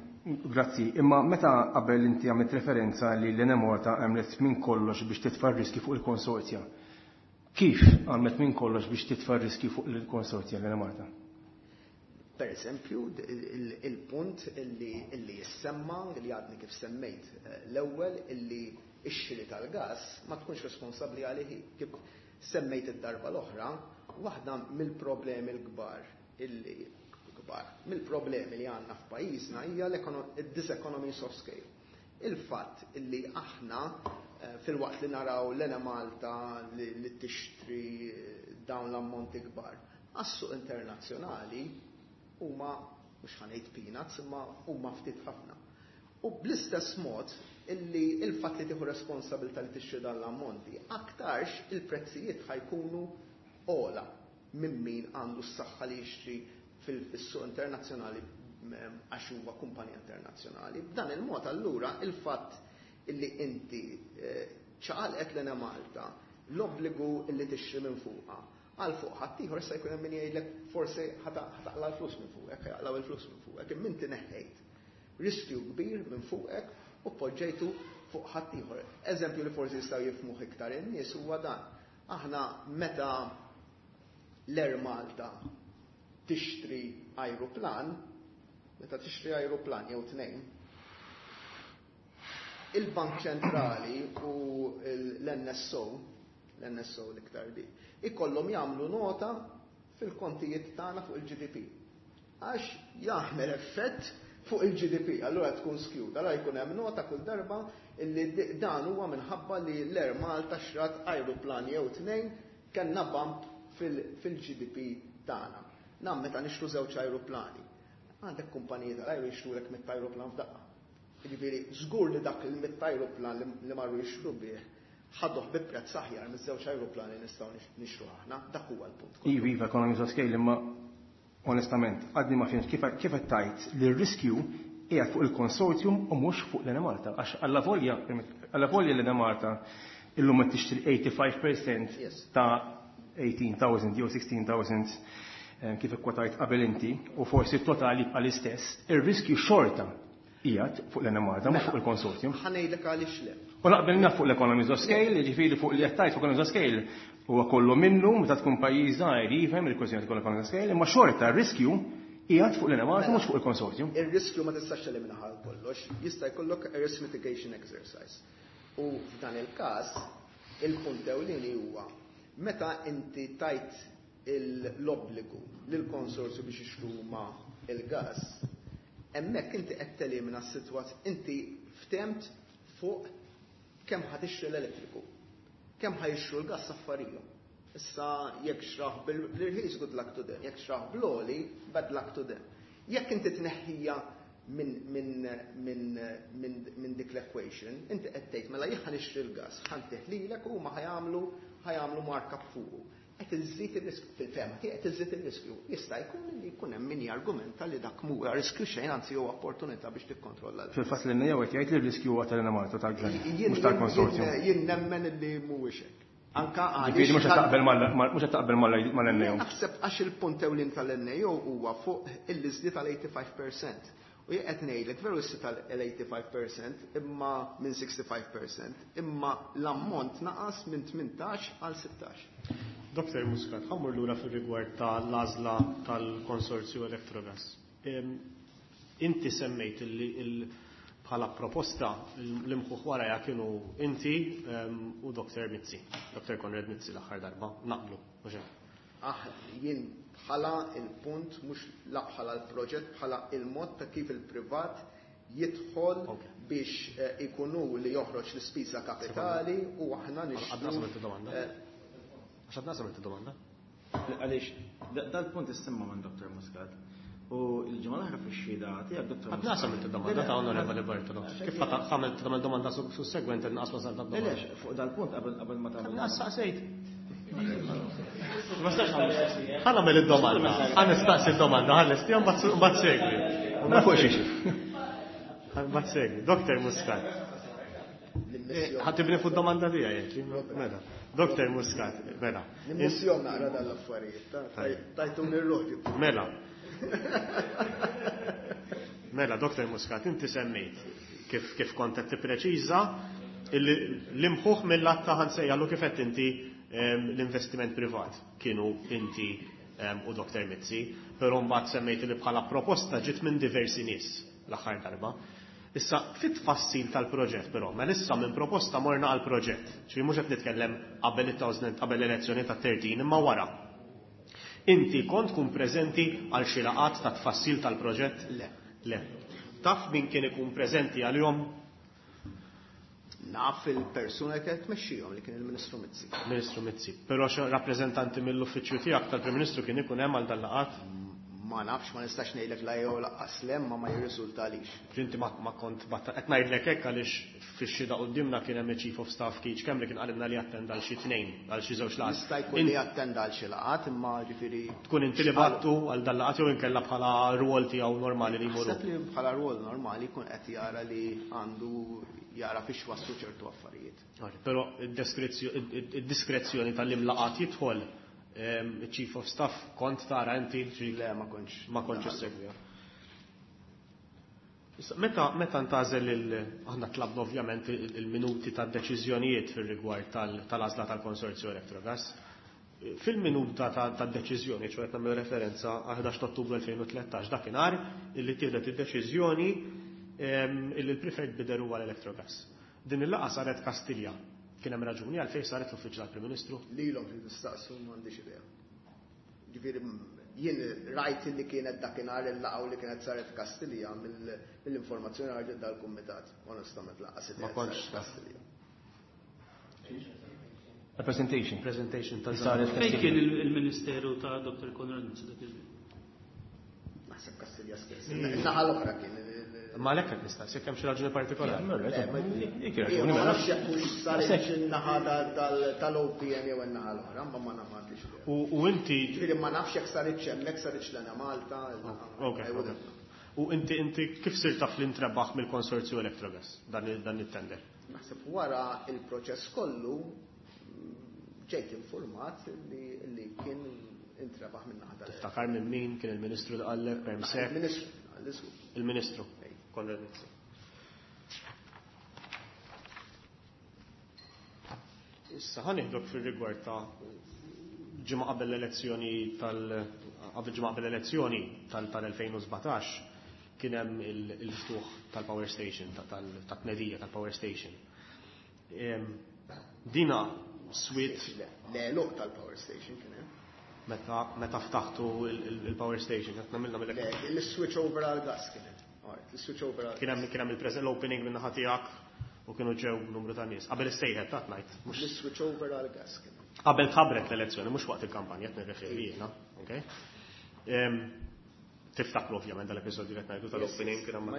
grazzi. Imma meta qabel inti għamilt referenza li l-Enemalta għamlet minn kollox biex titfa' riski fuq il-konsorzja. Kif għamlet minn kollox biex titfa' riski fuq il-konsorzja l-Enemalta? Per eżempju, il-punt illi, illi jissemma, li għadni kif semmejt eh, l-ewwel, illi ix-xiri tal-gas ma tkunx responsabbli għalih. Kif semmejt id-darba l-oħra, waħda mill-problemi l-kbar illi kbar, mill-problemi li għandna f'pajjiżna hija l-diseconomies of scale. Il-fatt illi aħna eh, fil-waqt li naraw l-Enemalta li, li tixtri dawn l-ammonti kbar, għas-suq internazzjonali huma, mhux ħa ngħid peanuts, imma huma ftit ħafna. U bl-istess mod illi il-fatt li tieħu responsabilità li tixtri dan l-ammonti, aktarx il-prezzijiet ħa jkunu ogħla minn min għandu s-saħħa li jixtri fil-suq internazzjonali għax huwa kumpanija internazzjonali. B'dan il-mod allura il-fatt illi inti ċaqalqet l-Enemalta l-obbligu illi tixtri minn fuqha għal fuq ħaddieħor, issa jkun hemm min jgħidlek forsi ħa taqla' l-flus minn fuqek, ħa jaqlaw il-flus minn fuqek, imma inti neħħejt riskju kbir minn fuqek u poġġejtu fuq ħaddieħor. Eżempju li forsi jistgħu jifhmuh iktar in-nies huwa dan. Aħna meta l-Air Malta tixtri ajruplan, meta tixtri ajruplan jew tnejn, il-Bank Ċentrali u l-N S O, l-N S O l-iktar di, ikollhom jagħmlu nota fil-kontijiet tagħna fuq il-G D P. Għax jagħmel effett fuq il-G D P, allura tkun skewed. Allura jkun hemm nota kull darba illi dan huwa minħabba li l-Air Malta xtrat ajruplan jew tnejn, kellna bump fil-G D P tagħna. Nam meta nixtru żewġ ajruplani. Għandek kumpaniji tal-ajru jixtrulek mitt ajruplan f'daqqa. Jiġifieri żgur li dak il-mitt ajruplan li marru jixtru bih ħaduh bi prezz aħjar miż-żewġ ajruplani nistgħu nixtru aħna, dak huwa l-punt. Iva, iva, economies of scale, imma onestament, għadni ma fhimtx kif kif qed tgħid li r-riskju qiegħed fuq il-konsortium u mhux fuq l-Enemalta. Għax alla volja, alla volja l-Enemalta illum qed tixtri tmien u tgħoxrin fil-mija ta' tmintax-elf jew sittax-elf eh, kif ikkwotajt qabel inti, u forsi t-totali jibqa' l-istess, ir-riskju xorta qiegħed fuq l-Enemalta, mhux fuq il-konsortium. Ħa ngħidlek għaliex le. U naqbel naf fuq l-economies of scale, ġifieri fuq li qed fuq economies of scale, huwa kollu minnu meta tkun pajjiż żgħir jifhem il-kwestjoni tkun economies of scale, imma xorta r-riskju qiegħed fuq l-Enemalta, mhux fuq il-konsortium. Ir-riskju ma tistax teliminaha għal kollox, jista' jkollok a risk mitigation exercise. U f'dan il-każ, il-punt ewlieni huwa meta inti tajt l-obbligu lill-konsorzju biex jixtru ma il-gas, hemmhekk inti qed telimina s-sitwazzjoni, inti ftemt fuq kemm ħa tixtri l-elettriku, kemm ħa jixtru l-gas affarijhom. Issa jekk xtrah bil-irħis, good luck to them, jekk xtrah bl-għoli, bad luck to them. Jekk inti tneħħija minn min, min, min, min dik l-equation, inti qed tgħid mela jien ħa nixtri l-gas, ħa ntih lilek u huma ħa jagħmlu ħa jagħmlu markup fuqu. Qed iżżid ir-riskju, fil-fehma tiegħi qed iżżid ir-riskju. Jista' jkun li jkun hemm min jargumenta li dak mhuwa riskju xejn, anzi huwa opportunità biex tikkontrolla. Fil-fatt l-N A O qed jgħid li r-riskju huwa tal-Enemalta, tal-gvern, mhux tal-konsorzjum. Jien nemmen li mhuwiex hekk. Anka Ġifieri mhux qed taqbel mhux qed taqbel mal-N A O. Naħseb għax il-punt ewlien tal-N A O huwa fuq il-liżdi tal-tmien u tgħoxrin fil-mija. U jien qed ngħidlek veru s tal-tmien u tgħoxrin fil-mija imma minn sitta u ħamsin fil-mija, imma l-ammont naqas minn tmintax għal sittax. Doktor Muscat, ħa mmur lura fil-rigward tal-għażla tal-konsorzju Electrogas. Inti semmejt li bħala proposta l-imħuħ wara kienu inti u Doktor Mizzi, Doktor Konrad Mizzi l-aħħar darba, naqblu, mhux hekk? Ah, jien bħala il-punt, mhux la bħala l-proġett, bħala il-mod ta' kif il-privat jidħol biex eh, ikunu li joħroġ l-ispiża kapitali u aħna nixtru. Għadna samilt domanda. Għax għadna samilt domanda. Għaliex, dal-punt issemma minn Doktor Muscat. U l-ġimgħa l-oħra fix-xhieda tiegħek, Doktor Għadna samilt domanda ta' Onorevoli Bartolo. Kif għamilt tagħmel domanda sussegwenti naqas wasal ta' domanda? Għaliex, fuq dal-punt qabel qabel ma tagħmel. Naqas saqsejt. Ma stax ħa nagħmel id-domanda. Ħa nistaqsi id-domanda, ħa nistaqsi mbagħad segwi. Ma fuq xiex. Mbagħad segwi. Doktor Muscat. Ħa tibni fuq domanda tiegħi, mela. Doktor Muscat, mela. Nimmissjom naqra dal-affarijiet, tajtuni r-ruħ. Mela. Mela, Doktor Muscat, inti semmejt kif kif kont qed tippreċiża l-imħuħ mill-att ta' ħa nsejjaħlu kif qed inti l-investiment privat kienu inti u Doktor Mizzi, però mbagħad semmejt li bħala proposta ġiet minn diversi nies l-aħħar darba. Issa, fit-tfassil tal-proġett però, ma issa minn proposta morna għal proġett, ġifieri mhux qed nitkellem qabel it-tawżnent qabel l-elezzjoni ta' tlettax imma wara. Inti kont tkun preżenti għal xi laqgħat ta' tfassil tal-proġett? Le. Le. Taf min kien ikun preżenti għalihom? Naf il-persuna li kienet tmexxihom, li kien il-Ministru Mizzi. Ministru Mizzi. Però xi rappreżentanti mill-uffiċċju tiegħek tal-Prim Ministru kien ikun hemm għal dal-laqgħat? Ma nafx, ma nistax ngħidlek la jew lanqas le, ma ma jirriżultalix. Inti ma ma kont qed ngħidlek hekk għaliex fix-xhieda quddiemna kien hemm Chief of Staff Keith kemm li kien qalilna li attenda għal xi tnejn, għal xi żewġ laqgħat. Jista' jkun li attenda għal xi laqgħat, imma ġifieri tkun inti li bgħattu għal dal-laqgħat jew inkella bħala rwol tiegħu normali li jmorru? Naħseb li bħala rwol normali jkun qed jara li għandu jara fiex waslu ċertu affarijiet. Però id-diskrezzjoni tal-imlaqat jidħol il-Chief of Staff kont tara inti? Le, ma kontx. Ma kontx issegwiha. Meta meta ntgħażel il aħna tlabna ovvjament il-minuti tad-deċiżjonijiet fir-rigward tal-għażla tal-Konsorzju Electrogas. Fil-minuta tad-deċiżjoni, ċoè qed nagħmel referenza għal ħdax ta' Ottubru elfejn u tlettax, dakinhar illi ttieħdet id-deċiżjoni illi l-preferred bidder huwa l-Electrogas. Din il-laqgħa saret Kastilja. Kien hemm raġuni għalfejn saret l-Uffiċċju tal-Prim Ministru? Lilhom trid tistaqsu, m'għandix idea. Ġifieri jien rajt li kienet dakinhar il-laqgħa u li kienet saret Kastilja mill-informazzjoni ħarġet dal-kumitat. Onestament laqgħa Ma kontx Kastilja. A presentation. Presentation ta' Saret Fejn kien il-Ministeru ta' Doctor Konrad Mizzi dak iż-żmien? Naħseb Kastilja stess. Naħa l-oħra kien. Ma għalhekk qed nistaqsi jekk hemm xi raġuni partikolari. Ma nafx jekk hux saret in-naħa tal-O P N jew in-naħa l-oħra, ma ma nafx. U inti Ġifieri ma nafx jekk saritx hemmhekk, saritx l-Ena Malta. U inti inti kif sirt taf li ntrebaħ mill-Konsorzju Electrogas dan it-tender? Naħseb wara il-proċess kollu ġejt informat li kien intrebaħ minn naħa tal- Tiftakar minn min kien il-Ministru li qallek perm sek? Il-Ministru, Il-Ministru. Konrad Mizzi. Issa ħa nieħdok fir-rigward ta' ġimgħa qabel l-elezzjoni tal qabel ġimgħa qabel l-elezzjoni tal-elfejn u sbatax kien hemm il-ftuħ tal-power station, tat-tnedija tal-power station. Dina swit L-għeluq tal-power station kien hemm. Meta, meta ftaħtu il-power station, qed nagħmilna mill-. Le, il-switch over għal gas kien hemm. Il-switch over għal Kien hemm, kien hemm il-present l-opening minn naħa tiegħek u kienu ġew numru ta' nies. Qabel is-sejħet ta' ngħid, mhux Il-switch over għal gas kien hemm. Qabel tħabbret l-elezzjoni, mhux waqt il-kampanja qed nirreferi jiena, okay? Tiftakru ovvjament dal-episodju li qed ngħidu tal-opening kien hemm Ma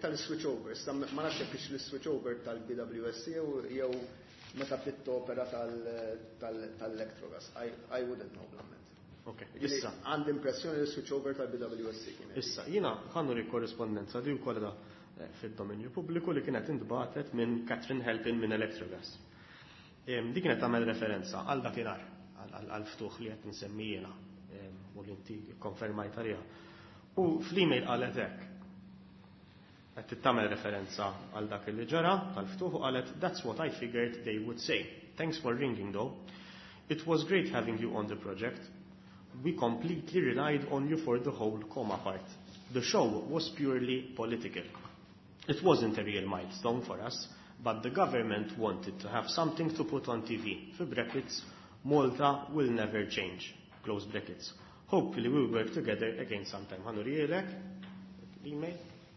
tal-switch over, issa ma nafx jekk l-switch over tal-B W S C jew meta bdiet topera tal-Electrogas. I wouldn't know, blamment. Ok, issa. Għandi impressjoni li switch over tal-B W S C kien. Issa, jiena ħannu ri korrispondenza di wkoll da fid-dominju pubbliku li kienet intbagħtet minn Catherine Halpin minn Electrogas. Di kienet tagħmel referenza għal dakinhar, għal ftuħ li qed insemmi jiena u li inti konfermajt għaliha. U fl-email qalet hekk. Qed tagħmel referenza għal dak li ġara tal-ftuħ u qalet that's what I figured they would say. Thanks for ringing though. It was great having you on the project. We completely relied on you for the whole comma part. The show was purely political. It wasn't a real milestone for us, but the government wanted to have something to put on T V. For brackets, Malta will never change. Close brackets. Hopefully we will work together again sometime. Ħannu rielek, l-email,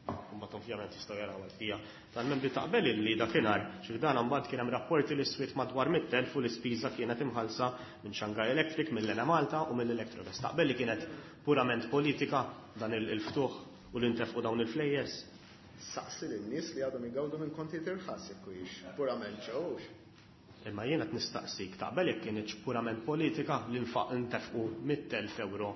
mbagħad ovvjament jistgħu jaraw għal-fija. Tal-membri taqbel illi dakinhar, xi dan mbagħad kien hemm rapporti li swiet madwar mitt elf u l-ispiża kienet imħallsa minn Shanghai Electric, mill-Enemalta u mill-Electrogas. Taqbel li kienet purament politika dan il-ftuħ u l-intefqu dawn il-flejjes? Saqsi lin-nies li għadhom igawdu minn kontijiet irħas jekk hux purament ġewx. Imma jiena qed nistaqsik, taqbel jekk kienx purament politika li nfaq intefqu mitt elf euro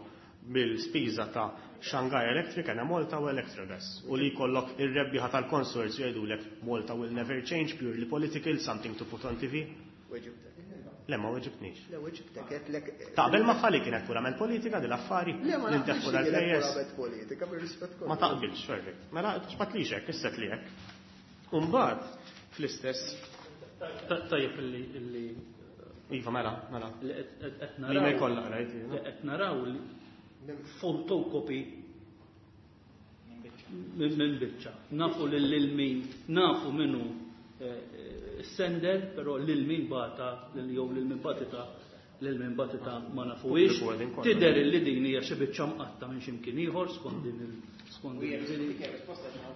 bil-spiża ta' Shanghai Electric, Enemalta u Electrogas u li jkollok ir-rebbieħa tal-konsorzju jgħidulek Malta will never change, purely political, something to put on T V? Weġibtek. Le, ma weġibtnix. Le, weġibtek, għedtlek, Taqbel magħha li kienet purament politika din l-affari? Le, ma Li ntefqu naqbilx li kienet dal-flejjes? purament politika, bir-rispett kollu. Ma taqbilx, perfect. Mela, x'batlix hekk, isset li hekk. U mbagħad fl-istess Tajjeb illi, illi Iva, mela, mela. Li qed, qed, qed Li ma naraw jkollha, rajt, jiena. Li qed naraw li fotokopi minn, minn biċċa. Nafu lil, lil min, nafu minnu, eh, sender, però lil min bata, lil jew lil min batita, lil min batita ma nafuhiex. Pubbliku għedin kollha. Tidher li din hija xi biċċa mqatta minn xi mkien ieħor skont din il-, skont din il-,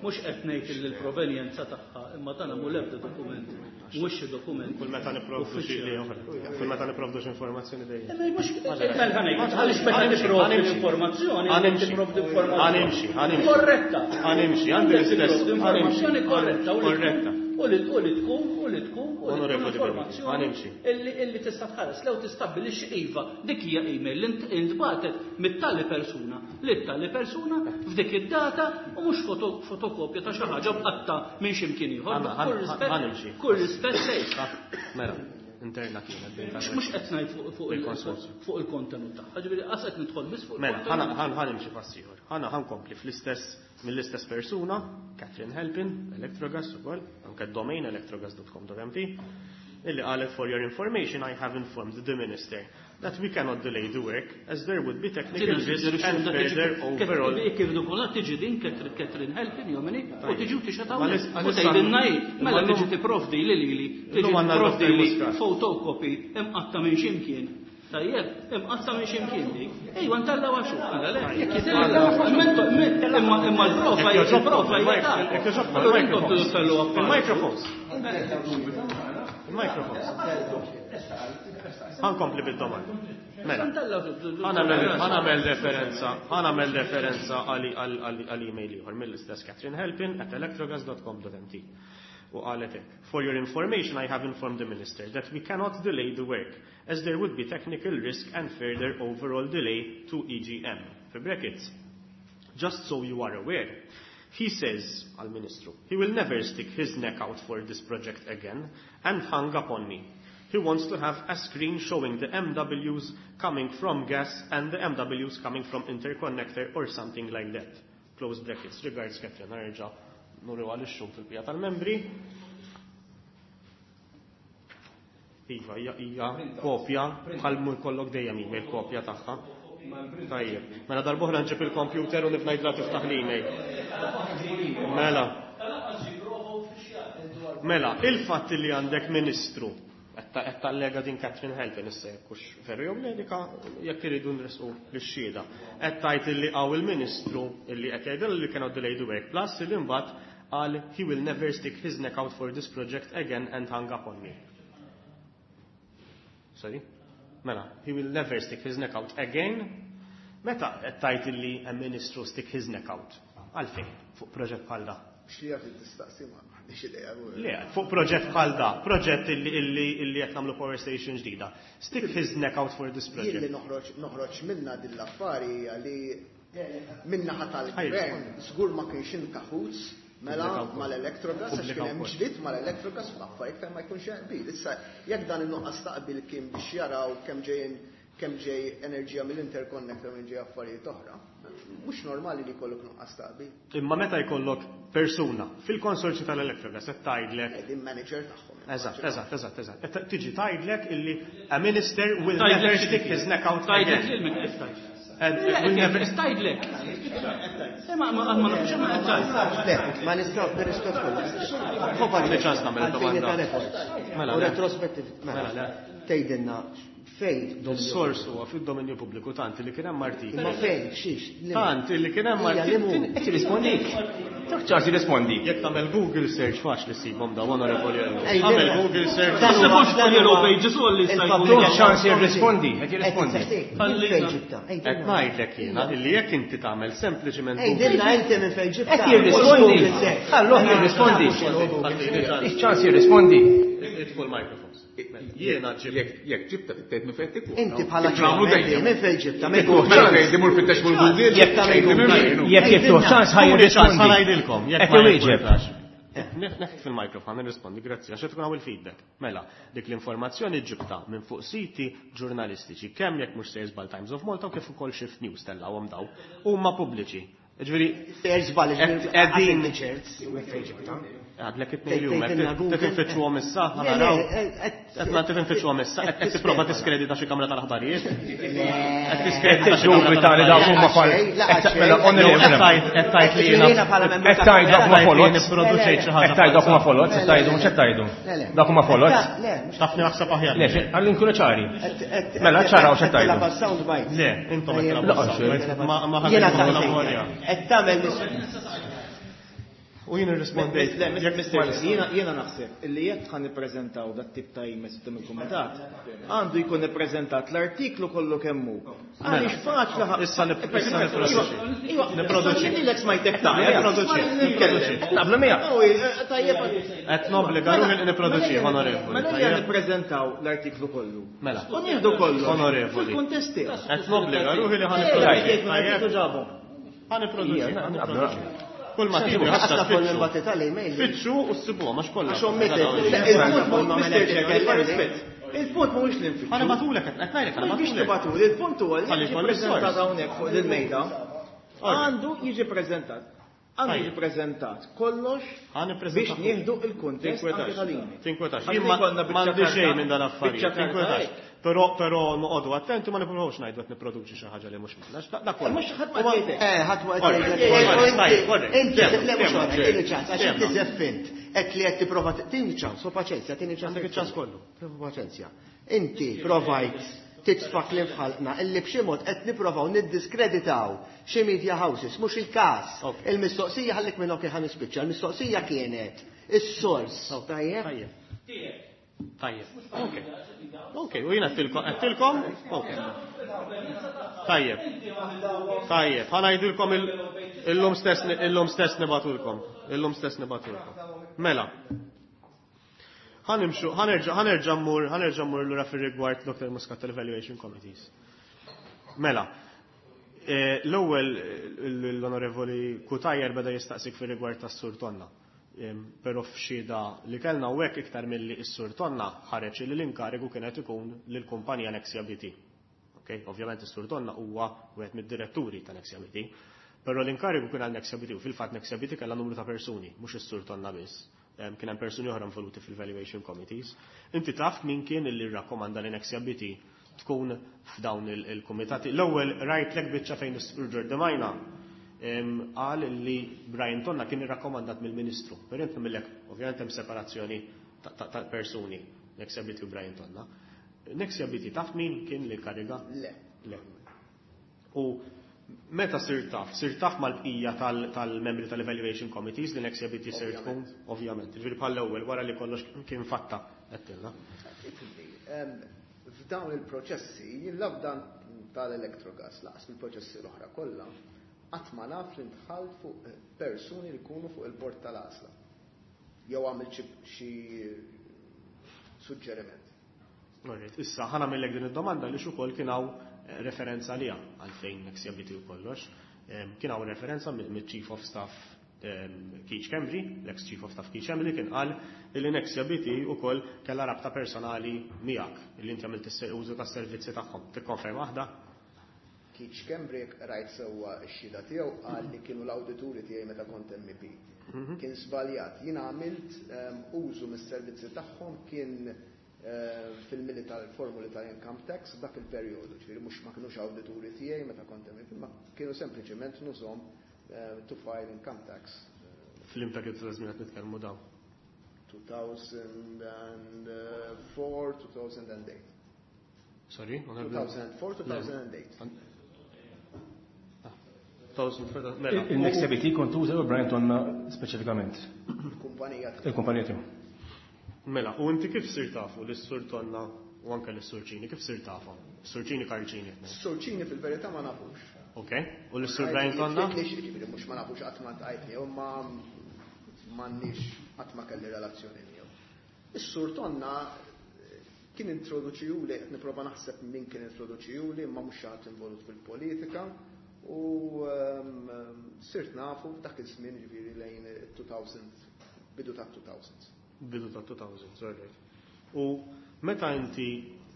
mhux qed ngħid li l-provenjenza tagħha, imma dan mhu l-ebda dokument, mhuwiex xi dokument. Kull meta nipprovdu xi uffiċjali. oħra. Kull meta nipprovdu xi informazzjoni dejjem. Imma mhux mela ħa ngħid, għaliex meta nipprovdu l-informazzjoni, Ħa nimxi. tipprovdu informazzjoni. Ħa nimxi, ħa nimxi. Korretta. Ħa nimxi, għandi l-istess. Tipprovdu informazzjoni korretta u li Korretta. U li u li tkun u li tkun u li tkun informazzjoni illi tista' tħares lew tistabbilixxi iva dik hija email li intbagħtet mit-tali persuna li tali persuna f'dik id-data u mhux fotokopja ta' xi ħaġa bqatta minn xi mkien ieħor. Kull rispett kull rispett lejk. Mela, interna kienet. Mhux qed ngħid fuq il-kontenut tagħha, ġifieri qas qed nidħol biss fuq Mela, ħa nimxi pass ieħor. Ħana ħankompli fl-istess mill-istess persuna, Catherine Halpin, Electrogas ukoll, anke domain electrogas dot com dot m t, illi qalet for your information I have informed the minister that we cannot delay the work as there would be technical risk and further overall. Kif dukuna tiġi din Catherine Halpin jomini u tiġi u tixgħod hawnhekk u tgħidilna hi mela tiġi tipprovdi li lili tiġi tipprovdi li photocopy imqatta minn x'imkien. Tajjeb, imqatta minn x'imkien dik. Ejwa ntellgħu għax xu, mela le. Imma imma l-prova hija l-prova hija. Allura intom tridu tellgħu Il-microphones. Il-microphones. Ħankompli bid-domanda. Mela. Ħa nagħmel referenza, ħa nagħmel referenza għal email ieħor mill-istess Catherine Halpin at electrogas dot com dot m t. U qalet hekk, for your information I have informed the minister that we cannot delay the work as there would be technical risk and further overall delay to E G M. For brackets, just so you are aware, he says, għal-ministru, he will never stick his neck out for this project again and hung up on me. He wants to have a screen showing the M Ws coming from gas and the M Ws coming from interconnector or something like that. Close brackets. Regards, Catherine. Nerġa' nuru għal ix-xhur fil-pija tal-membri. Iva, hija, hija kopja, bħal mur kollok dejjem email kopja tagħha. Tajjeb. Mela darb'oħra nġib il-computer u nifnajdla tiftaħ l-email. Mela. Mela, il-fatt li għandek ministru qed tallega din Catherine Halpin issa jekk hux veru jew le dika jekk iridu nresqu lix-xhieda. Qed tgħid illi hawn il-ministru illi qed jgħidilha li cannot delay the work plus illi mbagħad qal he will never stick his neck out for this project again and hung up on me. Sorry? Mela, he will never stick his neck out again. Meta qed tgħid illi a ministru stick his neck out? Għalfejn fuq proġett bħal da? Xi jaf tistaqsi ma m'għandix idea. Le, fuq proġett bħal da, proġett illi, illi, illi qed nagħmlu power station ġdida. Stick his neck out for this project. Jien li noħroġ, noħroġ minna din l-affari hija li minnaħa tal-gvern żgur ma kienx inkaħuż mela mal-Electrogas, għax kien hemm ġdid mal-Electrogas fl-affarijiet fejn ma jkunx hemm qbil. Issa jekk dan in-nuqqas ta' qbil kien biex jaraw kemm ġejjin kemm ġej enerġija mill-interconnector minn ġej affarijiet oħra, mhux normali li jkollok nuqqas ta' qbil. Imma meta jkollok persuna fil-konsorzju tal-Electrogas qed tgħidlek Eh, din manager tagħhom. Eżatt, eżatt, eżatt, eżatt. Qed tiġi tgħidlek illi a minister will Tgħidlek never xi stick his neck out Tgħidlek again. lil min qed tgħid. And Le, will never tgħidlek. Eh, ma, ma, ma nafx ma qed tgħid. Le, ma nistgħu nirrispett kollha. Fuq Għandi ċans nagħmel għalfejn domanda. ta' records. Mela, U le. retrospettiv, mela. Mela, le. Tgħidilna fejn dominju Is-sors huwa fid-dominju pubbliku tant li kien hemm artiklu. Imma fejn, xiex, li Tant li kien hemm Hija, li artiklu. mhu. Qed jirrispondik. Dak ċans jirrispondi. Jekk tagħmel Google search faċli ssibhom dawn, onorevoli Ellu. Ej, Tagħmel le. Google search. Dan huwa- Ssibux fuq Yellow Pages u għalli sta jkun. Il-public Ċans jirrispondi, qed jirrispondi. Minn fejn ġibta? Ej, Qed ngħidlek jiena illi jekk inti tagħmel sempliċiment Ej, Google dilna inti minn fejn ġibta. Qed jirrispondi. Ħalluh jirrispondi. Iċ-ċans jirrispondi. Idfu l-microphones. Jiena ġib. Jekk jekk ġibta tgħid minn fejn tikku. Inti bħala Kif nagħmlu ċermen, dejjem. minn fejn ġibta, minn Mela Google. fejn timur fittex fuq Google, Jekk tagħmel tgħid minn Google. fejn. Jekk jiftuħ ċans ħaj Tuni ċans jirrispondi. ħa ngħidilkom, jekk Qed ma iwieġeb. jirrifjutax. Neħt fil-mikrofon, nirrispondi, grazzi, għax tkun hawn il-feedback. Mela, dik l-informazzjoni ġibta minn fuq siti ġurnalistiċi, kemm jekk mhux sejjer żball Times of Malta u kif ukoll Shift News tellgħuhom daw, huma pubbliċi. Ġifieri, Sejjer żball, qed ġifieri, qegħdin għad ċert. Minn fejn ġibta? Għadlek it-tnejn li huma, Tgħidilna qed Google. tinfittxuhom issa, Le, le, ħanaraw. qed- Qed ma tinfittxuhom issa, qed qed tipprova tiskredita xi kamra tal-aħbarijiet. Qed tiskredita Qed xi kamra tiddubita li dawk huma fal. Laqgħet xejn, Mela, laqgħet onorevoli. Qed tgħid qed tgħid li jiena Jiena bħala membru Qed tgħid dawk huma qed tgħid li folot. nipproduċejt xi ħaġa. Qed tgħid dawk huma folot, qed tgħidu mhux qed tgħidu. Le, le. Dawk huma folot. Le, mhux Tafni naħseb aħjar. Le, għalli nkunu ċari. qed- qed- Mela, ċaraw x'qed qed tilgħab tgħidu. għas-sound bites. Le, intom qed tilgħabu Laqgħet s-sound bites. xejn. Ma ma Jiena ħadd saqsejtek. memorja. Qed tagħmel mis- U jien irrispondejt. Le, Mister Jiena jiena naħseb illi jekk ħa nippreżentaw dat tip ta' emails quddiem il-kumitat, għandu jkun ippreżentat l-artiklu kollu kemm hu. Għaliex faċli ħa. Issa nipproduċi. Nipproduċi. Lilek smajtek ta' Nipproduċi. Nipproduċi. Naqblu miegħek. Tajjeb. Qed nobbliga ruħi li nipproduċi, onorevoli. Mela ejja nippreżentaw l-artiklu kollu. Mela. U nieħdu kollu. Onorevoli. Fil-kuntest tiegħu. Qed nobbliga ruħi li ħa nipproduċi. Ħa nipproduċi. Ħa nipproduċi. Kull ma tiġi ħassa tfittxu. Fittxu u ssibuha mhux kollha. Għax ommitek. Il-punt mhuwiex li nfittxu. Ħa nibgħatulek qed ngħidlek ħa Mhux biex nibgħatulek. tibgħatuli, il-punt huwa li Ħalli jiġi jkolli ppreżentat sors. hawnhekk fuq il-mejda. Għandu jiġi ppreżentat. Għandu jiġi ppreżentat kollox Ħa nippreżentaw. biex nieħdu il-kuntest anke tal-email. Tinkwetax. Ħalli Jien ma- jkollna biċċa m'għandi karta- xejn minn dan affarijiet. biċċa karta Tinkwetax. hekk. Però però noqogħdu attenti ma nippruvawx ngħidu qed nipproduċi xi ħaġa li mhux minna. Da kollu. Mhux ħadd ma jgħidlek. Eh, ħadd ma Alright, qed alright, alright. Inti, Temma, le mhux temma, għandek, tieni ċans, għax inti temma. żeffint. Qed li qed tipprova tieni ċans, u paċenzja, tieni ċans. Għandek iċ-ċans kollu. Prova paċenzja. Inti provajt titfa' kliem f'ħalqna illi b'xi mod qed nipprovaw niddiskreditaw xi media houses, mhux il-każ. Ok. Il-mistoqsija ħallik minn okej ħa nispiċċa, il-mistoqsija kienet is-sors. Tajjeb? Tajjeb. Tajjeb. Ok. Ok, u jiena għedtilkom, għedtilkom? Ok. Tajjeb. Tajjeb, ħa ngħidilkom il- illum stess illum stess nibgħatulkom. Illum stess nibgħatulkom. Mela. Ħa nimxu, ħa nerġa' ħa nerġa' mmur, ħa nerġa' mmur lura fir-rigward Doctor Muscat tal-Evaluation Committees. Mela, eh, l-ewwel l-Onorevoli Cutajar beda jistaqsik fir-rigward tas-Sur Tonna. Em, Però f'xhieda li kellna u hekk iktar milli s-Sur Tonna ħareġ li l-inkarigu kienet ikun lill-kumpanija Nexia B T. Okay? Ovvjament is-Sur Tonna huwa wieħed mid-diretturi ta' Nexia B T. Però l-inkarigu kien għal Nexia B T u fil-fatt Nexia B T kellha numru ta' persuni, mhux is-Sur Tonna biss. Em, Kien hemm persuni oħra involuti fil-valuation committees. Inti taf min kien illi rrakkomanda li Nexia B T tkun f'dawn il- il-kumitati. L-ewwel rajtlek biċċa fejn is-Sur Giordamajna qal li Brian Tonna kien irrakkomandat mill-Ministru. Per inti millek, ovvjament hemm separazzjoni ta' ta' ta' persuni, Nexia B T u Brian Tonna. Nexia B T taf min kien li kariga? Le. Le. U meta sir taf? Sir taf mal-bqija tal- tal-membri tal-Evaluation Committees li Nexia B T sir tkun? Ovvjament. Ġifieri bħal ewwel wara li kollox kien fatta għedtilna. Ifhimni, em, f'dawn il-proċessi, jien la f'dan tal-Electrogas, lanqas fil-proċessi l-oħra kollha, qatt ma naf li ndħalt fuq eh, persuni li jkunu fuq il-bord tal-għażla. Jew għamilt xi- xi suġġeriment. Alright, issa ħa nagħmillek din id-domanda li ukoll kien hawn eh, referenza għaliha għalfejn Nexia B T u kollox. Em, Kien hawn referenza mid-Chief of Staff em, Keith Schembri, l-ex Chief of Staff Keith Schembri kien qal li Nexia B T ukoll kellha rabta personali miegħek li inti għamilt is- użu tas-servizzi tagħhom. Tikkonferma waħda? Keith Schembri rajt sewwa x-xhieda tiegħu qal li kienu l-awdituri tiegħi meta kont M E P. Kien żbaljat. Jien għamilt em, użu mis-servizzi tagħhom kien eh, fil-mili tal-formuli tal-income tax f'dak il-perjodu, ġifieri mhux ma kinux awdituri tiegħi meta kont M E P, ma kienu sempliċement nużhom eh, to file income tax. F'liema perjodu ta' żmien qed nitkellmu dawn? two thousand four, two thousand eight. Sorry? two thousand four, two thousand eight. Mela. Il-Nexia B T kont tuża u Brian Tonna speċifikament. Il-kumpanija tiegħu. Il-kumpanija tiegħu. Mela, u inti kif sir tafu l-Sur Tonna u anke l-Sur Cini, kif sir tafu? Sur Cini Karl Cini. Sur Cini fil-verità ma nafux. Ok, u l-Sur Brian Tonna? Ġifieri mhux ma nafux qatt ma ltqajt miegħu, ma m'għandniex qatt ma kelli relazzjoni miegħu. Is-Sur Tonna eh, kien introduċijuli, qed nipprova naħseb min kien introduċijuli, ma mhux xi ħadd involut fil-politika u ehm, sirt nafu f'dak iż-żmien ġifieri lejn elfejn, bidu ta' elfejn. Bidu ta' elfejn, sorry. U meta inti,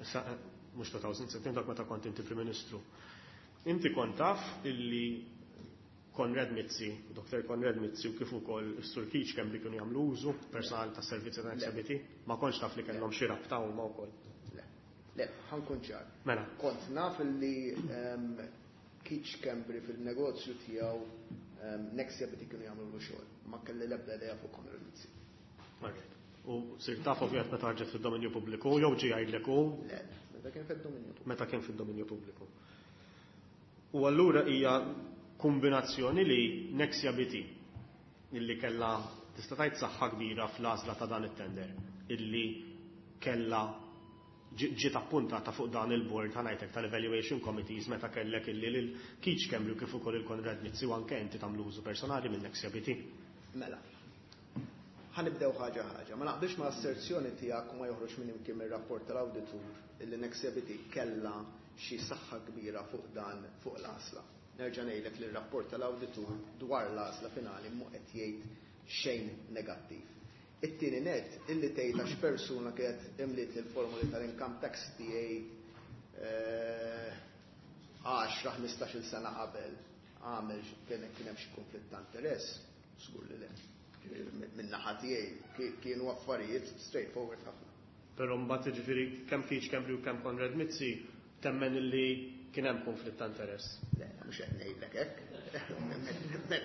sa- mhux elfejn, dak meta kont inti Prim Ministru, inti kont taf illi Konrad Mizzi, Doctor Konrad Mizzi u kif ukoll is-Sur Keith Schembri kienu jagħmlu użu personal ta' servizzi ta' Nexia B T, ma kontx taf li kellhom xi rabta huma wkoll. Le, le, ħa nkun ċar. Mela. Kont naf li um, Keith Schembri fil-negozju tiegħu um, Nexia B T kienu jagħmlu xogħol. Ma kelli l-ebda idea fuq Konrad Mizzi. Alright. U sir taf ovvjament meta ħarġet fid-dominju pubbliku, jew ġie jgħidlek hu Le, meta kien fid-dominju pubbliku. Meta kien fid-dominju pubbliku. U allura hija kombinazzjoni li Nexia B T illi kellha tista' tgħid saħħa kbira fl-għażla ta' dan it-tender illi kellha ġiet appuntata fuq dan il-board ħa ngħidlek tal-evaluation committees meta kellek illi lil Keith Schembri kif ukoll il-Konrad Mizzi u anke inti tagħmlu użu personali minn Nexia B T. Mela. Ħa nibdew ħaġa ħaġa. Ma naqbilx ma' asserzjoni tiegħek u ma joħroġ minn imkien mir-rapport tal-awditur illi Nexia B T kellha xi saħħa kbira fuq dan, fuq l-għażla. Nerġa' ngħidlek li r-rapport tal-awditur dwar l-għażla finali mhu qed jgħid xejn negattiv. It-tieni net, illi tgħid għax persuna kienet imliet il-formuli tal-income tax tiegħi għaxra ħmistax-il sena qabel, għamel kien hemm xi konflitt ta' interess, żgur li le. Min-naħa tiegħi kienu affarijiet straightforward ħafna. Però mbagħad, jiġifieri, kemm Keith Schembri u kemm Konrad Mizzi temmen illi kien hemm konflitt ta' interess. Le, mhux qed ngħidlek hekk.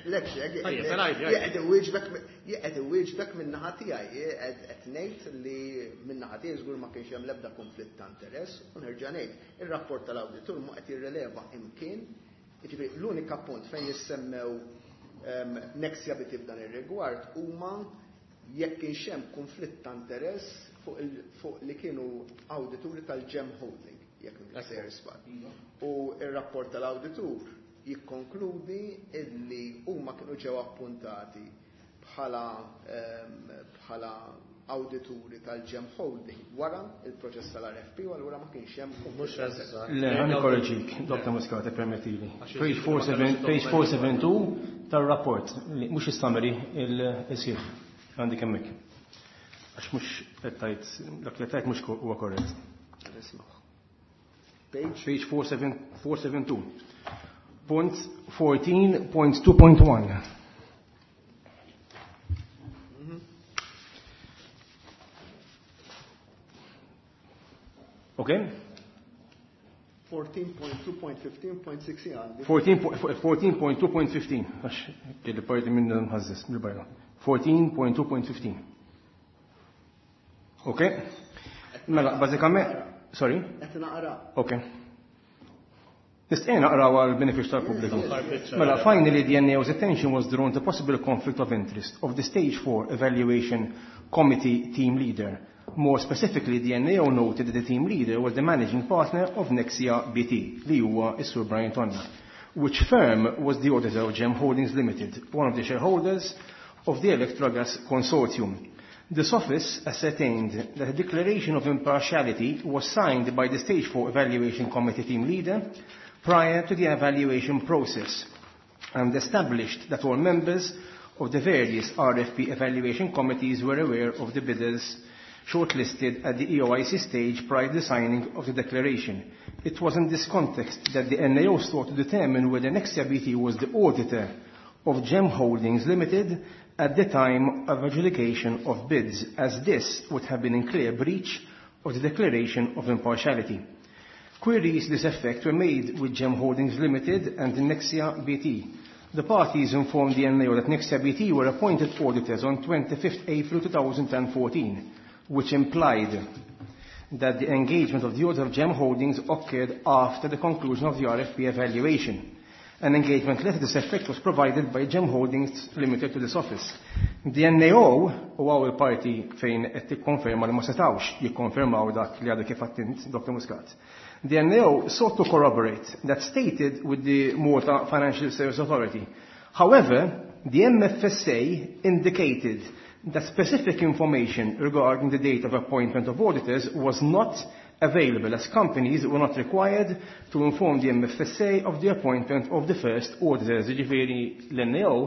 Lek xek. Tajjeb, mela għidi, għidi. Qed iwieġbek qed iwieġbek min-naħa tiegħi, qed ngħid li min-naħa tiegħi żgur ma kienx hemm l-ebda konflitt ta' interess u nerġa' ngħid, ir-rapport tal-awditur mhu qed jirreleva imkien. Jiġifieri l-unika punt fejn jissemmew Nexia B T f'dan ir-rigward huma jekk kienx hemm konflitt ta' interess fuq fuq li kienu awdituri tal-Gem Holding, jekk m'iniex sejjer żball. U ir-rapport tal-awditur jikkonkludi illi huma kienu ġew appuntati bħala bħala awdituri tal-Gem Holding wara il-proċess tal-R F P u allura ma kienx hemm. Mhux eżatt. Le, ħa nikkorreġik, Doktor Muscat, permettili. Page four seven page four seventy-two tal-rapport, li mhux is-summary, il-sħiħ, għandi hemmhekk. Għax mhux qed tgħid, dak li tgħid mhux huwa korrett. Page? Page four seventy-two. Punt fourteen point two point one. Okay? fourteen point two point fifteen point six għandi. fourteen point two point fifteen. Għax kelli parti minn nħazzis, mill-barra. fourteen point two point fifteen. Ok? Mela, bażikament, sorry? Qed naqra. Ok. Nistgħu naqraw għal benefiċċju tal-pubbliku. Mela, finally the N A O's attention was drawn to possible conflict of interest of the Stage four Evaluation Committee team leader. More specifically, the N A O noted that the team leader was the managing partner of Nexia B T, li huwa is-Sur Brian Tonna, which firm was the auditor of Gem Holdings Limited, one of the shareholders of the Electrogas Consortium. This office ascertained that a declaration of impartiality was signed by the Stage four Evaluation Committee team leader prior to the evaluation process and established that all members of the various R F P evaluation committees were aware of the bidders shortlisted at the E O I C stage prior to the signing of the declaration. It was in this context that the N A O sought to determine whether Nexia B T was the auditor of Gem Holdings Limited at the time of adjudication of bids, as this would have been in clear breach of the declaration of impartiality. Queries to this effect were made with Gem Holdings Limited and Nexia B T. The parties informed the N A O that Nexia B T were appointed auditors on twenty-fifth April twenty fourteen, which implied that the engagement of the auditor of Gem Holdings occurred after the conclusion of the R F P evaluation. An engagement letter to this effect was provided by Gem Holdings Limited to this office. The N A O, u hawn il-parti fejn qed tikkonferma li ma setawx jikkonfermaw dak li għadu kif għedt int, Doktor Muscat. The N A O sought to corroborate that stated with the Malta Financial Service Authority. However, the M F S A indicated that specific information regarding the date of appointment of auditors was not available, as companies were not required to inform the M F S A of the appointment of the first auditors. Jiġifieri l-N A O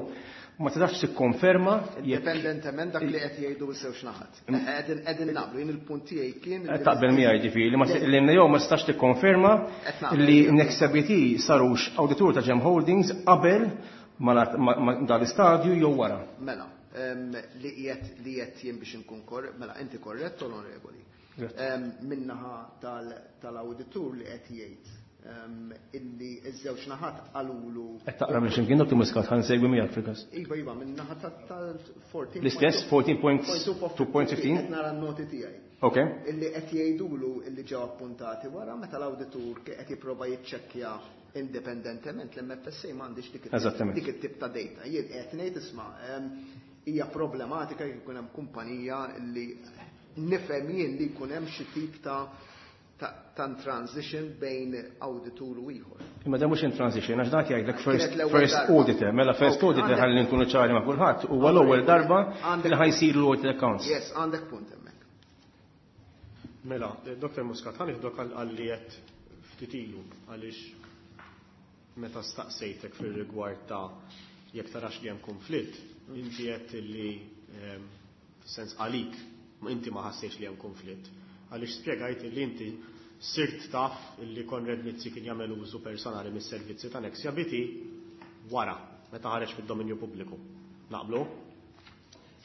ma tistax tikkonferma jekk Indipendentement dak li qed jgħidu żewġ naħat. Qegħdin qegħdin naqblu, jien il-punt tiegħi kien Qed taqbel miegħi, ġifieri li ma l-N A O ma tistax tikkonferma Qed naqbel. Li Nexia B T sarux awditur ta' Gem Holdings qabel ma ma- ma dal-istadju jew wara. Mela, em, li qiegħed li qed jien biex inkun korrett, mela inti korrett, onorevoli. Grazzi. Em, Min-naħa tal-awditur li qed jgħid em, illi ż-żewġ naħat qalulu Qed taqra minn x'imkien, Dottor Muscat, ħa nsegwi miegħek fil-każ. Iva, iva, min-naħa tal-fourteen. L-istess, fourteen point two point fifteen? Qed nara n-noti tiegħi. Ok. Illi qed jgħidulu illi ġew appuntati wara meta l-awditur qed jipprova jiċċekkja Indipendentement l-M F S A m'għandix dik Eżattament. dik it-tip ta' data. Jien qed ngħid, isma', em, hija problematika jekk ikun hemm kumpanija li nifhem jien li jkun hemm xi tip ta' ta' ta' transition bejn awditur u ieħor. Imma dan mhux in transition, għax dak jgħidlek first, Kienet l-ewwel first darba. auditor, mela first Ok, auditor għandek- ħalli nkunu ċari ma' kulħadd, huwa l-ewwel darba Għandek- li ħa jsiru l-audit accounts. Yes, għandek punt hemmhekk. Mela, Doktor Muscat, ħa nieħdok għal li qed ftit ilu, għaliex meta staqsejtek fil-rigward ta' jekk tarax li hemm konflitt, inti qed li ehm, sens għalik, ma inti ma ħassejx li hemm konflitt. Għaliex spjegajt li inti sirt taf li Konrad Mizzi kien jagħmel użu personali mis-servizzi ta' Nexia B T wara, meta ħareġ fid-dominju pubbliku. Naqblu?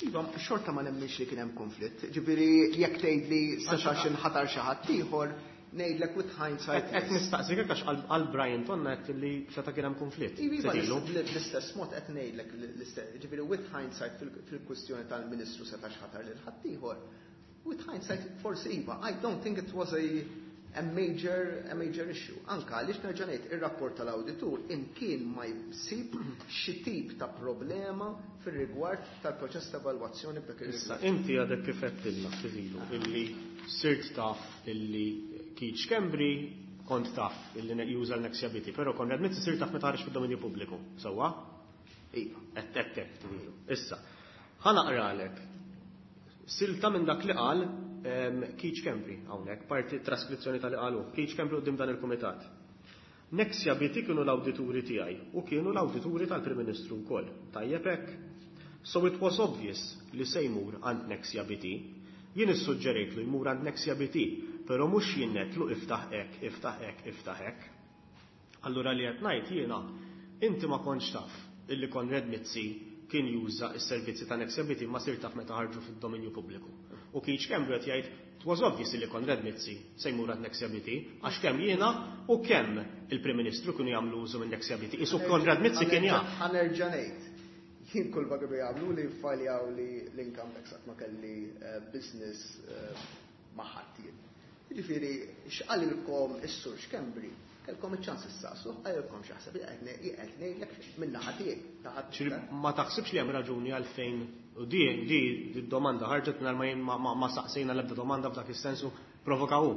Iva, xorta ma nemminx li kien hemm konflitt. Ġifieri jekk tgħid li setax inħatar xi ħadd ieħor, ngħidlek with hindsight. Qed nistaqsik għax għal Brian Tonna qed li seta' kien hemm konflitt. Iva, Ftit ilu. l-istess mod qed ngħidlek l-istess, ġifieri with hindsight fil- fil-kwistjoni tal-Ministru setax ħatar lil ħaddieħor. With hindsight forsi iva, I don't think it was a a major, a major issue. Anka għaliex nerġa' ngħid, ir-rapport tal-awditur imkien ma jsib xi tip ta' problema fir-rigward tal-proċess ta' evalwazzjoni b'dak Issa, ir-rigward. Inti għadek kif għedtilna ftit ilu illi sirt taf illi Keith Schembri kont taf illi ne- juża l-Nexia B T, però Konrad Mizzi sirt taf meta ħareġ fid-dominju pubbliku. Sewwa? Iva. Qed qed hekk ftit ilu. Issa, ħa naqralek silta minn dak li qal em, Keith Schembri hawnhekk, parti traskrizzjoni tal-li qalu. Keith Schembri quddiem dan il-kumitat. "Nexia B T kienu l-awdituri tiegħi u kienu l-awdituri tal-Prim Ministru wkoll. Tajjeb hekk. So it was obvious li se jmur għand Nexia B T. Jien issuġġerejt li jmur għand Nexia B T, però mhux jien għedtlu iftaħ hekk, iftaħ hekk, iftaħ hekk." Allura li qed ngħid jiena, inti ma kontx taf illi Konrad Mizzi kien juża s-servizzi ta' Nexia B T, ma sirt taf meta ħarġu fid-dominju pubbliku. U Keith Schembri qed jgħid it was obvious li Konrad Mizzi se jmur għand Nexia B T għax kemm jiena u kemm il-Prim Ministru kienu jagħmlu użu minn Nexia B T. Isu Konrad Mizzi kien jaf. Ħa nerġa' ngħid. Jien kull ma kienu jagħmlu li faljaw li l-income tax, qatt ma kelli eh, business eh, ma' ħadd jien. Jiġifieri x'qalilkom is-Sur Schembri, kellkom iċ-ċans issaqsu, qalilkom x'jaħseb, qed ngħidlek min-naħa tiegħi. Ta' ħadd Ċiri, ma taħsibx li hemm raġuni għalfejn u di di di domanda ħarġet mingħajr ma jien ma, ma, ma saqsejna l-ebda domanda f'dak is-sensu, provokaw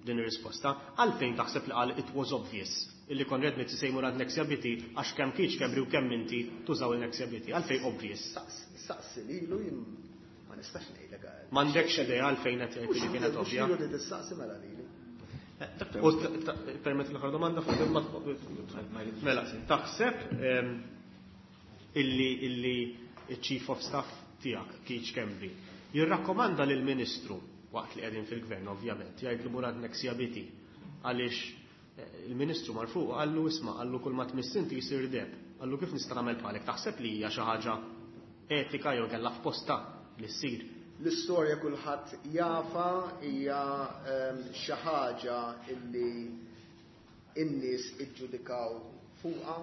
din ir-risposta. Għalfejn taħseb li qal it was obvious illi Konrad Mizzi se jmur għand Nexia B T għax kemm Keith Schembri u kemm inti tużaw il-Nexia B T? Għalfejn obvious? Saqsi lilu, jien ma nistax ngħidlek. M'għandekx idea għalfejn qed jgħid li kienet ovvja? Mhux li tistaqsi mela lili. U t- t- permett l-aħħar domanda fuq il- Mela, taħseb em, illi illi il-Chief of Staff tiegħek, Keith Schembri, jirrakkomanda lil ministru waqt li qegħdin fil-gvern ovvjament, jgħidlu mur għand Nexia B T, għaliex eh, il-ministru mar fuq qallu, isma', qallu, kull ma tmiss inti jsir deheb. Qallu kif nista' nagħmel bħalek? Taħseb li hija xi ħaġa etika jew kellha f'posta li ssir? L-istorja kulħadd jafa, hija ehm, xi ħaġa illi in-nies iġġudikaw fuqha.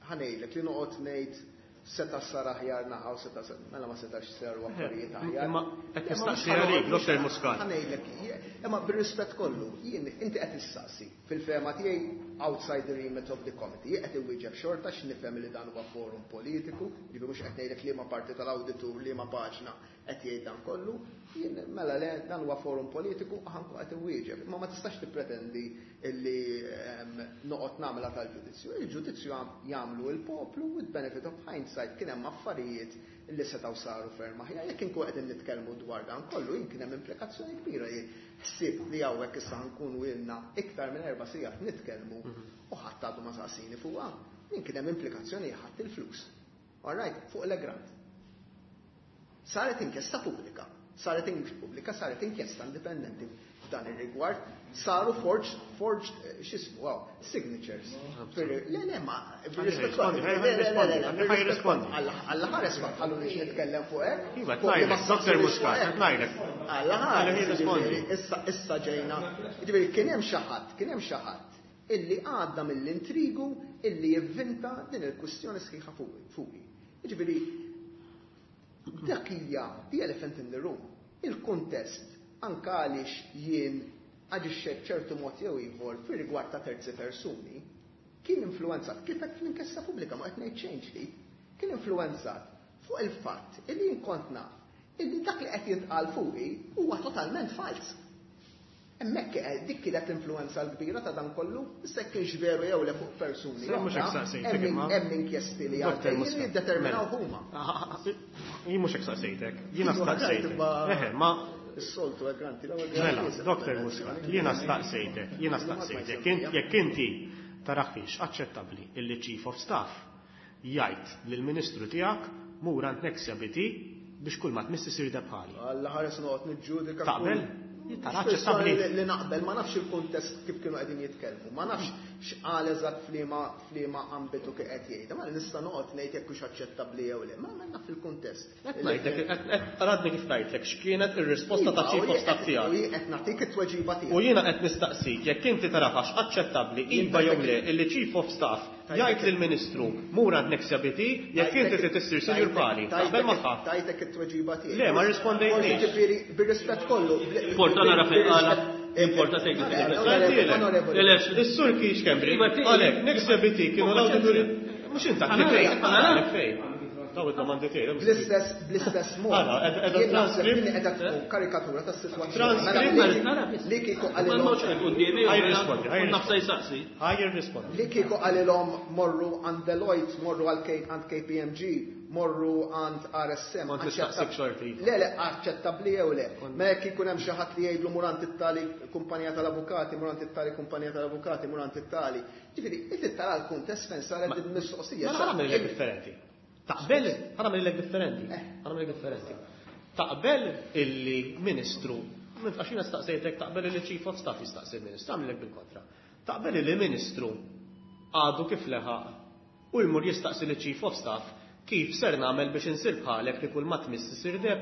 Ħa ngħidlek li noqgħod ngħid seta' sar aħjar naħa u seta' sar, mela ma setax saru affarijiet aħjar. Imma qed Imma nistaqsi mhux għalik, ħa Doktor Muscat. Ħa ngħidlek, imma bir-rispett kollu, jien inti qed issaqsi fil-fehma tiegħi outside the remit of the committee, jien qed iwieġeb xorta x'nifhem li dan huwa forum politiku, jiġifieri mhux qed ngħidlek liema parti tal-awditur, liema paġna qed jgħid dan kollu, jien mela le, dan huwa forum politiku, ħa nkun qed iwieġeb. Imma ma tistax tippretendi illi ehm, noqgħod nagħmilha tal-ġudizzju. Il-ġudizzju jagħmlu il-poplu. With benefit of hindsight kien hemm affarijiet illi setgħu saru ferm aħjar. Jekk inkun qegħdin nitkellmu dwar dan kollu, jien kien hemm implikazzjoni kbira li ħsieb li hawnhekk issa nkunu ilna iktar minn erba' sigħat nitkellmu u ħadd għadu ma saqsini fuqha. Jien kien hemm implikazzjoni ħadd il-flus. All right, fuq l-Egrant. Saret inkjesta pubblika. Saret inkjesta pubblika, saret inkjesta indipendenti f'dan ir-rigward, saru forged, forged, eh, x'ismu, wow, signatures. Le, le, ma, bir-rispett Rispondi, le, le, le, le, le, ħa jirrispondi. Alla alla ħares ma tħallunix nitkellem fuq hekk. Iva, Fuq li ma ngħidlek, Doktor saqsunix Muscat, fuq hekk. ngħidlek. Alla Ħalli ħares, jirrispondi. ġifieri, issa issa ġejna. Ġifieri kien hemm xi ħadd, kien hemm xi ħadd illi għadda mill-intrigu illi jivvinta din il-kwistjoni sħiħa fuqi. fuqi. Ġifieri dak hija the elephant in the room. Il-kontest anka għaliex jien aġixxejt b'ċertu mod jew ieħor fir-rigward ta' terzi persuni, kien influenzat, kif qed fl-inkjesta pubblika ma qed ngħid xejn ġdid, kien influenzat fuq il-fatt illi jien kont naf illi dak li qed jintqal fuqi huwa totalment fals. Hemmhekk dik kienet l-influenza l-kbira ta' dan kollu, issa kienx veru jew le fuq persuni. Hemm inkjesti li għaddejjin li jiddeterminaw huma. Jien mhux hekk saqsejtek, jiena staqsejtek. Eħe, ma Is-soltu granti l-ewwel. Mela, Doktor Muscat, jiena staqsejtek, jiena staqsejtek, jekk inti taraħiex aċċettabbli illi Chief of Staff jgħid lill-Ministru tiegħek mur għand Nexia B T biex kull ma tmiss isir bħali. Alla ħares noqgħod niġġudika. Taqbel? Tara aċċettabbli. Li naqbel, ma nafx il-kuntest kif kienu qegħdin jitkellmu, ma nafx x'qal eżatt f'liema f'liema ambitu kif qed jgħid. Ma nista' noqgħod ngħid jekk hux aċċettabbli jew le, ma naf il-kuntest. Qed ngħidlek, għadni kif ngħidlek x'kienet ir-risposta ta' Chief of Staff tiegħek. U qed nagħtik it-tweġiba tiegħek. U jiena qed nistaqsik jekk inti tarahax aċċettabbli iva jew le illi Chief of Staff jgħid lill-Ministru mur għand Nexia B T jekk inti trid issir sinjur bħali. Taqbel magħha? Tajtek it-tweġiba tiegħek. Le, ma rispondejtniex. Ġifieri bir-rispett kollu. Porta nara fejn qala, importa tgħid. Is-Sur Keith Schembri, għalek, Nexia B T kienu l-awdituri, mhux inta fejn. Daw id-domandi tiegħi. Bl-istess bl-istess mod. Jien naħseb li qiegħda tkun karikatura tas-sitwazzjoni. Li kieku qalilhom. Ħa jirrispondi, Nafsa jsaqsi. Ħa jirrispondi. Li kieku qalilhom morru għand Deloitte, morru għand K P M G, morru għand R S M. Kont nistaqsik xorti. Le, le, aċċettabbli jew le. Ma jekk ikun hemm xi ħadd li jgħidlu mur għand it-tali kumpanija tal-avukati, mur għand it-tali kumpanija tal-avukati, mur għand it-tali. Ġifieri, inti tara l-kuntest fejn saret il-mistoqsija. Mela ħa nagħmel differenti. Taqbel, ħa nagħmel differenti. Ħa nagħmel differenti. Taqbel illi ministru, għax jiena staqsejtek taqbel illi Chief of Staff jistaqsi il-ministru, għamilek bil-kontra. Taqbel illi ministru għadu kif leħaq u jmur jistaqsi li Chief of Staff kif ser nagħmel biex insir bħalek li kull ma tmiss isir deheb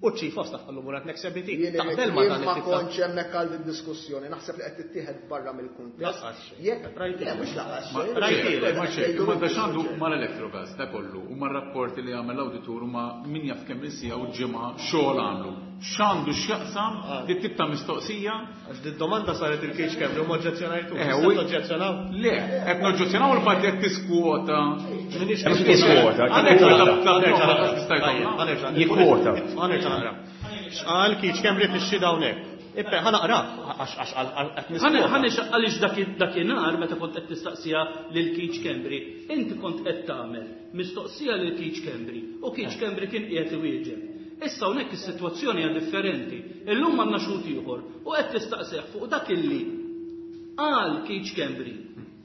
u Chief of Staff qallu mur għand Nexia B T. Taqbel ma dan Ma kontx hemmhekk għal din diskussjoni, naħseb li qed tittieħed barra mill-kuntest. Jekk le mhux laqas. Ma da x'għandu mal-Electrogas da kollu u mar-rapporti li għamel l-awditur u ma min jaf kemm il-siegħa u ġimgħa xogħol għamlu. X'għandu x'jaqsam dit tip ta' mistoqsija? Għax di domanda saret lil Keith Schembri u ma oġġezzjonajtu. Oġġezzjonaw? Le, qed noġġezzjonaw il-fatt qed tiskwota. Tiskwota. Jikkwota. Naqra. X'qal Keith Schembri fix-xhieda hawnhekk? Ippe, ħa naqra, għax għax Ħa għaliex dakinhar meta kont qed tistaqsija lil Keith Schembri, inti kont qed tagħmel mistoqsija lil Keith Schembri u Keith Schembri kien qiegħed iwieġeb. Issa hawnhekk is-sitwazzjoni hija differenti. Illum għandna xhud ieħor u qed tistaqsih fuq dak illi qal Keith Schembri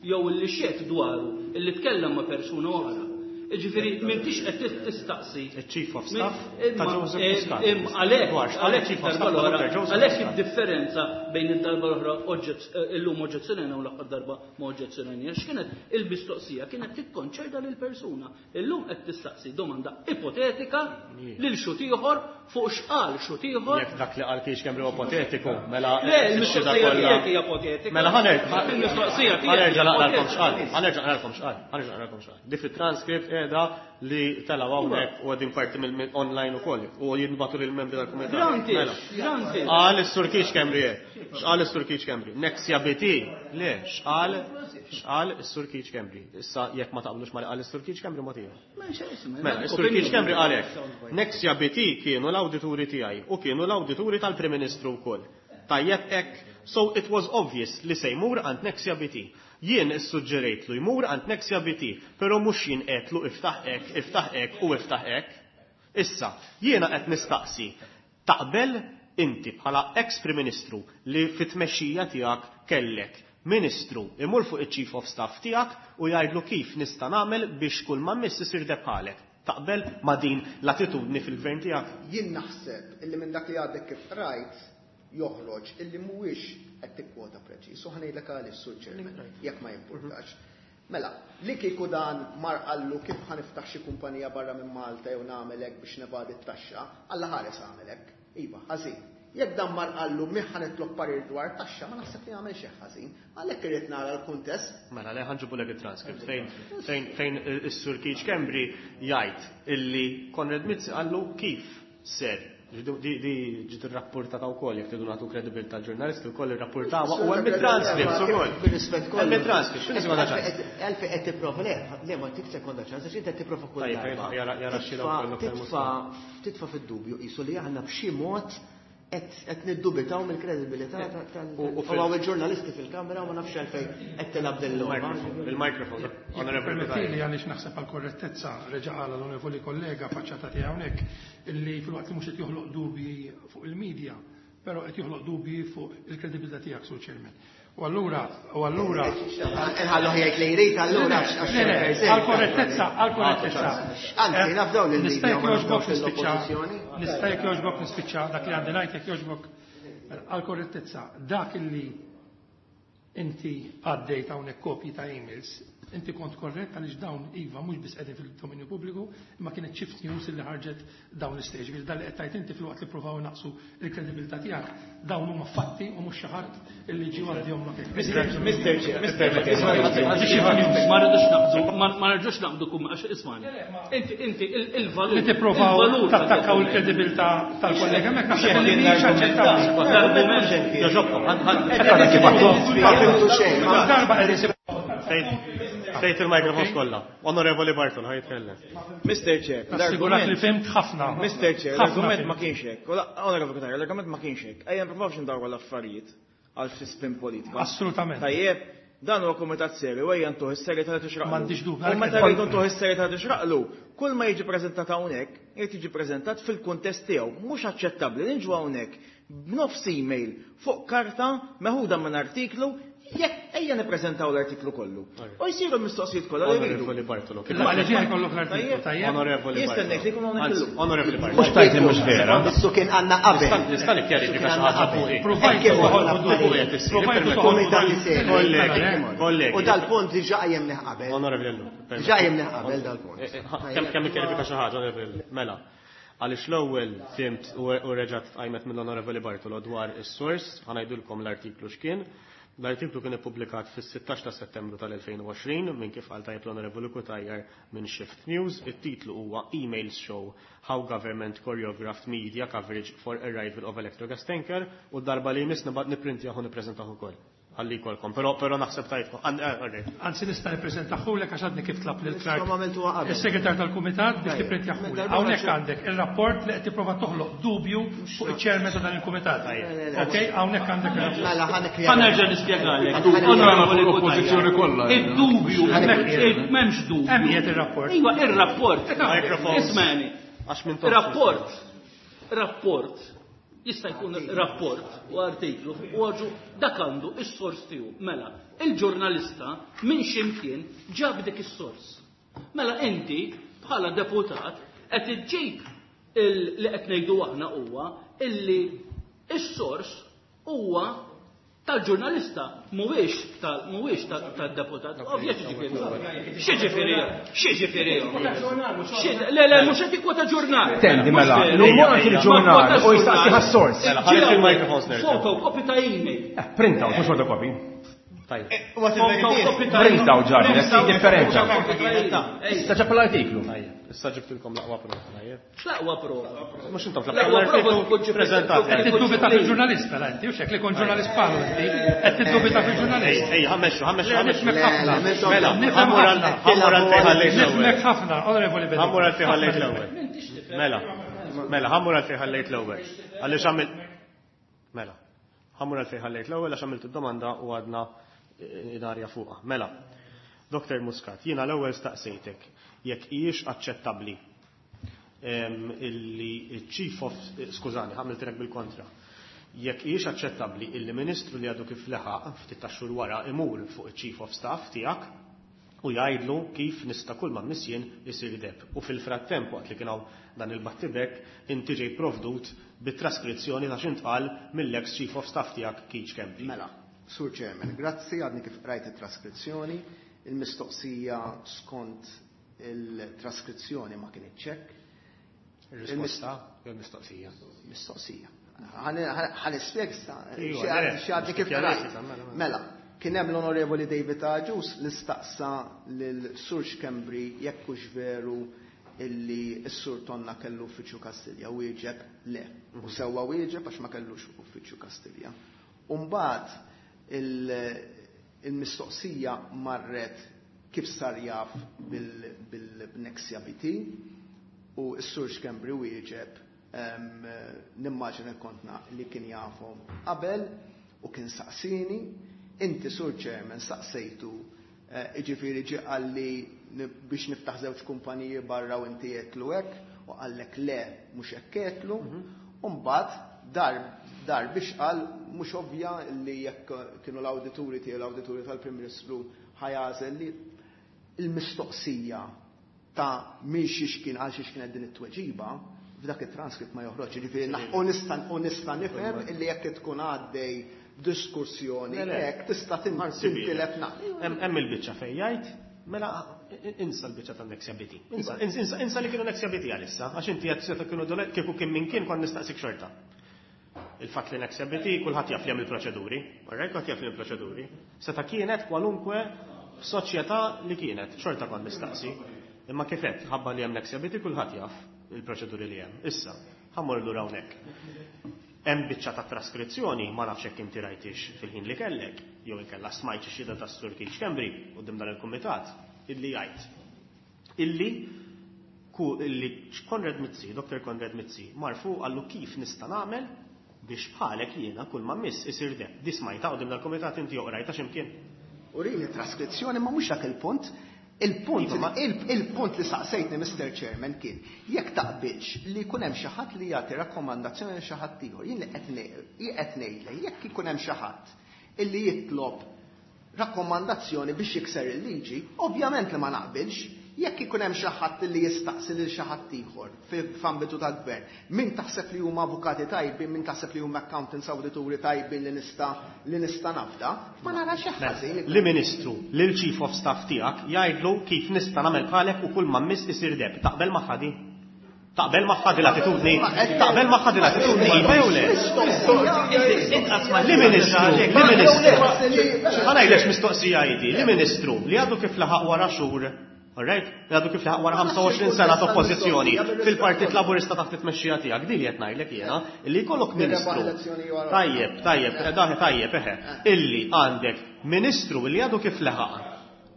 jew illi xehed dwaru illi tkellem ma' persuna oħra. Ġifieri, m'intix qed tistaqsi. Il-Chief of Staff ta' Joseph Muscat. Għalhekk, għalhekk Chief of Staff għalhekk id-differenza bejn id-darba l-oħra illum oġġezzjonajna u l-aħħar darba ma oġġezzjonajna. X'kienet il-mistoqsija kienet tikkonċerna lil persuna. Illum qed tistaqsi domanda ipotetika lil xhud ieħor fuq x'qal xhud ieħor. Jekk dak li qal Keith Schembri ipotetiku, mela. Le, il-mistoqsija tiegħek hija ipotetika. Mela ħa nerġa' Il-mistoqsija tiegħek. Ħa nerġa' naqralkom x'qal. Ħa nerġa' naqralkom x'qal. Ħa nerġa' naqralkom x'qal. Di fit-transcript qiegħda li telgħu hawnhekk u għadin parti mill online ukoll u jinbagħtu lill-membri tal-kumitat. Mela. Qal is-Sur Keith Schembri. X'qal is-Sur Keith Schembri? Nexia B T. Le, x'qal x'qal is-Sur Keith Schembri. Issa jekk ma taqblux ma li qal is-Sur Keith Schembri ma tiegħu. Mela, is-Sur Keith Schembri qal hekk. Nexia B T kienu l-awdituri tiegħi u kienu l-awdituri tal-Prim Ministru wkoll. Tajjeb hekk, so it was obvious li se jmur għand Nexia B T. Jien issuġġerejtlu jmur għand Nexia B T, però mhux jien għedtlu iftaħ hekk, iftaħ hekk u iftaħ hekk. Issa, jiena qed nistaqsi, taqbel inti bħala ex-Prim Ministru li fit-tmexxija tiegħek kellek Ministru imur fuq iċ-Chief of Staff tiegħek u jgħidlu kif nista' nagħmel biex kull ma miss isir bħalek? Taqbel ma' din l-attitudni fil-gvern tiegħek? Jien naħseb illi minn dak li għadek kif rajt joħroġ illi mhuwiex qed tikkwota preċiż. U ħa ngħidlek għaliex, Sur Chairman, jekk ma jimpurtax. Mela, li kieku dan mar qallu kif ħa niftaħ xi kumpanija barra minn Malta jew nagħmel hekk biex nevadi t-taxxa, Alla ħares għamel hekk. Iva, ħażin. Jekk dan mar qallu min ħa nitlob parir dwar taxxa, ma naħseb li għamel xi ħażin. Għalhekk irid nara l-kuntest. Mela, le, ħa nġibulek il-transcript fejn fejn fejn is-Sur Keith Schembri jgħid illi Konrad Mizzi qallu kif ser Di ġiet irrapportata wkoll jekk tridu nagħtu kredibilità ġurnalisti wkoll irrapportawha u hemm it-transcripts ukoll. Bir-rispett kollu. Hemm it-transcripts, x'inhi sekonda ċans? Għalfejn qed tipprova le, le ma tik sekonda ċans għax inti qed tipprova kull darba. Jara xi Titfa' fid-dubju qisu li aħna b'xi mod qed niddubitaw mill-kredibilità tal U hawn il-ġurnalisti fil-kamera u ma nafx għalfejn qed tilgħab din il-logħba. Il-microphone. Permettili għaliex naħseb għal korrettezza reġa' qala l-onorevoli kollega faċċata tiegħi hawnhekk illi filwaqt li mhux qed joħloq dubji fuq il-medja, però qed joħloq dubji fuq il-kredibilità tiegħek, Sur Chairman. U allura, u allura. Inħallu jgħid li jrid allura għal korrettezza, għal korrettezza. Anzi, naf dawn il-media Nista' jogħġbok nispiċċa. Nista' jekk jogħġbok nispiċċa dak li għandi ngħid jekk jogħġbok għal korrettezza. Dak illi inti għaddejt hawnhekk kopji ta' emails, inti kont korrett għaliex dawn iva mhux biss qegħdin fil-dominju pubbliku, imma kienet Shift News illi ħarġet dawn l-istage. Ġifieri dan li qed tgħid inti filwaqt li ppruvaw naqsu l-kredibilità tiegħek, dawn huma fatti u mhux xi ħadd illi ġie għaddihom lok. Mister Chair, Mister Ma rridux naqbdu, ma rridux naqbdu kum għax ismani. Inti inti il-valur li tippruvaw tattakkaw il-kredibilità tal-kollega hemmhekk naħseb li mhix aċċettabbli. L-argument Jogħġobkom, Darba qegħdin Tejt il-mikrofon kollha. Onorevoli Bartol, ħa jitkellem. Mister Chair, Nassigurak li fhimt ħafna. Mister Chair, l-argument ma kienx hekk. Onorevoli Cutajar, l-argument ma kienx hekk. Ejja nippruvawx ndawru l-affarijiet għal fi spin politika. Assolutament. Tajjeb, dan huwa kumitat serju, ejja ntuh is-serjetà li tixraqlu. M'għandix dubju. U meta rridu ntuh is-serjetà li tixraqlu, kull ma jiġi preżentat hawnhekk, irid jiġi preżentat fil-kuntest tiegħu. Mhux aċċettabbli li niġu hawnhekk b'nofs email fuq karta meħuda minn artiklu. Jekk ejja nippreżentaw l-artiklu kollu. U jsiru l-mistoqsijiet kollha li rridu. Onorevoli Bartolo. Il-maqleġija jkollok l-artiklu, tajjeb? Onorevoli Jistennek li jkun hawnhekk illum. Onorevoli Bartolo. Mhux tajt li mhux vera. Issu kien għandna qabel. Nista' nikkjarifika xi ħaġa fuq. Provajtu toħolqu dubju. Provajtu Komitati seri. Kollegi, kollegi. U dal-punt diġà qajjemnih qabel. Onorevoli Ellu. Diġà qajjemnih qabel dal-punt. Kemm kemm nikkjarifika xi ħaġa, Onorevoli Ellu. Mela. Għaliex l-ewwel fimt u reġgħet tqajmet mill-Onorevoli Bartolo dwar is-sors, ħa ngħidulkom l-artiklu x'kien. L-artiklu kien ippubblikat fis-sittax ta' Settembru tal-elfejn u għoxrin minn kif qal tajjeb l-Onorevoli Cutajar minn Shift News. It-titlu huwa Emails Show How Government Choreographed Media Coverage for Arrival of Electrogas Tanker u darba li jmiss nibgħat nipprintjah u nippreżentah ukoll. Ħalli jkollkom, però però naħseb tajtkom. Anzi nista' nippreżentahulek għax għadni kif tlab lil Clark. Nistgħu għamiltuha qabel. Is-segretar tal-kumitat biex tipprintjahulek. Hawnhekk għandek ir-rapport li qed tipprova toħloq dubju fuq iċ-chairman ta' dan il-kumitat. Okej, hawnhekk għandek ir-rapport. Mela ħa Ħa nerġa' nispjegalek. Onorevoli Oppożizzjoni kollha. Id-dubju, m'hemmx dubju. Hemm qiegħed ir-rapport. Iva, ir-rapport. Microphones. Ismani. Għax minn tof. Rapport. Rapport. Jista' jkun rapport u artiklu u għaġu dak għandu is-sors tiegħu. Mela, il-ġurnalista minn x'imkien ġab dik is-sors. Mela inti bħala deputat qed iġġib li qed ngħidu aħna huwa illi is-sors huwa tal-ġurnalista mhuwiex tal mhuwiex tad-deputat. Ovvja x'ġifieri. X'ġifieri? X'ġifieri? Le le mhux qed ikkwota ġurnal. Tendi mela, l-umor fil-ġurnal u jistaqsi ħas-sors. Mela, ħareġ il-microphones nerġa'. Photocopy ta' email. Print out, mhux photocopy. Tajjeb. Print out ġarri, qed differenza. Issa ġab l-artiklu. Tajjeb. Issa ġibtilkom l-aqwa prova, tajjeb. L-aqwa prova. Mhux intom L-aqwa prova tkun ġi preżentat. Qed tiddubita fil-ġurnalist mela inti, u xek li kont ġurnalist bħalu inti, qed tiddubita fil-ġurnalist. Ej, ħammexxu, ħammexxu, ħammexxu. Nifhmek ħafna. Mela, Nifhem ħammur għal ħafna. ħammur għal fejn ħallejt l-ewwel. Nifhmek ħafna, onorevoli Bedingfield. Ħammur għal fejn ħallejt l-ewwel. Mela, mela, ħammur għal fejn ħallejt l-ewwel. Għaliex għamil Mela, ħammur għal fejn ħallejt l-ewwel għax għamilt id-domanda u għadna id-arja fuqha. Mela, Doktor Muscat, jiena l-ewwel staqsejtek jekk hijiex aċċettabbli illi chief of, skużani, ħamiltilek bil-kontra. Jekk hijiex aċċettabbli illi ministru li għadu kif leħaq ftit ta' xhur wara imur fuq iċ-chief of staff tiegħek u jgħidlu kif nista' kull ma missjien isir deb. U fil-frattemp waqt li kien hawn dan il-battibek inti ġej provdut bit-traskrizzjoni ta' x'intqal mill-ex chief of staff tiegħek Keith Schembri. Mela, Sur Chairman, grazzi għadni kif rajt it-traskrizzjoni. Il-mistoqsija skont il-traskrizzjoni ma kienitx hekk. Ir-risposta jew il-mistoqsija? Mistoqsija. Ħa nispjega Iva, le, xi għadni kif kjarifika, rajt. mela, mela. Mela, kien hemm l-Onorevoli David Agius li staqsa lil Sur Schembri jekk hux veru illi s-Sur Tonna kellu uffiċċju Kastilja, wieġeb le. U sewwa wieġeb għax ma kellux uffiċċju Kastilja. U mbagħad il-mistoqsija marret kif sar jaf bil-Nexia B T u s-Sur Schembri wieġeb nimmaġina kontna li kien jafhom qabel u kien saqsini, inti Sur Chairman saqsejtu, jiġifieri ġie qalli biex niftaħ żewġ kumpaniji barra u inti għedtlu hekk, u qallek le mhux hekk għedtlu, u mbagħad dar dar biex qal mhux ovvja li jekk kienu l-awdituri tiegħu l-awdituri tal-Prim Ministru ħajażel li il-mistoqsija ta' min xiex kien għal xiex kienet din it-tweġiba f'dak it-transkript ma joħroġ. Jiġifieri u nista' u nista' nifhem illi jekk tkun għaddej diskussjoni hekk tista' tintilef naqra. Hemm il-biċċa fejn jgħid, mela insa l-biċċa tan-Nexia B T. Insa, insa, insa li kienu Nexia B T għalissa, għax inti qed seta' kienu dolet kieku kien min kien kont nistaqsik xorta. Il-fatt li Nexia B T kulħadd jaf li hemm il-proċeduri, alright, kulħadd jaf li hemm il-proċeduri. Seta' kienet kwalunkwe soċjetà li kienet, xorta kont nistaqsi. Imma kif qed, ħabba li hemm Nexia B T kulħadd jaf il-proċeduri li hemm. Issa, ħammur lura hawnhekk. Hemm biċċa ta' traskrizzjoni, ma nafx hekk inti rajtix fil-ħin li kellek, jew inkella smajt xi xhieda tas-Sur Keith Schembri quddiem dan il-kumitat, illi jgħid illi ku illi Konrad Mizzi, Doktor Konrad Mizzi, marfu qallu kif nista' nagħmel biex bħalek jiena kull ma miss isir deb. Di smajta quddiem dal-kumitat inti oqrajta x'imkien. Urini traskrizzjoni ma mhux dak il-punt. Il-punt Iva, ma il-, il-punt li saqsejtni Mister Chairman kien jekk taqbilx li jkun hemm xi ħadd li jagħti rakkomandazzjoni lil xi ħadd ieħor. Jien li qed ngħid, jien qed ngħidlek jekk ikun hemm xi ħadd illi jitlob rakkomandazzjoni biex jikser il-liġi, ovvjament li ma naqbilx. Jekk ikun hemm xi ħadd li jistaqsi lil xi ħadd ieħor f'ambitu tal-gvern, min taħseb li huma avukati tajbin, min taħseb li huma accountants awdituri tajbin li nista' li nista' nafda, ma nara xi ħażin. Li ministru, lil chief of staff tiegħek jgħidlu kif nista' nagħmel bħalek u kull ma miss isir deb. Taqbel magħha di? Taqbel magħha di l-attitudni? Taqbel magħha di l-attitudni? Iva jew le? Li ministru, li ministru. Ħa ngħidlek mistoqsija jdi, li ministru li għadu kif laħaq wara xhur, alright? Li għadu kif laħaq wara ħamsa u għoxrin sena ta' oppożizzjoni fil-Partit Laburista taħt it-tmexxija tiegħek, din li qed ngħidlek jiena, illi jkollok ministru. Tajjeb, tajjeb, daħ tajjeb, eħe, illi għandek ministru li għadu kif laħaq.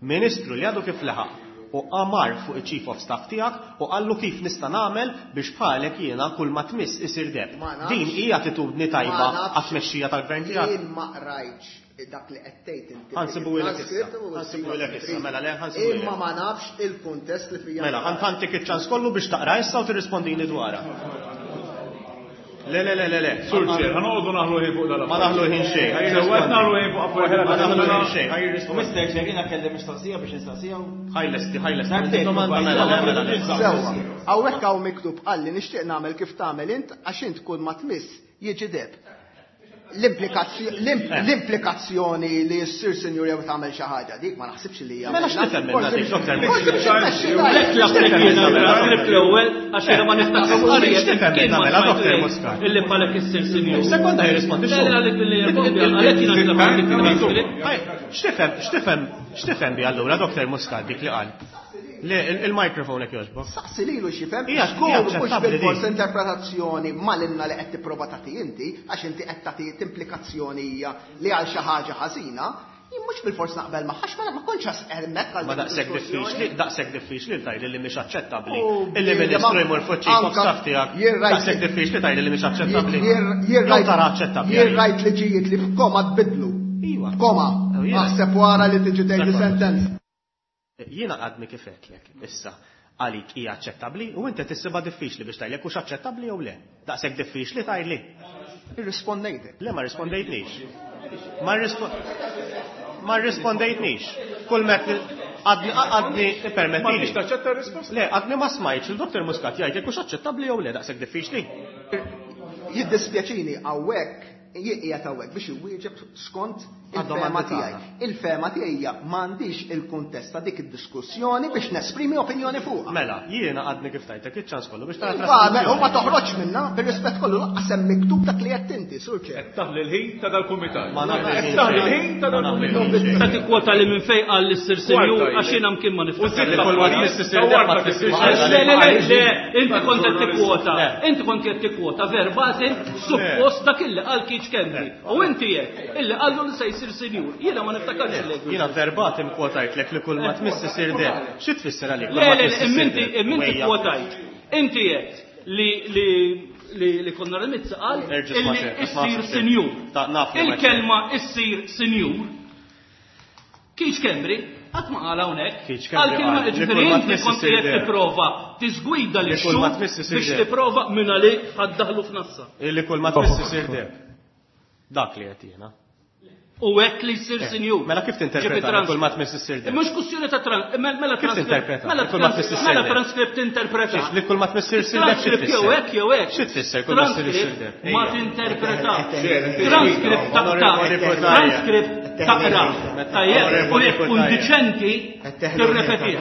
Ministru li għadu kif laħaq u qamar fuq il-Chief of Staff tiegħek u qallu kif nista' nagħmel biex bħalek jiena kull ma tmiss isir deb. Ma nafx. Din hija attitudni tajba Ma nafx. għat-tmexxija tal-gvern tiegħek. Jien ma qrajtx dak li qed tgħid inti. Ħansibu ilek issa. Transkript u Ħansibu ssib ilek issa, mela le, ħansibu ilek. Imma ma nafx il-kuntest li fija. Mela, ħantik iċ-ċans kollu biex taqra issa u tirrispondini dwarha. Le, le, le, le, le. Sur Chair, ħanoqogħdu naħlu ħin fuq dal-affarijiet. Ma naħlu ħin xejn. Ħaj Sewwa qed naħlu ħin fuq affarijiet. Ma naħlu ħin xejn. Ħaj jirrispondi. Mister Chair, jiena kelli mistoqsija biex nistaqsija u Ħaj lesti, ħaj lesti. Darbtejn, Domanda, domanda, mela, le, mela, le. Sewwa, hawnhekk hawn miktub qalli nixtieq nagħmel kif tagħmel int għax int kull ma tmiss jiġi deb. L-implikazzjo-, l-imp-, Eh. l-implikazzjoni li ssir sinjur jew tagħmel xi ħaġa dik ma naħsibx li hija. Mela x'tifhem minn Forsi dik, Doktor forsi Mizzi? biex immexxi Lek tajjeb. l-affarijiet jiena nagħmel fl-ewwel għax jiena ma niftakarx Għaliex xejn. x'tifhem Kien minn ma mela, smajtu Doktor jgħid Muscat? Illi bħalek issir sinjur. Sekonda jirrispondi Le, xogħol. le, għalhekk li jirrispondi, għalhekk jiena nagħmel dik it-transcript. X'tifhem, x'tifhem, x'tifhem bi allura Doktor Muscat dik li qal? Le, il-, il-mikrofon hekk jogħġbok. Saqsi lilu x'jifhem, Hija żgur hija mhux aċċettabbli bil-fors din. interpretazzjoni malinna li qed tipprova tagħti inti, għax inti qed tagħti implikazzjoni hija li għal xi ħaġa ħażina, jien mhux bil-fors naqbel magħha, għax ma ma kontx hemmhekk għal Ma dik daqshekk id-diskussjoni. diffiċli, daqshekk diffiċli tgħidli li mhix aċċettabbli. U Illi bniedem ministru jmur fuq chief of anka staff tiegħek. jien rajt Daqshekk diffiċli tgħidli li mhix aċċettabbli. Jien jien Jew rajt tara aċċettabbli Jien għalik. rajt liġijiet li f'koma tbidlu. Iva. F'koma. Oh, jiena. Aħseb wara li tiġi tgħidli Dakor. sentenza. Jiena għadni kif għedtlek, issa, għalik hija aċċettabbli u inti tissibha diffiċli biex tgħidlek hux aċċettabbli jew le. Daqshekk diffiċli tgħidli. Irrispondejtek. Le, ma rispondejtnix. Ma rispo-, ma rispondejtnix. Kull met għadni, għadni, permettili. Ma tix taċċetta r-risposta? Le, għadni ma smajtx il-Doktor Muscat jgħid jekk hux aċċettabbli jew le, daqshekk diffiċli. Jiddispjaċini hawnhekk, jien qiegħed hawnhekk biex iwieġeb skont Il-fehma tiegħi. Il-fehma tiegħi hija m'għandix il-kuntest ta' dik id-diskussjoni biex nesprimi opinjoni fuqha. Mela, jiena għadni kif tajtek iċ-ċans kollu biex tara Iva, traskrizzjoni. u ma toħroġ minna, bir-rispett kollu lanqas hemm miktub dak li qed inti, Sur Chair. Qed taħli l-ħin ta' dal-kumitat. Ma naħli Qed l-ħin taħli xejn. l-ħin ta' Ma naħli dal-kumitat. l-ħin xejn. Ta' tikkwota li minn fejn qal li ssir sinjur Kwarta għax jiena mkien ma U niftakar. sitt Li kull ma tmiss issir deb ma tfissirx. Le, le, le, le, inti kont qed tikkwota, Le. inti kont qed tikkwota verbatim suppost dak illi qal Keith Schembri. U inti jekk illi qallu li se jsir sinjur. Jiena ma niftakarx li. Jiena verbatim kwotajtlek li kull ma tmiss isir deb. Xi tfisser għalik? Le, le, le, imminti, imminti kwotajt. Inti jekk li li li li Konrad Mizzi qal Erġa' sma' illi xejn, sma' issir xejn. sinjur. Ta' naf li ma Il-kelma issir sinjur. Keith Schembri qatt ma qal hawnhekk. Keith Schembri Qal kelma qal li ġifieri kull ma inti tmiss kont issir qiegħed deb. tipprova tiżgwida Li lix kull ma xhud tmiss issir biex deb. tipprova minn għalik ħaddaħlu f'nassa. Li kull ma tmiss isir deb. Dak li qed jiena. U hekk li jsir Eh, sinjur. Mela kif tinterpreta Ġifi li kull ma tmiss issir deb? Mhux kwestjoni ta' tran- mela Kif transkript- tinterpreta? Mela Li kull ma trans- tmiss issir mela deb? transkript interpreta. Xiex, li kull ma tmiss issir deb xi Transkript jew tfisser? hekk jew hekk. Xi tfisser kull ma ssir issir deb? Transkript ma Ejja. tinterpreta. Ejja. Transkript taqta. Onorevoli Cutajar. Transkript taqra. Tajjeb, u Onorevoli jekk tkun Cutajar. diċenti tirrepetih.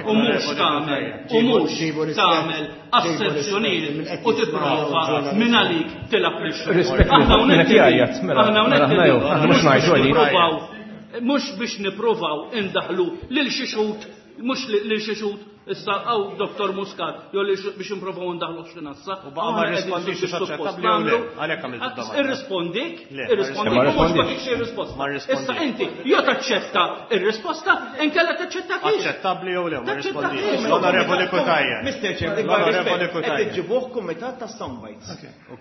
U mhux tagħmel, u mhux Ġibu rispett. tagħmel asserzjonijiet u tipprova minn għalik tilab lix-xhud. Rispett Aħna minn hawnhekk qed jgħajjat, mela, aħna mela hawnhekk aħna jew, aħna mhux ngħidu għalik. nippruvaw mhux biex nippruvaw indaħlu lil xi xhud, mhux lil xi xhud issa għaw Doktor Muscat, jew li biex nipprovaw indaħlu xi nassa. U baqa' ma rrispondix hux aċċettabbli jew le, għalhekk għamilt id-domanda. Irrispondik, Le, ma irrispondik, Ma u mhux ma rrispondix. tix ir-risposta. Ma rrispondix. Issa inti jew taċċetta ir-risposta, inkella taċċetta kif. Aċċettabbli jew le, ma Taċċetta rrispondix. kif. L-Onorevoli Cutajar. Mister Chair, dik L-Onorevoli qed Cutajar. iġġibuh kumitat ta' soundbites.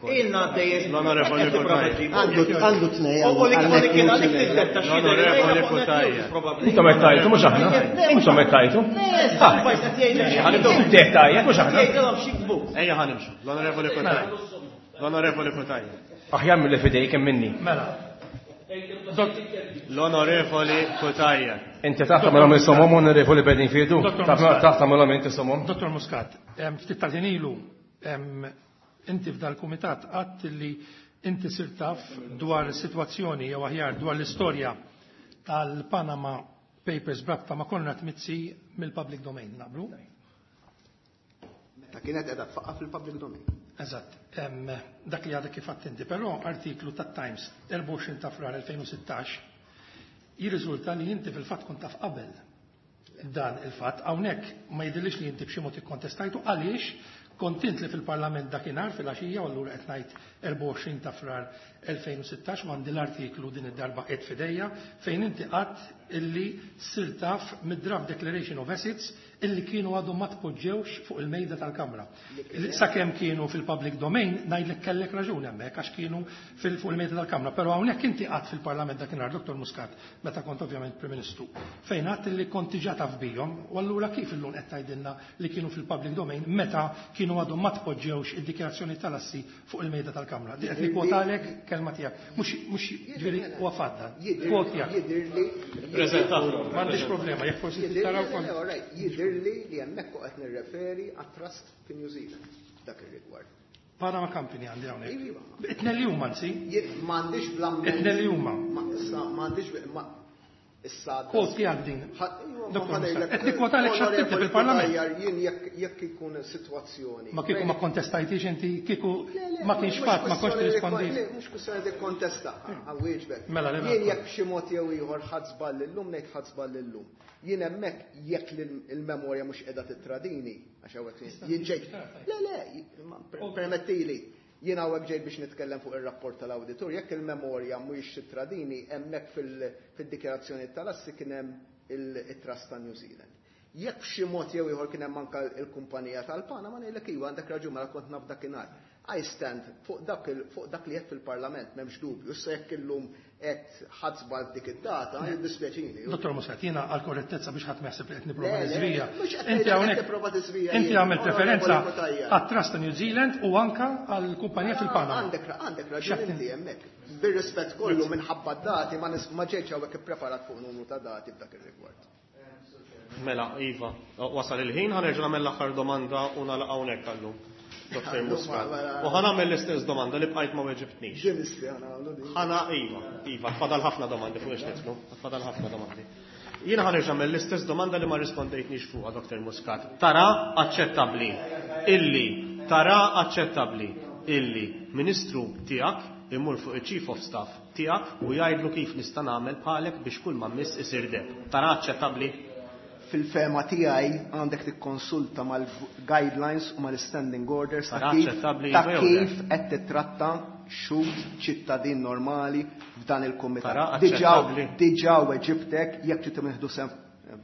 Ilna għaddejjin. L-Onorevoli Cutajar. Għandu għandu tnej U li kien kien għalik tiddetta xi L-Onorevoli Cutajar. Intom qed tajtu mhux aħna. Intom qed tajtu. Soundbites qed jgħidlek. Inti qed tajjeb mhux aħna. Jgħidilhom xi jiktbu. Ejja ħa nimxu. L-Onorevoli Cutajar. L-Onorevoli Cutajar. Aħjar mill fidejk hemm minni. Mela. L-Onorevoli Cutajar. Inti taħt tagħmelhom insomhom Onorevoli Bedingfield. Dottor Muscat. Taħt tagħmelhom inti somhom. Dottor Muscat, em, ftit tal-ħin ilu, em, inti f'dal-kumitat għadt li inti sirt taf dwar is-sitwazzjoni jew aħjar dwar l-istorja tal-Panama Papers brabta ma' Konrad Mizzi mill-public domain, naqblu? Meta kienet qiegħda tfaqqa fil-public domain. Eżatt, em, dak li għadek kif għedt inti, però artiklu tat-Times erbgħa u għoxrin ta' Frar elfejn u sittax jirriżulta li inti fil-fatt kont taf qabel dan il-fatt, hawnhekk ma jidhirlix li inti b'xi mod ikkontestajtu għaliex kont int li fil-Parlament dakinhar fil-għaxija u allura qed ngħid erbgħa u għoxrin ta' Frar elfejn u sittax u għandi l-artiklu din id-darba qed fidejja fejn inti qatt illi sirt taf mid-draft declaration of assets illi kienu għadhom ma tpoġġewx fuq il-mejda tal-Kamra. Sakemm kienu fil-public domain ngħidlek kellek raġun hemmhekk għax kienu fil-, fuq il-mejda tal-Kamra, però hawnhekk inti qatt fil-Parlament dakinhar Dottor Muscat meta kont ovvjament Prim Ministru fejn għadt illi kont diġà taf bihom u allura kif illum qed tgħidilna li kienu fil-public domain meta kienu għadhom ma tpoġġewx id-dikjarazzjoni tal-assi fuq il-mejda tal-Kamra. Di qed nikkwotalek kelma tiegħek. Mhux mhux ġifieri huwa fadda. Kwot tiegħek. Jidhirli Preżentaħlu. M'għandix problema, jekk forsi Jidhirli taraw kont. le, all right, jidhirli li hemmhekk qed nirreferi għat-trust fi New Zealand dak ir-rigward. Panama Company għandi hawnhekk. Iva. Itnel li huma anzi. Jien m'għandix bl-amment. Itnel li huma. Ma issa m'għandix ma issa Kwot tiegħek din. Ħa- iva, Dottor ma Muscat, ngħidlek, qed nikkwotalek x'għadt inti Onorevoli fil-Parlament. Cutajar, jien jekk jekk ikun sitwazzjoni. Ma kieku ma kontestajtix inti, kieku Le, le, ma kienx mhux fatt, ma kontx kwestjoni li tirrispondi. le, mhux kwestjoni li kontesta, għawieġbek. Mela, le, mela. Jien jekk b'xi mod jew ieħor ħadd żball illum ngħid ħadd żball illum. Jien hemmhekk jekk il-memorja mhux qiegħda tittradini, għax hawnhekk jien ġejt. Le, le, ma permettili. Jien hawnhekk ġejt biex nitkellem fuq ir-rapport tal-awditur, jekk il-memorja mhuwiex tittradini, hemmhekk fil-dikjarazzjoni tal-assi kien hemm il-Trust ta' New Zealand. Jekk b'xi mod jew ieħor kien hemm anke l-kumpanija tal-Panama ngħidlek iva għandek raġun mela kont naf dakinhar. I stand fuq dak il-, fuq dak li qed fil-Parlament, m'hemmx dubju. Issa jekk illum qed ħadd żball dik id-data, jiddispjaċini. Dottor Muscat, jiena għal korrettezza biex ħadd ma jaħseb li qed nipprova Le, le, niżvija. mhux qed Inti ngħidlek qed hawnhekk tipprova tiżvija inti jien, għamilt referenza Onorevoli Cutajar. għat-Trust ta' New Zealand u anka għall-kumpanija fil-Panama. Għandek għandek raġun X'qed inti hemmhekk. Bir-rispett kollu minħabba d-dati ma nis- ma ġejtx hawnhekk ippreparat fuq numru ta' dati f'dak ir-rigward. Mela, Iva, wasal il-ħin, ħa nerġa' nagħmel l-aħħar domanda u nagħlaq hawnhekk għallum. Dottor Muscat. U ħa nagħmel l-istess domanda li bqajt ma weġibtnix. Ħana iva, iva, fadal ħafna domandi fuq ix nidħlu, fadal ħafna domandi. Jiena ħa nerġa' nagħmel l-istess domanda li ma rispondejtnix fuqha, Dottor Muscat. Tara aċċettabbli illi tara aċċettabbli illi ministru tiegħek imur fuq il-Chief of Staff tiegħek u jgħidlu kif nista' nagħmel bħalek biex kull ma miss isir deb. Tara aċċettabbli? Fil-fehma tiegħi għandek tikkonsulta mal-guidelines u mal-standing orders ta' Tara kif aċċettabbli ta' jew le? kif qed titratta xhud ċittadin normali f'dan il-kumitat. Tara Diġà aċċettabbli. diġà weġibtek jekk trid nieħdu sem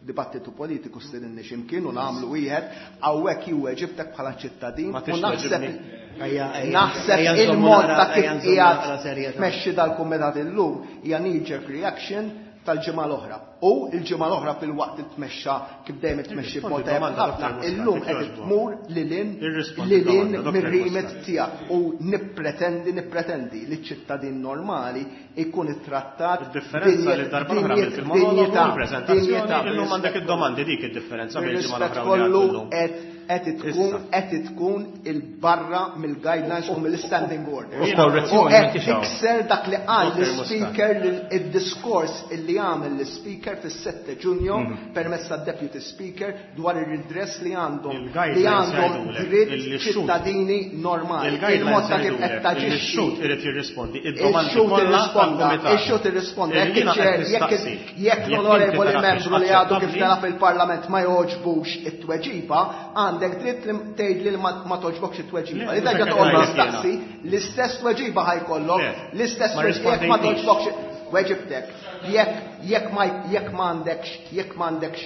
dibattitu politiku stedinni x'imkien u nagħmlu wieħed hawnhekk jien weġibtek bħala ċittadin Ma u tix naħseb weġibni. Ejja, ejja, naħseb ejja nżommu il-mod naqra- ta' kif ejja nżommu naqra qiegħed serjetà. tmexxi dal-kumitat illum hija knee-jerk reaction tal-ġimgħa l-oħra. U l-ġimgħa l-oħra fil-waqt li tmexxa kif dejjem tmexxi b'mod Irrispondi tajjeb domanda, ħafna, Dottor Muscat, illum qed jekk tmur lil hinn Irrispondi lil hinn domanda, Dottor mir-remit Muscat. tiegħek u nippretendi nippretendi li ċ-ċittadin normali ikun ittrattat Id-differenza li darba l-oħra għamilt il-monologu, dinjità, il-preżentazzjoni, dinjità, illum għandek id-domandi dik id-differenza bejn il-ġimgħa Bir-rispett l-oħra u li kollu għad illum. qed qed tkun Issa. qed tkun il-barra mill-guidelines u mill-standing orders. U korrezzjoni U qed m'intix hawn. tikser dak li qal Dottor l-speaker id-diskors illi għamel l-speaker fis-sette Ġunju permezz tad-deputy speaker dwar ir-redress li għandhom li Il-guidelines għandhom jgħidulek dritt illi x-xhud- ċittadini normali. Il-guidelines Il-mod ta' kif qed jgħidulek illi taġixxi x-xhud irid jirrispondi id-domandi Il-xhud kollha irrisponda, tal-kumitat. il-xhud irrisponda, Illi jekk jiena qed iċ-chair, jekk nistaqsi, jekk jekk l-onorevoli inti tara membru li għadu kif aċċettabbli, tela fil-parlament ma joġbux it-tweġiba, għandek dritt li tgħid li ma ma toġbokx it-tweġiba. Le, Li terġa' mhux toqgħod hekk tistaqsi, l-istess tweġiba ħa jkollok, Le, l-istess ma tweġiba jekk ma rispondejtnix. toġbokx weġibtek. Jekk jekk ma jekk m'għandekx jekk m'għandekx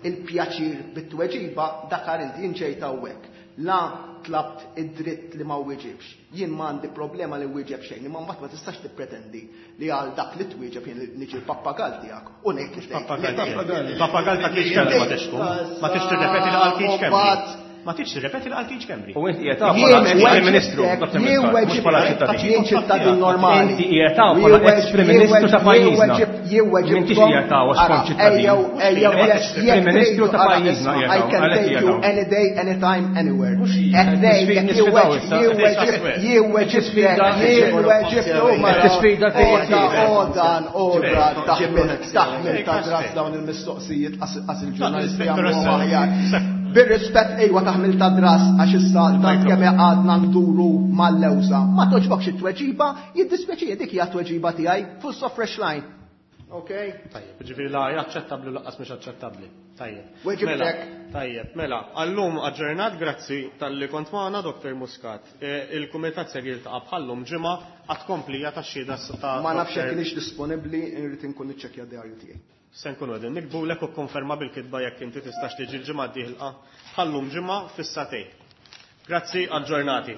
il-pjaċir bit-tweġiba, dakar inti jien ġejt hawnhekk. La tlabt id-dritt li ma wieġibx. Jien m'għandi problema li wieġeb xejn, imma mbagħad ma tistax tippretendi li għal dak li twieġeb jien niġi l-pappagal tiegħek u ngħid li tgħid. Pappagal. Pappagal ta' Keith Schembri ma tixtkun. Ma tix tirrepeti li qal Keith Schembri. Ma tix tirrepeti li qal Keith Schembri. U inti qiegħed hawn bħala ex-Prim Ministru, Dottor Jien Muscat, mhux bħala weġibtek, ċittadin. jien ċittadin normali. Inti qiegħed hawn bħala ex-Prim Ministru ta' pajjiżna. Jien weġibtkom. M'intix qiegħed hawn għax kont ċittadin. Ex-Prim Ministru ta' pajjiżna qiegħed I hawn, can għalhekk take qiegħed you hawn. any day, anytime, anywhere. Mhux Qed ngħid jekk nisfidaw issa. jien weġib- jien weġibtek, jien weġibtek, Qed tisfida Oda, tiegħek. odan, oda, taħmil, Ġibru taħmil ta' dras dawn il-mistoqsijiet qas il-ġurnalisti jagħmluhom aħjar. Bir-rispett ejwa taħmil ta' dras għax issa tant kemm għadna nduru mal-lewża. Ma toġbokx it-tweġiba, jiddispjaċi dik hija t-tweġiba tiegħi, full stop fresh line. Okay? Tajjeb, ġifieri la hija aċċettabbli u lanqas mhux aċċettabbli. Tajjeb. Weġibtek. Mela, tajjeb, mela, għallum aġġornat, grazzi talli kont magħna, Dottor Muscat. Eh, Il-Kumitat ser jiltaqa' bħallum ġimgħa għat-tkomplija tax-xhieda ta' Ma nafx jekk Dottor kienx disponibbli, irrid inkun niċċekkja d-diarju tiegħi. Se nkunu qegħdin nikbulek u konferma bil-kitba jekk inti tistax tiġi l-ġimgħa d-dieħla bħallum ġimgħa fis-sagħtejn. Grazzi, aġġornati.